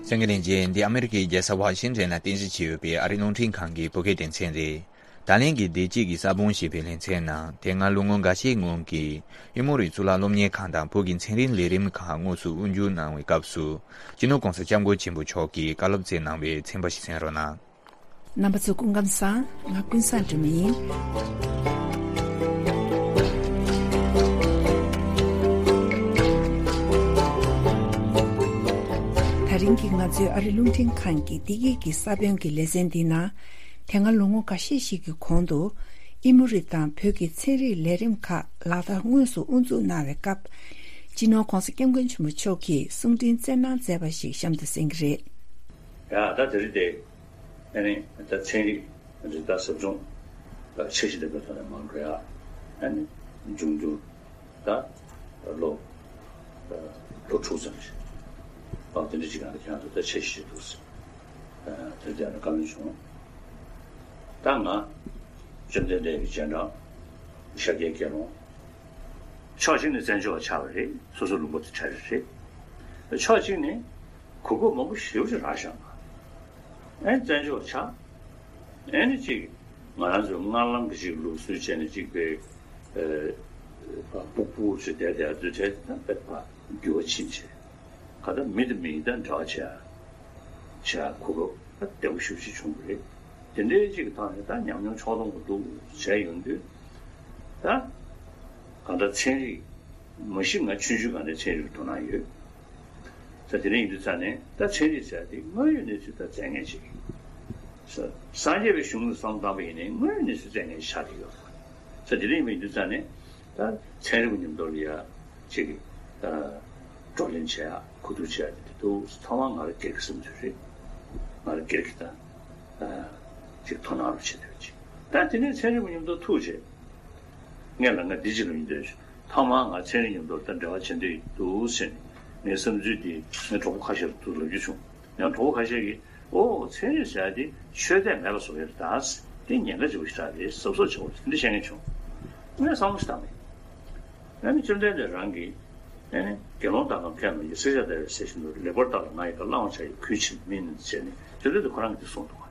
གསན་མཁན་ལྷན་རྒྱས། འདི་ཨ་མེ་རི་ཁའི་རྒྱལ་ས་ཝ་ཤིང་ཊོན་ནང་རྟེན་གཞི་བྱས་ཡོད་པའི་ཨ་རིའི་རླུང་འཕྲིན་ཁང་གི་བོད་སྐད་སྡེ་ཚན་རེད། ད་ལན་གྱི་བདེ་སྐྱིད་ཀྱི་ས་བོན་ཞེས་པའི་ལེ་ཚན་ནང་དེ་སྔ་ལོ་ངོ་འགའ་ཤས་སྔོན་གྱི་ཨི་མོ་རི་གཙུག་ལག་སློབ་གཉེར་ཁང་དང་བོད་ཀྱི་ཚན་རིག་ལས་རིམ་ཁག་དངོས་སུ་དབུ་འཛུགས་གནང་བའི་སྐབས་སུ་སྤྱི་ནོར་༸གོང་ས་༸སྐྱབས་མགོན་ཆེན་པོ་མཆོག་གིས་བཀའ་སློབ་སྩལ་གནང་བའི་ཚན་པ་ཞིག་གསན་རོགས་གནང་། རྣམ་པ་ཚོ་སྐུ་ཁམས་བཟང་། ང་ཀུན་བཟང་སྒྲོལ་མ་ཡིན། ད་རིང་གི་ང་ཚོའི་ཨ་རི་རླུང་འཕྲིན་ཁང་གི་བདེ་སྐྱིད་ཀྱི་ས་བོན་གྱི་ལེ་ཚན་འདི་ནང་། དེ་སྔ་ལོ་ངོ་འགའ་ཤས་ཤིག་གི་གོང་དུ་ཨི་མོ་རི་དང་བོད་ཀྱི་ཚན་རིག་ལས་རིམ་ཁག་ལག་བསྟར་དངོས་སུ་དབུ་འཛུགས་གནང་བའི་སྐབས། སྤྱི་ནོར་༸གོང་ས་༸སྐྱབས་མགོན་ཆེན་པོ་མཆོག་གིས་གསུང་འཕྲིན་སྩལ་གནང་མཛད་པ་ཞིག་གཤམ་དུ་གསན་གྱི་རེད། ཡ་ད་དེ་རིང་དེ། ཨ་ནི་ད་ཚན་རིག་རིག་པ་ཟབ་སྦྱོང་ལ་འཆར་གཞི་ལྡན་པའི་ཐོག་ནས་མ་འགྲོ་ཡ། ཨ་ནི་འབྱུང་འགྱུར་ད་ལོ་ལོ་དྲུག་ཙམ་ཞིག་ཨ་དེ་འདྲ་ཅིག་གང་ལ་ཁྱེད་རང་ཚོ་ད་འཆར་གཞི་ཞིག་འདུག་ཟེར། ཨ་དེ་དེ་ནས་བཀའ་མོལ་བྱུང་། ད་ང་བཅོམ་ལྡན་འདས་ཀྱི་རྗེས་འབྲང་ཤཱཀྱའི་དགེ་སློང་། ཕྱོགས་གཅིག་ནས་བཙན་བྱོལ་བ་ཆགས་པ་རེད། སོ་སོ་ལུང་པ་དེ་གྲ་རེ་རེད། ཕྱོགས་གཅིག་ནས་གོ་སྐབས་མང་པོ་ཞེ་པོ་ཅིག་རག་བཞག་པ། ཨེ་བཙན་བྱོལ་བ་ཆགས། ཨེ་ནི་ཅིག་ང་རང་ཚོའི་སྔར་ལམ་གྱི་ཅིག་ལུགས་སྲོལ་བྱས་ནས་ཅིག་པའི་སྤུག་སྤུག་ཚོས་བསྡད་བསྡད་དུས་དེ་ད་དཔེ་འགྱུར་བ་ཕྱིན་ཆད་ག་ད་མི་དང་མི་ད་འབྲེལ་བ་བྱས་བྱས་གོ་སྐབས་ད་བདེ་པོ་ཞེ་པོ་ཅིག་བྱུང་བ་རེད། དེ་འདྲའི་ཅིག་གི་ཐོག་ནས་ད་ཉམས་མྱོང་ཕྱོགས་བསྡོམས་འདུག་བྱས་ཡོང་དུས་ད་གང་ལྟར་ཚན་རིག་མ་གཞི་ང་ཆུང་ཆུང་སྒང་ནས་ཚན་རིག་ལ་དོ་སྣང་ཡོད། ས་དེ་རིང་ཡིན་དུས་ཙང་ནས་ད་ཚན་རིག་ཟེར་ཡ་དེ་དངོས་ཡོད་གནས་ཚུལ་ད་བཙལ་མཁན་ཅིག་ཡིན། ས་སངས་རྒྱས་པའི་གཞུང་ལ་བསམ་བློ་བཏང་པ་ཡིན་ནའི་དངོས་ཡོད་གནས་ཚུལ་བཙལ་མཁན་ཞིག་ཆགས་ཀྱི་ཡོད་རེད། ས་དེ་རིང་ཡིན་དུས་ཙང་ནས་ད་ཚན་རིག་པ་མཉམ་དུ་ལ་ཡ་ཅིག་ད་བགྲོ་གླེང་བྱེད་ཡ་གོ་བསྡུར་བྱེད་ཡ་དེ་དུས་ཚང་མ་ང་རང་སྒེར་གྱི་བསམ་ཚུལ་རེད། ང་རང་སྒེར་གྱི་ད་ཅིག་དོ་སྣང་རུ་བྱེད་འདོད་ཅིག་ད་དེ་ནས་ཚན་རིག་པ་མཉམ་དུ་ཐུག་བྱས། ངས་ལ་ང་འདི་ཅི་ལ་ཡིན་འདོད་ཞུ། ཐ་མ་ང་ཚན་རིག་མཉམ་དུ་ད་འབྲེལ་བ་བྱེད་འདོད་འདུག་ཟེར་ནས་ངའི་བསམ་ཚུལ་འདི་ངའི་གྲོགས་པོ་ཁ་ཤས་ལ་ཐུག་ལབ་རྒྱུ་བྱུང་། ཡང་གྲོགས་པོ་ཁ་ཤས་ཀྱིས་ཨོ་ཚན་རིག་ཟེར་ཡ་དེ་ཆོས་དད་མེད་པ་བཟོ་ཡ་རེད་ད། དེ་ཉེན་ཁ་ཆེ་བོ་ཞིག་རེད་གཟབ་གཟབ་བྱེད་དགོས་རེད་འདི་བཤད་མཁན་བྱུང་། ངས་བསམ་བློ་ཞིག་བཏང་མེད། ཨ་ནི་བཅོམ་ལྡན་འདས་རང་གིས་ཨ་ནི་དགེ་སློང་དག་གམ་མཁས་རྣམས་ཀྱིས་བསྲེག་བཅད་བརྡར་བའི་ཟས་བཞིན་དུ་ལེགས་པར་བརྟགས་ལ་ང་ཡི་བཀའ་བླང་བྱ་ཡི་གུས་ཕྱིར་མིན་ཟེར་ནས་བཅོམ་ལྡན་འདས་ཁོ་རང་གིས་འདི་གསུངས་འདུག་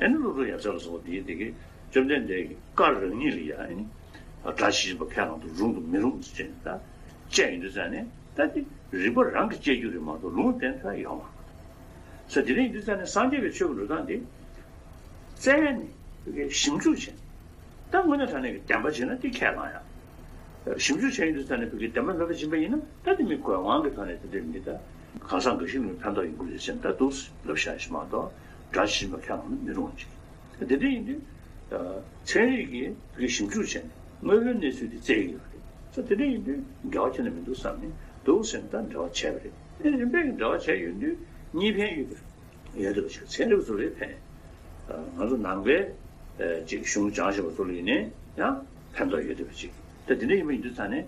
ཨ་ནི་ཀླུ་སྒྲུབ་ཡབ་སྲས་ལ་སོགས་པ་འདིའི་སྡེ་དགེ་བཅོམ་ལྡན་འདས་ཀྱི་བཀའ་རང་ཉིད་ལ་ཡང་ཨ་ནི་སྒྲ་ཇི་བཞིན་པ་ཁས་བླངས་དུ་རུང་དང་མི་རུང་ཟེར་ནས་ད་བཅད་ཡོང་དུས་ཙང་ནས་ད་འདི་རིགས་པ་རང་གིས་བཅད་རྒྱུ་རེད་མ་གཏོགས་ལུང་བསྟན་ཐབས་ཡོད་མ་རེད། ས་དེ་རིང་ཡིན་དུས་ཙང་ནས་སངས་རྒྱས་པའི་ཆོས་ཀྱི་འགྲོ་སྟངས་འདི་བཙལ་ནས་ཞིབ་འཇུག་བྱས། ད་དངོས་གནས་དྲང་གནས་ཀྱི་བདེན་པ་བྱས་ན་འདི་ཁས་བླངས་ཡ། ཞིབ་འཇུག་བྱས་ཡིན་དུས་ཙང་ནས་བོད་ཀྱི་བདེན་པ་མེད་པ་ཕྱིན་པ་ཡིན་ན་ད་འདི་མི་གོ་ངང་གི་ཐོག་ནས་དེ་འདྲའི་མི་ད་གང་ཟག་འགའ་ཞིག་ལ་ཕན་ཐོགས་ཡོང་གི་རེད་ཟེར་ནས་ད་འདུག་ལབ་བཞག་ཞིག་མ་གཏོགས་སྒྲ་ཇི་བཞིན་པ་ཁས་བླངས་ན་མི་རུང་བ་ཅིག་ད་དེ་འདྲ་ཡིན་དུས་ཚན་རིག་གིས་བོད་ཀྱི་ཞིབ་འཇུག་བྱས་ནས་དངོས་པོའི་གནས་ཚུལ་དེ་བཙལ་གྱི་ཡོད་རེད། ད་དེ་འདྲ་ཡིན་དུས་འགལ་བ་ཁྱོན་ནས་མི་འདུག་བསམ་ནས་འདུག་ཟེར་ནས་ད་འབྲེལ་བ་བྱས་པ་རེད། དེ་རིམ་པས་ཀྱི་འབྲེལ་བ་བྱས་ཡོད་དུས་གཉིས་ཕན་ཡོད་པ་རེད། ཡོད་བསྡད་པ་ཞིག་ཚན་རིག་པ་ཚོ་ལ་ཕན། ང་ཚོ་ནང་པའི་ཅིག་གཞུང་སྦྱངས་བཞིན་པ་ཚོ་ལ་ཡིན་ནའི་ཡང་ཕན་ཐོགས་ཡོད་བསྡད་པ་ཅིག་ད་དེ་འདྲ་ཡིན་པ་ཡིན་དུས་ཙང་ནས་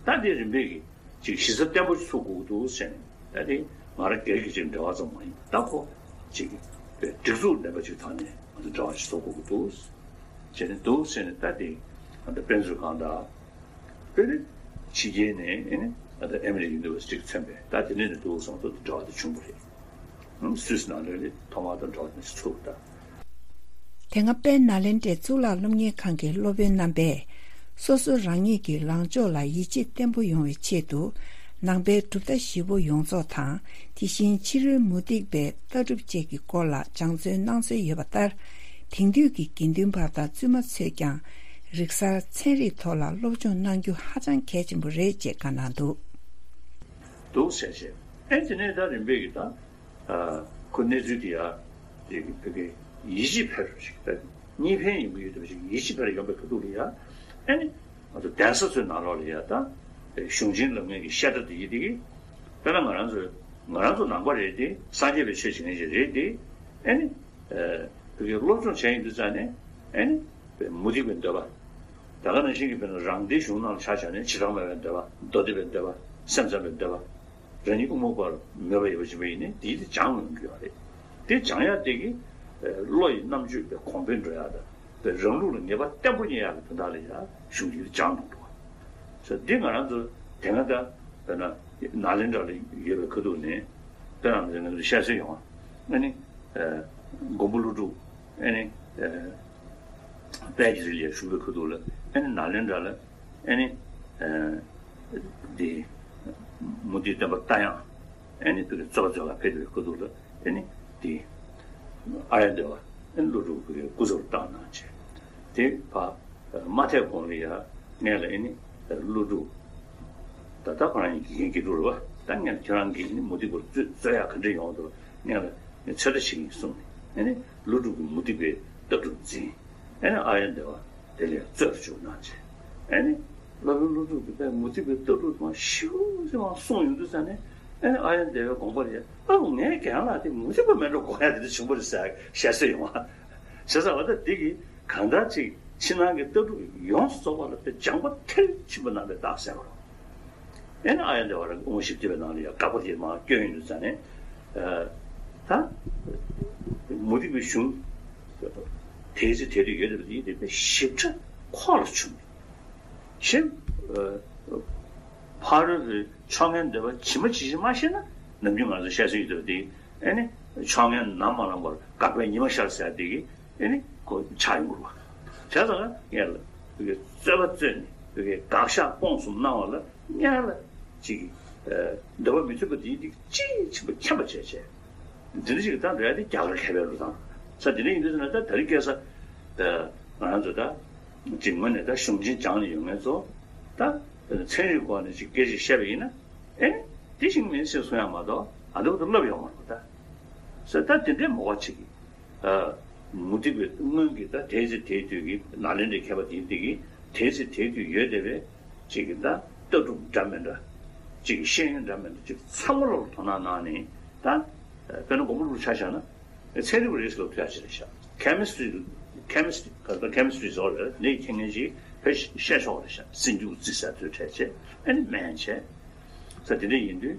ད་འདི་རིམ་པས་ཀྱི་ཅིག་གཞི་རྩ་བརྟན་པོ་ཞིག་ཚུགས་དགོས་ཀྱི་འདུག་ཟེར་ནས་ད་དེ་ང་རང་སྒེར་གྱི་ཅིག་འབྲེལ་བ་ཙམ་མ་ཡིན་པ་ད་ཁོ་ཅིག་སྒྲིག་འཛུགས་ལྡན་པ་ཅིག་ཐོག་ནས་ང་ཚོ་འབྲེལ་བ་ཞིག་ཚུགས་དགོས་ཀྱི་འདུག་ཟེར་ནས་འདུག་ཟེར་ནས་ད་དེ་ང་ཚོ་དཔེ་མཛོད་ཁང་དང་། དཔེར་ན་ཕྱི་རྒྱལ་ནས་ཨེ་ནི་ད་ལྟ་ཨ་མི་རི་ཀ་ཡུ་ནི་ཝར་སི་ཊི་ཚན་པས་ད་དེ་ནས་ནི་འདུག་སོང་ཙང་འབྲེལ་བ་དེ་བྱུང་བ་རེད། སུད་སི་ནང་ལོགས་ལ་ཐོག་མར་ད་འབྲེལ་བ་དེ་ཚུགས་ད། དེ་སྔ་དཔལ་ནཱ་ལེནྡྲའི་གཙུག་ལག་སློབ་གཉེར་ཁང་གི་སློབ་དཔོན་རྣམ་པས་སོ་སོ་རང་ཉིད་ཀྱི་ལངས་ཕྱོགས་ལ་ཡིད་ཆེས་བརྟན་པོ་ཡོང་བའི་ཆེད་དུ་ནང་པའི་གྲུབ་མཐའ་བཞི་པོ་ཡོངས་རྫོགས་དང་དེ་བཞིན་ཕྱི་རོལ་མུ་སྟེགས་པའི་ལྟ་གྲུབ་བཅས་ཀྱི་སྐོར་ལ་སྦྱང་བརྩོན་གནང་སྲོལ་ཡོད་པ་ལྟར། དེང་དུས་ཀྱི་དགེ་འདུན་པ་དང་བཙུན་མ་ཚོས་ཀྱང་རིག་གསར་ཚན་རིག་ཐོག་ལ་སློབ་སྦྱོང་གནང་རྒྱུ་ཧ་ཅང་གལ་ཆེན་པོ་རེད་ཅེས་བཀའ་གནང་འདུག་འདུག་ཟེར་བྱས། ཨེ་དེ་ནས་ད་རིམ་པས་ཀྱི་ད་ཁོ་གནས་ཚུལ་དེ་ཡ་དེ་གི་བོད་སྐད་ཡིད་ཆེས་འཕེར་ཞིག་ད་གཉིས་ཕན་ཡོང་གི་ཡོད་དམ་ཞིག་ཡིད་ཆེས་འཕེར་ཡོང་པའི་ཁ་ཐུག་ལ་ཡ་ཨེ་ནི་ང་ཚོ་གདན་ས་ཚོའི་ནང་ལོགས་ལ་ཡ་ད་གཞུང་ཆེན་ལབ་མཁན་གྱི་བཤད་གྲྭ་དེ་ཡི་དེ་གི་དཔེར་ན་ང་རང་ཚོ་ང་རང་ཚོ་ནང་པ་རེད་དེ་སངས་རྒྱས་པའི་ཆོས་བྱེད་མཁན་ཞིག་རེད་དེ་ཨེ་ནི། བོད་སྐད་སློབ་སྦྱོང་བྱས་ཡོང་དུས་ཙང་ནས་ ཨེ་ནི་མུ་སྟེགས་པའི་འདོད་པ། ད་ག་ནང་བཞིན་གྱི་དཔེར་ན་རང་སྡེའི་གཞུང་ནང་ལ་ཆ་བཞག་ནས་བྱེ་བྲག་སྨྲ་བའི་འདོད་པ། མདོ་སྡེ་པའི་འདོད་པ། སེམས་ཙམ་པའི་འདོད་པ། རང་ཉིད་དབུ་མ་པར་མོས་པ་ཡོད་པ་ཅིག་ཡིན་ན་དེའི་དེ་སྦྱང་ཡོང་གི་ཡོད་རེད། དེ་སྦྱང་ཡག་དེ་གི་བློ་ཡི་རྣམ་དཔྱོད་པའི་གོང་འཕེལ་འགྲོ་ཡག་དང་། བློ་ལུགས་ལ་ངེས་པ་བརྟན་པོ་རྙེད་ཡག་གི་དོན་དག་ལ་ཡང་གཞུང་འདིས་སྦྱངས་གནང་འདུག་བ། འདི་ང་རང་ཚོ་དེ་སྔ་ད་དཔེར་ན་ནཱ་ལེནྡྲ་ལ་ཡོད་པའི་ཁ་ཐུག་ནས་དཔེར་ན་ང་ཚོ་བཤད་སྲོལ་ཡོང་བ། ཨ་ནི་མགོན་པོ་ཀླུ་སྒྲུབ། ཨ་ནི་དཔལ་གྱི་རི་ལ་བཞུགས་པའི་ཁ་ཐུག་ལ། ཨ་ནི་ནཱ་ལེནྡྲ་ལ། ཨ་ནི་འདི་མུ་སྟེགས་སྟོན་པ་རྟ་དབྱངས། ཨ་ནི་དེ་གི་རྩོད་པ་རྩོད་གར་ཕེབས་པའི་ཁ་ཐུག་ལ། ཨ་ནི་དེ་ཨཱརྱ་དེ་བ། ཨ་ནི་ཀླུ་སྒྲུབ་ཀྱི་སྐུ་ཚབ་བཏང་གནང་བྱས། དེ་ཕར་མ་ཐེག་གོང་ལ་ཡ་སྔོན་ལ། ཨ་ནི་ཀླུ་སྒྲུབ། ད་ལྟ་ཁོ་རང་གི་དགེ་རྒན་དགེ་ཕྲུག་རེད་བ། ད་སྔོན་ལ་ཁྱེད་རང་གིས་ནི་མུ་སྟེགས་པར་རྩོད་རྩོད་ཡག་ག་འདྲ་ཡོང་འདུག་སྔོན་ལ་ངས་ཚོད་ལྟ་བྱེད་ཀྱི་ཡིན་གསུངས་ནས། ཨ་ནི་ཀླུ་སྒྲུབ་ཀྱིས་མུ་སྟེགས་པའི་ལྟ་གྲུབ་འཛིན། ཨ་ནི་ཨཱརྱ་དེ་བ་དེ་ལ་རྩོད་དུ་བཅུག་གནང་བྱས། ཨ་ནི་སློབ་དཔོན་ཀླུ་སྒྲུབ་ཀྱིས་དཔེ་མུ་སྟེགས་པའི་ལྟ་གྲུབ་དང་ཞིབ་ཅིག་མར་གསུངས་ཡོང་དུས་ཙ་ནས། ཨ་ནི་ཨཱརྱ་དེ་བའི་དགོངས་པ་རེད། ཨ་ངའི་རྒན་ལགས་དེ་མུ་སྟེགས་པ་མེད་འགྲོ་དགོངས་ཡག་དེ་འདྲ་བྱུང་བ་རེད་ཟེར་བཤད་སྲོལ་ཡོང་བ། བྱས་ཙང་བ་ད་འདི་གིས་གང་ལྟར་ཅིག་ཕྱི་ནང་གི་ལྟ་གྲུབ་ཡོངས་སུ་རྫོགས་པ་ལ་དཔེ་སྦྱངས་པ་མཐིལ་ཕྱིན་པ་གནང་བའི་རྟགས་གསལ་བ་རེད། ཨེ་ནི་ཨཱརྱ་དེ་བ་རང་དབུ་མ་བཞི་བརྒྱ་པའི་ནང་ལ་ཡང་དགག་པ་དེ་མར་བསྐྱོན་ཡོང་དུས་ཙ་ནས། ཨ་ད་མུ་སྟེགས་པའི་གཞུང་དེའི་ཚེ་དེ་དུས་ཡོད་བསྡད་པ་དེ་དེ་དཔེ་ཞིབ་ཕྲ་ཁོག་ལ་ཆུད། ཞེས། ཨ་ཕ་རོལ་པོའི་ཕྱོགས་ངན་འདོད་པ་ཇི་མ་ཇི་བཞིན་མ་ཤེས་ན། ནམ་རྒྱུན་ང་ཚོ་བཤད་སྲོལ་ཡོད་བསྡད་པ་དེ། ཨེ་ནི་ཕྱོགས་ངན་ནམ་མ་ལངས་པར་དགག་པའི་ཉི་མ་ཤར་ཟེར་དེ་གི། ཨེ་ནི་ཁོ་ཆགས་ཡོང་གི་རེད་བ། བྱས་ཙང་ངས་ལ་དེ་གི་རྩོད་པ་རྩོད་ནས་དེ་གི་དགག་བཞག་སྤོང་གསུམ་གནང་བ་ལ། ངས་ལ་ཅིག་ཨ་འདོད་པ་མི་མཐུན་པ་དེའི་དེ་ཅིའི་ཕྱིན་པ་མཁྱེན་པ་བྱས་བྱས། འདི་འདྲ་ཞིག་ད་འདོད་ཡ་དེ་རྒྱ་གར་མཁས་པའི་ལུགས་དང་ས་དེ་འདྲ་ཡིན་དུས་ན། ད་དེ་རིང་ཁ་སང་ད་ང་རང་ཚོ་ད་ཅིག་ངོས་ནས་ད་གཞུང་ཆེན་སྦྱངས་ནས་ཡོང་མཁན་ཚོ། ད་ཚན་རིག་སྐོར་ནས་ཅིག་སྐད་ཆ་བཤད་པ་ཡིན་ན། ཨེ་དེ་ཞིག་མིན་ཟེར་གསུང་ཡ་མ་གཏོགས་ཨ་འདི་བ་དུ་ལབ་ཡོང་མ་རེད་པ། ད་ས་ད་དེ་འདྲའི་མོ་བ་ཅིག་གིས། ཨ་མུ་སྟེགས་པའི་སྔོན་གྱི་ད་དེའི་ཚེ་དེའི་དུས་ཀྱི་ནཱ་ལེནྡྲའི་མཁས་པ་དེ་དེ་གིས་དེའི་ཚེ་དེའི་དུས་ཡོད་བསྡད་པའི་ཅིག་གི་ད་ལྟ་གྲུབ་འདྲ་མི་འདྲ། ཅིག་གི་ཤེས་ཡོན་འདྲ་མི་འདྲ་ཅིག་ཚང་མ་ལོག་ལ་དོ་སྣང་གནང་ནས། ད་དཔེར་ན་མགོན་པོ་ཀླུ་སྒྲུབ་ཆ་བཞག་ན། ཚན་རིག་པ་རེད་ཟེར་ལབ་ཐུབ་ཡ་ཅིག་རེད་ཤག Chemistry, chemistry ག་ད་chemistry ཟེར་བ་རེད། འདི་མཁྱེན་མཁན་ཅིག་ཕར་བཤད་ཆོག་རེད་ཤག་སེམས་རྒྱུད་ཀྱི་རྩིས་ཟེར་ཚོས་འཕྲད་བྱས། ཨ་ནི་སྨན་བྱས། ས་དེ་འདྲ་ཡིན་དུས།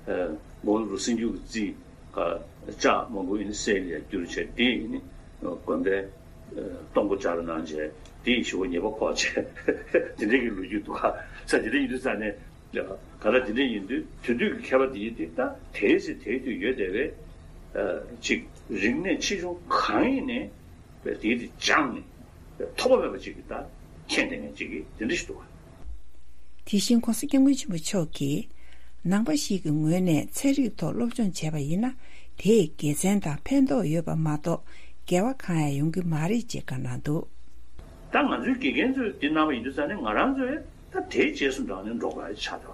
ཨ་མགོན་པོ་ཀླུ་སྒྲུབ་སེམས་རྒྱུད་ཀྱི་རྩིས། ཨ་ལྕགས་མང་པོ་ཡིན་ན་གསེར་ལ་ཡ་བསྒྱུར་བྱས། དེ་ཡིན་ནི་དགོན་པའི་ཨ་སྟོང་པོ་སྦྱར་གནང་བྱས། དེ་ཡི་ཞུ་བ་ཉེས་པ་ཕོག་བྱས། དེ་འདྲ་གི་ལོ་རྒྱུས་འདུག་ག་ས་དེ་འདྲ་ཡིན་དུས་ཙ་ནས། ག་ལ་དེ་འདྲ་ཡིན་དུས་དེ་དུས་ཀྱི་མཁས་པ་དེ་ཡིན་དུས། ད་དེའི་ཚེ་དེའི་དུས་ཡོད་བསྡད་པའི་ཨ་ཅིག་རིག་གནས་ཆེ་ཆུང་གང་ཡིན་ནའི་དེའི་དེ་སྦྱངས་ནས་ཐོགས་པ་མེད་པ་ཅིག་གིས་ད་མཁྱེན་བསྡད་མཁན་ཅིག་གིས་དེ་འདྲ་ཞིག་འདུག་ག་དེ་བཞིན་༸གོང་ས་༸སྐྱབས་མགོན་ཆེན་པོ་མཆོག་གིས། ནང་པ་ཞིག་གི་ངོས་ནས་ཚན་རིག་ཐོག་སློབ་སྦྱོང་བྱས་པ་ཡིན་ན། དེས་དགེ་མཚན་དང་ཕན་ཐོགས་ཡོད་པ་མ་གཏོགས་འགལ་བ་གང་ཡང་ཡོང་གི་མ་རེད་ཅེས་བཀའ་གནང་འདུག་ད་ང་ཚོའི་དགེ་རྒན་ཚོས་འདི་གནང་བ་ཡིན་དུས་ཙ་ནས། ང་རང་ཚོས་ད་དེའི་རྗེས་སུ་འབྲངས་ནས་འགྲོ་དགོས་ཡ་ཆགས་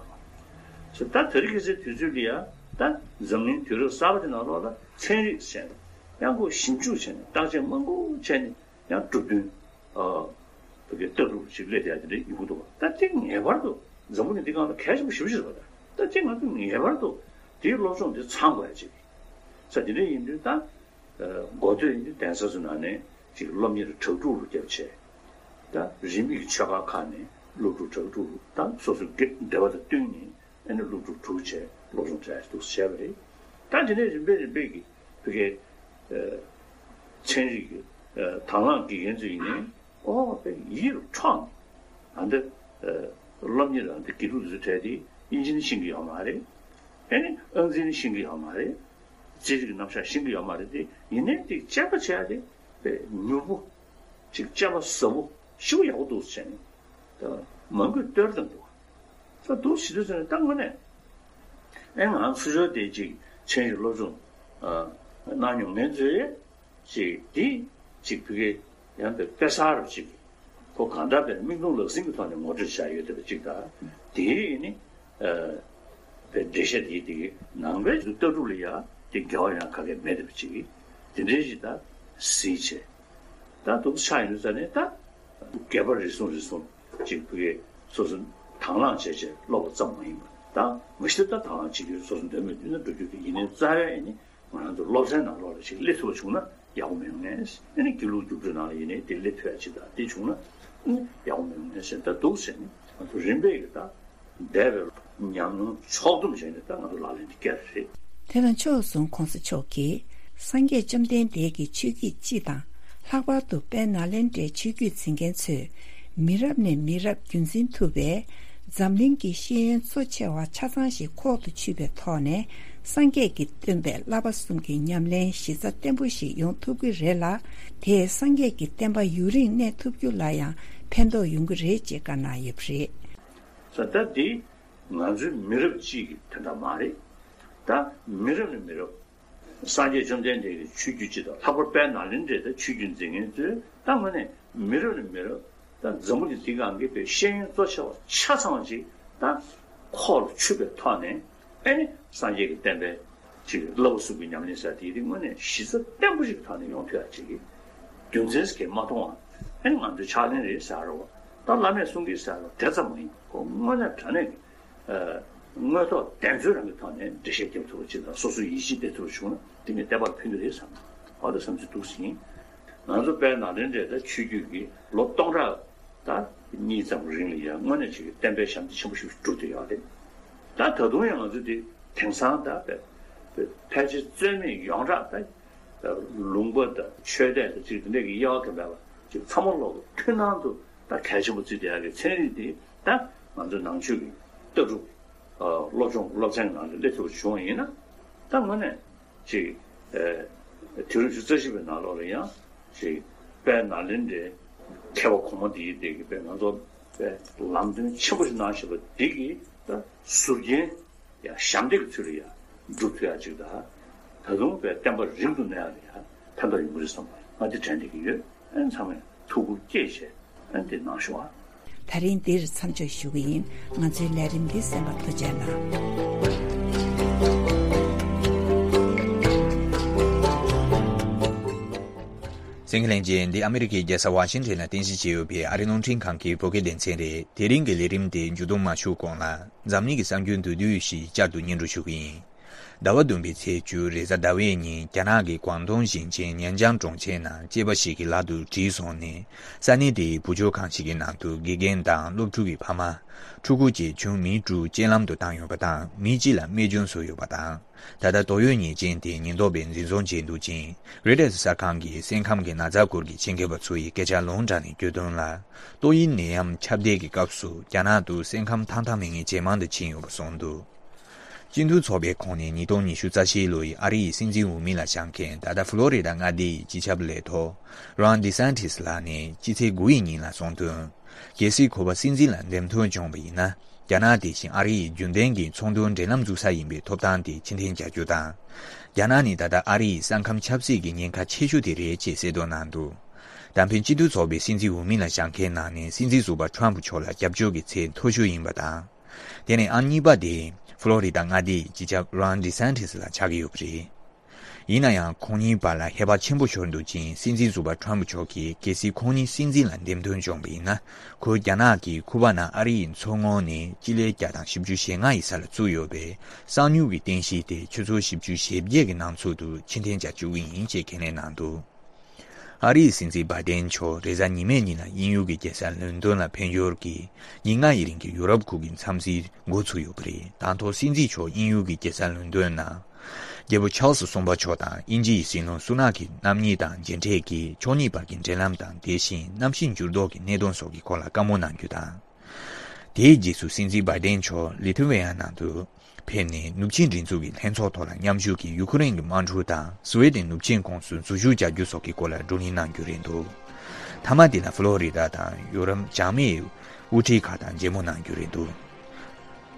བསྡད་པ་རེད། ད་དེ་རིང་ཁ་སང་དུས་ཚོད་འདི་ཡ། ད་འཛམ་གླིང་དུས་རབས་གསར་པ་འདི་ནང་ལོགས་ལ་ཚན་རིག་ཟེར་ནས་ཡང་ཁོ་ཞིབ་འཇུག་བྱས་ནས་བརྟག་དཔྱད་མང་པོ་བྱས་ནས། ཡང་གྲུབ་དོན། ཨ་བོད་ཀྱི་ལྟ་གྲུབ་ཅིག་སླེབས་ཡ་དེ་འདྲ་ཡོང་གི་འདུག་བ། ད་དེ་ངེས་པར་དུ་འཛམ་བུ་གླིང་འདི་སྒང་ལ་གལ་ཆེན་པོ་ཞེ་པོ་ཅིག་རེད་པ། ད་དེ་ང་ཚོས་ངེས་པར་དུ་དེའི་སློབ་སྦྱོང་དེ་ཚང་དགོས་ཡ་ཅིག་ས་དེ་འདྲ་ཡིན་དུས་ད། ཨ་འགོ་སྟོད་ཡིན་དུས་གདན་ས་ཚོ་ནང་ནས་ཅིག་སློབ་གཉེར་དྲག་སྒྲུབ་རུ་བརྒྱབ་བྱས། ད་རིས་མེད་ཀྱི་ཆོས་ཁང་ཁག་ནས་སློབ་ཕྲུག་དྲག་སྒྲུབ་རུ། ད་སོ་སོའི་འདོད་པ་དང་བསྟུན་ནས། ཨ་ནི་སློབ་ཕྲུག་དྲུག་བྱས་སློབ་སྦྱོང་སྤྲད་འདུག་བྱས་པ་རེད། ད་དེ་ནས་རིམ་པས་རིམ་པས་ཀྱིས་བོད་ཀྱི་ཨ་ཚན་རིག་གི་ཨ་དང་བླངས་དགེ་རྒན་ཚོ་ཡིན་ནའི། ཨོ་དཔེ་ཡིད་རུ་འཕྲོག་ནས། ཨ་འདི་ཨ་སློབ་གཉེར། ཨ་འདི་དགེ་ཕྲུག་དེ་ཚོ་གྲས་དེ་དབྱིན་ཇི་ནི་ཤེས་ཀྱི་ཡོད་མ་རེད། ཨ་ནི་ཨང་རྩིས་ནི་ཤེས་ཀྱི་ཡོད་མ་རེད། རྩིས་རིག་རྣམ་གཞག་ཤེས་ཀྱི་ཡོད་མ་རེད་དེ། ཡིན་ནའི་དེ་དཔྱད་པ་བྱས་ཏེ་དཔེ་མྱུར་པོ་ཅིག། དཔྱད་པ་ཟབ་པོ་ཞེ་པོ་ཡག་པོ་འདུག་ཟེར་ནས། ད་མང་པོས་བསྟོད་བཏང་འདུག་ད་འདུག་ཟེར་དུས་ཙམ་ནས་ད་དངོས་གནས། ཨེ་ང་ཚོ་ཚོ་དེ་ཅིག་ཚན་རིག་སློབ་སྦྱོང་ཨ་གནང་མྱོང་མཁན་ཚོས་ཅིག་འདི་ཅིག་བོད་སྐད་ཡང་དཔེ་དཔེ་གསར་རུ་ཅིག་ཁོ་གང་ལྟར་དཔེ་མིག་མཐོང་ལག་ཟིན་གྱི་ཐོག་ནས་ངོ་སྤྲོད་བྱས་ཡོད་བསྡད་པ་ཅིག་དང་། དེའི་ནི་ཨ་དཔེ་འགྲེལ་བཤད་དེའི་དེ་གི་ནང་པའི་ལྟ་གྲུབ་ལ་ཡང་དེ་འགལ་བ་ཡང་ག་གེ་མེད་བསྡད་པ་ཅིག་གིས་དེ་འདྲའི་ཞིག་ད་གཟིགས་བྱས། ད་འདུག་ཆགས་ཡོང་དུས་ཙ་ནས། ད་སྒལ་པ་རེ་ཟུང་རེ་ཟུང་ཅིག་བོད་སྐད་སོ་སོ་དང་བླངས་བྱས་བྱས་སློབ་པ་ཙམ་མ་ཡིན་པར། ད་མ་གཞི་ད་དང་བླངས་བྱེད་རྒྱུ་སོ་སོ་འདོད་མོས་བཏོན་ན་འགྲོ་རྒྱུ་དེ་ཡིན་ནའི། རྩ་བའི་ནི་ང་རང་ཚོ་སློབ་ཚན་ནང་ལོགས་ལ་ཞིག་སླེབས་ཐུབ་པ་བྱུང་ན། ཡག་པོ་མི་ཡོང་ངེས། ཨ་ནི་དགེ་ལུགས་རྒྱུགས་སྤྲོད་ནང་ལ་ཡིན་ནའི་དེ་སླེབས་ཐུབ་ཡ་ཅིག་དང་དེ་བྱུང་ན་ཨ་ནི་ཡག་པོ་མི་ཡོང་ངེས་ཟེར་ད་འདུག་ཟེར་ནས་ང་ཚོ་རིམ་པས་ཀྱི་ད་འདས་པའི་ཉམས་མྱོང་ཕྱོགས་བསྡོམས་བྱས་ནས་ད་ང་ཚོ་ལག་ལེན་དེ་བཀལ་རེད། དེ་དང་ཕྱོགས་མཚུངས་གོང་ས་མཆོག་གིས་སངས་རྒྱས་བཅོམ་ལྡན་འདས་ཀྱི་ཆོས་བརྒྱུད་སྤྱི་དང་ལྷག་པར་དུ་དཔལ་ནཱ་ལེནྡྲའི་ཆོས་བརྒྱུད་འཛིན་མཁན་ཚོས་མི་རབས་ནས་མི་རབས་རྒྱུན་འཛིན་ཐུབ་པའི་འཛམ་གླིང་གི་ཤེས་ཡོན་གཙོ་ཆེ་བ་ཆ་ཚང་ཞིག་ཁོག་ཏུ་ཆུད་པའི་ཐོག་ནས་སངས་རྒྱས་ཀྱི་སྟོན་པའི་བསླབ་པ་གསུམ་གྱི་ཉམས་ལེན་གཞི་རྩ་བརྟན་པོ་ཞིག་ཡོང་ཐུབ་ཀྱི་རེད་ལ། དེས་སངས་རྒྱས་ཀྱི་བསྟན་པ་ཡུན་རིང་གནས་ཐུབ་རྒྱུ་ལ་ཡང་ཕན་ཐོགས་ཡོང་གི་རེད་ཅེས་བཀའ་གནང་ཡོད་པ་རེད། ས་ད་འདི་ང་ཚོའི་མི་རབས་གཅིག་གི་དོན་དག་མ་རེད། ད་མི་རབས་ནས་མི་རབས། སངས་རྒྱས་བཅོམ་ལྡན་འདས་ཀྱི་ཆོས་བརྒྱུད་སྤྱི་དང་ལྷག་པར་དཔལ་ནཱ་ལེནྡྲའི་ད་ཆོས་བརྒྱུད་འཛིན་མཁན་ཚོས་ད་དངོས་གནས་མི་རབས་ནས་མི་རབས་ད་འཛམ་བུ་གླིང་འདི་སྒང་གི་པའི་ཤེས་ཡོན་གཙོ་ཆེ་བ་ཆ་ཚང་ཅིག་ད་ཁོག་ལ་ཆུད་པའི་ཐོག་ནས་ཨེ་ནི་སངས་རྒྱས་ཀྱི་བསྟན་པའི་ཅིག་བསླབ་པ་གསུམ་གྱི་ཉམས་ལེན་ཟེར་དེ་དེ་དངོས་གནས་གཞི་རྩ་བརྟན་པོ་ཞིག་གི་ཐོག་ནས་ཡོང་ཐུབ་ཡ་ཅིག་གི་རྒྱུ་མཚན་ཞིག་མ་མཐོང་བ་ཨེ་ནི་ང་ཚོའི་ཕྱག་ལེན་རེད་ཟེར་རོ། ད་བླ་མས་གསུང་གི་ཟེར་རོ་དེ་ཙམ་མ་ཡིན་ཁོ་དངོས་གནས་དྲང་གནས་ཀྱི་དངོས་ཐོག་བདེན་འཚོལ་རང་གི་ཐོག་ནས་འགྲེལ་བཤད་རྒྱབ་ཐུབ་པ་ཅིག་དང་སོ་སོའི་ཡིད་ཆེས་སྤེལ་ཐུབ་པ་བྱུང་ན་དེ་ནི་བསྟན་པར་ཕན་གྱི་རེད་བསམ། ཨ་ད་བསམ་ཚུལ་འདུག་ཟིན། ང་ཚོ་དཔལ་ནཱ་ལེནྡྲའི་ད་ཆོས་བརྒྱུད་ཀྱི་ལོ་སྟོང་ཕྲག་ད་གཉིས་ཙམ་རིང་ལ་ཡང་དངོས་གནས་ཅིག་གི་བསྟན་པའི་ཞབས་འདེགས་ཆེན་པོ་ཞིག་བསྒྲུབས་བསྡད་ཡོད་རེད། ད་ད་དུང་ཡང་ང་ཚོ་འདི་དེང་སང་ད་དཔེ་ཕལ་ཆེར་རྩོད་མེད་ཡོངས་གྲགས་ད་ལུང་པ་དང་ཆོས་དད་དང་ཅིག་དེ་འདྲ་གི་དབྱེ་བ་གང་མེད་པ་ཅིག་ཚང་མ་ལོག་མཐུན་སྣང་དུ་ད་གལ་ཆེན་པོ་བརྩིས་བསྡད་ཡག་གི་ཚན་རིག་འདི་ད་ང་ཚོ་ནང་ཆོས་ཀྱི་ལྟ་གྲུབ་སློབ་སྦྱོང་སློབ་ཚན་ནང་ལ་སླེབས་ཐུབ་པ་བྱུང་བ་ཡིན་ན་ད་དངོས་གནས་ཅིག་དུས་རབས་ཉི་ཤུ་རྩ་བཞི་པའི་ནང་ལོགས་ལ་ཡང་ཅིག་དཔལ་ནཱ་ལེནྡྲའི་མཁས་པ་གོང་མ་འདིའི་སྟེང་གི་དཔེ་ང་ཚོ་དཔེ་ལམ་སྟོན་ཆེན་པོ་ཞིག་གནང་བཞིན་པ་འདི་གི་ད་ཟུར་རྒྱན་ཡང་ཞབས་འདེགས་ཀྱི་ཚུལ་ལ་ཡང་སྒྲུབ་ཐུབ་ཡག་ཅིག་དང་། ད་དུང་དཔེ་བསྟན་པ་རིང་དུ་གནས་ཡག་ལ་ཡང་ཕན་ཐོགས་ཡོང་གི་རེད་བསམ་པ་ང་འདི་དྲན་བསྡད་ཀྱི་ཡོད། ཨན་ཚང་མས་ཐུགས་ཁུར་བསྐྱེད་བྱས་ཨན་འདི་གནང་ཤོག་ཨ། ད་རིང་འདིར་མཚམས་འཇོག་ཞུ་གི་ཡིན། ང་ཚོའི་ལས་རིམ་འདི་གསན་པར་ཐུགས་རྗེ་གནང་། གསན་མཁན་ལྷན་རྒྱས། འདི་ཨ་མི་རི་ཀའི་རྒྱལ་ས་ཝ་ཤིང་ཊོན་ལ་རྟེན་གཞི་བྱས་ཡོད་པའི་ཨ་རིའི་རླུང་འཕྲིན་ཁང་གི་བོད་སྐད་སྡེ་ཚན་རེད། དེ་རིང་གི་ལས་རིམ་དེ་མཇུག་བསྡོམས་མ་ཞུ་གོང་ལ། འཛམ་གླིང་གི་གསར་འགྱུར་མདོར་བསྡུས་ཤིག་བསྐྱར་དུ་སྙན་སྒྲོན་ཞུ་གི་ཡིན། ཟླ་བ་བདུན་པའི་ཚེས་བཅུ་རེས་གཟའ་ཟླ་བའི་ཉིན་རྒྱ་ནག་གི་ཀོང་ཏུང་ཞིང་ཆེན་ཉན་ཅང་གྲོང་ཁྱེར་ནང་སྐྱེས་པ་ཞིག་གི་ལག་ཏུ་གྲིལ་སོང་ནས་ས་གནས་དེའི་བུ་བཅོལ་ཁང་ཞིག་གི་ནང་དུ་དགེ་རྒན་དང་སློབ་ཕྲུག་གི་ཕ་མ། ཕྲུ་གུ་བཅས་ཁྱོན་མི་དྲུག་རྐྱེན་ལམ་དུ་བཏང་ཡོད་པ་དང་མི་གཅིག་ལ་རྨས་སྐྱོན་བཟོས་ཡོད་པ་དང་། ད་ལྟ་དོགས་ཡོད་ཉེས་ཅན་དེ་ཉེན་རྟོག་པས་འཛིན་བཟུང་བྱས་འདུག་ཅིང་རོའི་ཊར་གསར་ཁང་གིས་སེམས་ཁམས་ཀྱི་ན་ཚ་སྐོར་གྱི་ཆེད་མཁས་པ་ཚོ་ཡི་སྐད་ཆ་ལུང་དྲངས་ནས་བརྗོད་དོན་ལ། ཏོག་དབྱིབས་ནད་ཡམས་ཁྱབ་གདལ་གྱི་སྐབས་སུ་རྒྱ་ནག་ཏུ་སེམས་ཁམས་ཐང་ཐང་མེད་མཁན་ཇེ་མང་དུ་ཕྱིན་ཡོད་པ་གསུངས་འདུག་སྤྱི་མཐུན་ཚོགས་པའི་ཁོངས་ནས་ཉིས་སྟོང་ཉི་ཤུ་རྩ་བཞིའི་ལོ་ཡི་ཨ་རི་ཡི་སྲིད་འཛིན་འོས་མི་ལ་བཞེངས་མཁན་ད་ལྟ་ཕློ་རི་ཌ་མངའ་སྡེ་ཡི་སྤྱི་ཁྱབ་ལས་ཐོག་རོན་ཌི་སན་ཊི་སི་ལགས་ནས་སྤྱི་ཚེས་དགུ་ཡི་ཉིན་ལ་གསུངས་དོན། གལ་སྲིད་ཁོ་པ་སྲིད་འཛིན་ལ་འདེམས་ཐོན་བྱུང་བ་ཡིན་ན། རྒྱ་ནག་དེ་བཞིན་ཨ་རི་ཡི་རྒྱུན་ལྡན་གྱི་ཚོང་དོན་འབྲེལ་ལམ་འཛུགས་ས་ཡིན་པའི་ཐོབ་ཐང་དེ་ཕྱིར་འཐེན་བྱ་རྒྱུ་དང་། རྒྱ་ནག་ནི་ད་ལྟ་ཨ་རི་ཡི་ས་ཁམས་ཆབ་སྲིད་ཀྱི་ཉེན་ཁ་ཆེ་ཤོས་དེ་རེད་ཅེས་གསལ་འདོན་གནང་འདུག་ད་ཕན་སྤྱི་མཐུན་ཚོགས་པའི་སྲིད་འཛིན་འོས་མི་ལ་བཞེངས་མཁན་ནང་ནས་སྲིད་འཛིན་ཟུར་པ་ཁྲམ་ཕུ་མཆོག་ལ་རྒྱབ་སྐྱོར་གྱི་ཚད་མཐོ་ཤོས་ཡིན་པ་དང་། དེ་ནས་ཨང་གཉིས་པ་དེ་ཕློ་རི་ཌ་མངའ་སྡེའི་སྤྱི་ཁྱབ་རོན་ཌི་སན་ཊི་སི་ལ་ཆགས་ཀྱི་ཡོད་པ་རེད། ཡིན་ན་ཡང་ཁོང་གཉིས་བར་ལ་ཧེ་བག་ཆེན་པོ་ཤོར་འདུག་ཅིང་སྲིད་འཛིན་ཟུར་པ་ཁྲམ་ཕུ་མཆོག་གིས་གལ་སྲིད་ཁོང་གཉིས་སྲིད་འཛིན་ལ་འདེམས་ཐོན་བྱུང་བ་ཡིན་ན་ཁོས་རྒྱ་ནག་གིས་ཁུ་པ་ན་ཨ་རི་ཡི་མཚོ་ངོས་ནས་སྤྱི་ལེ་བརྒྱ་དང་བཞི་བཅུ་ཞེ་ལྔ་ཡི་ས་ལ་བཙུགས་ཡོད་པའི་གསང་མྱུལ་གྱི་རྟེན་གཞི་དེ་ཆུ་ཚོད་བཞི་བཅུ་ཞེ་བརྒྱད་ཀྱི་ནང་ཚུད་དུ་ཕྱིར་འཐེན་བྱ་བཅུག་གི་ཡིན་ཅེས་ཁས་ལེན་གནང་འདུག་ཨ་རིའི་སྲིད་འཛིན་བྷའི་ཏན་མཆོག་རེས་གཟའ་ཉི་མའི་ཉིན་ལ་དབྱིན་ཡུལ་གྱི་རྒྱལ་ས་ལོན་ཏོན་ལ་ཕེབས་ཡུལ་གྱིས་ཉིན་ལྔ་ཡི་རིང་གི་ཡུ་རོབ་ཁུལ་གྱི་འཚམས་གཟིགས་འགོ་ཚུགས་ཡོད་པ་རེད། དང་ཐོག་སྲིད་འཛིན་མཆོག་དབྱིན་ཡུལ་གྱི་རྒྱལ་ས་ལོན་ཏོན་ནང་རྒྱལ་པོ་ཆཱལ་སི་གསུམ་པ་མཆོག་དང་དབྱིན་ཇི་ཡི་སྲིད་བློན་སུ་ནག་གི་རྣམ་གཉིས་དང་མཇལ་འཕྲད་ཀྱིས་ཕྱོགས་གཉིས་བར་གྱི་འབྲེལ་ལམ་དང་དེ་བཞིན་གནམ་གཤིས་འགྱུར་ལྡོག་གི་གནད་དོན་སོགས་ཀྱི་སྐོར་ལ་བཀའ་མོལ་གནང་རྒྱུ་དང་། དེའི་རྗེས་སུ་སྲིད་འཛིན་བྷའི་ཏན་མཆོག་ལི་ཐུ་ཝེ་ཡ་ནང་དུ། ཕེབས་ནས་ནུབ་ཆིངས་སྒྲིག་འཛུགས་ཀྱི་ལྷན་ཚོགས་ཐོག་ལ་མཉམ་ཞུགས་ཀྱིས་ཡུ་ཁུ་རེན་གྱི་དམག་འཁྲུག་དང་སུའེ་ཏེན་ནུབ་ཆིངས་ཁོངས་སུ་འཛུལ་ཞུགས་བྱ་རྒྱུ་སོགས་ཀྱི་སྐོར་ལ་བགྲོ་གླེང་གནང་རྒྱུ་རེད་འདུག་མཐའ་མ་དེ་ལ་ཕློ་རི་ཌ་དང་ཡུ་རོབ་འཇགས་མེད་དབུ་ཁྲིད་ཁག་དང་མཇལ་མོལ་གནང་རྒྱུ་རེད་འདུག་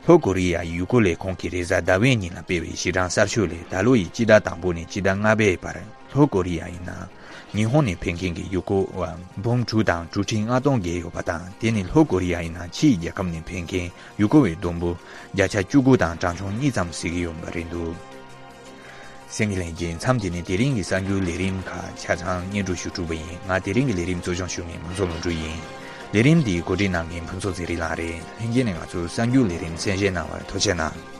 ལྷོ་ཀོ་རི་ཡ་ཡི་ཡུལ་སྐོར་ལས་ཁུངས་ཀྱིས་རེས་གཟའ་ཟླ་བའི་ཉིན་ལ་སྤེལ་བའི་གཞི་གྲངས་གསར་ཤོས་ལས་ད་ལོ་ཡི་སྤྱི་ཟླ་དང་པོ་ནས་སྤྱི་ཟླ་ལྔ་པའི་བར་ལྷོ་ཀོ་རི་ཡ་ཡི་ནང་ཉི་ཧོང་ནས་ཕེབས་མཁན་གྱི་ཡུལ་སྐོར་བ་འབུམ་དྲུག་དང་དྲུག་ཁྲི་ལྔ་སྟོང་བརྒལ་ཡོད་པ་དང་དེ་ནི་ལྷོ་ཀོ་རི་ཡ་ཡི་ནང་ཕྱིའི་རྒྱལ་ཁབ་ནས་ཕེབས་མཁན་ཡུལ་སྐོར་བའི་བསྡོམས་པོ་བརྒྱ་ཆ་བཅུ་དགུ་དང་གྲངས་ཆུང་གཉིས་ཙམ་ཟིན་གྱི་ཡོད་པ་རེད་འདུག་གསན་མཁན་ལྷན་རྒྱས། མཚམས་འདི་ནས་དེ་རིང་གི་གསར་འགྱུར་ལས་རིམ་ཁག་ཆ་ཚང་སྙན་སྒྲོན་ཞུ་གྲུབ་པ་ཡིན། ང་དེ་རིང་གི་ལས་རིམ་གཙོ་སྐྱོང་ཞུ་མཁན་ཕུན་ཚོགས་ལྷུན་གྲུབ་ཡིན། ལས་རིམ་འདིའི་གོ་སྒྲིག་གནང་མཁན་ཕུན་ཚོགས་ཚེ་རིང་ལགས་རེད། ལྷན་རྒྱས་ནས་ང་ཚོའི་གསར་འགྱུར་ལས་རིམ་གསན་བཞེས་གནང་བར་ཐུགས་རྗེ་གནང་།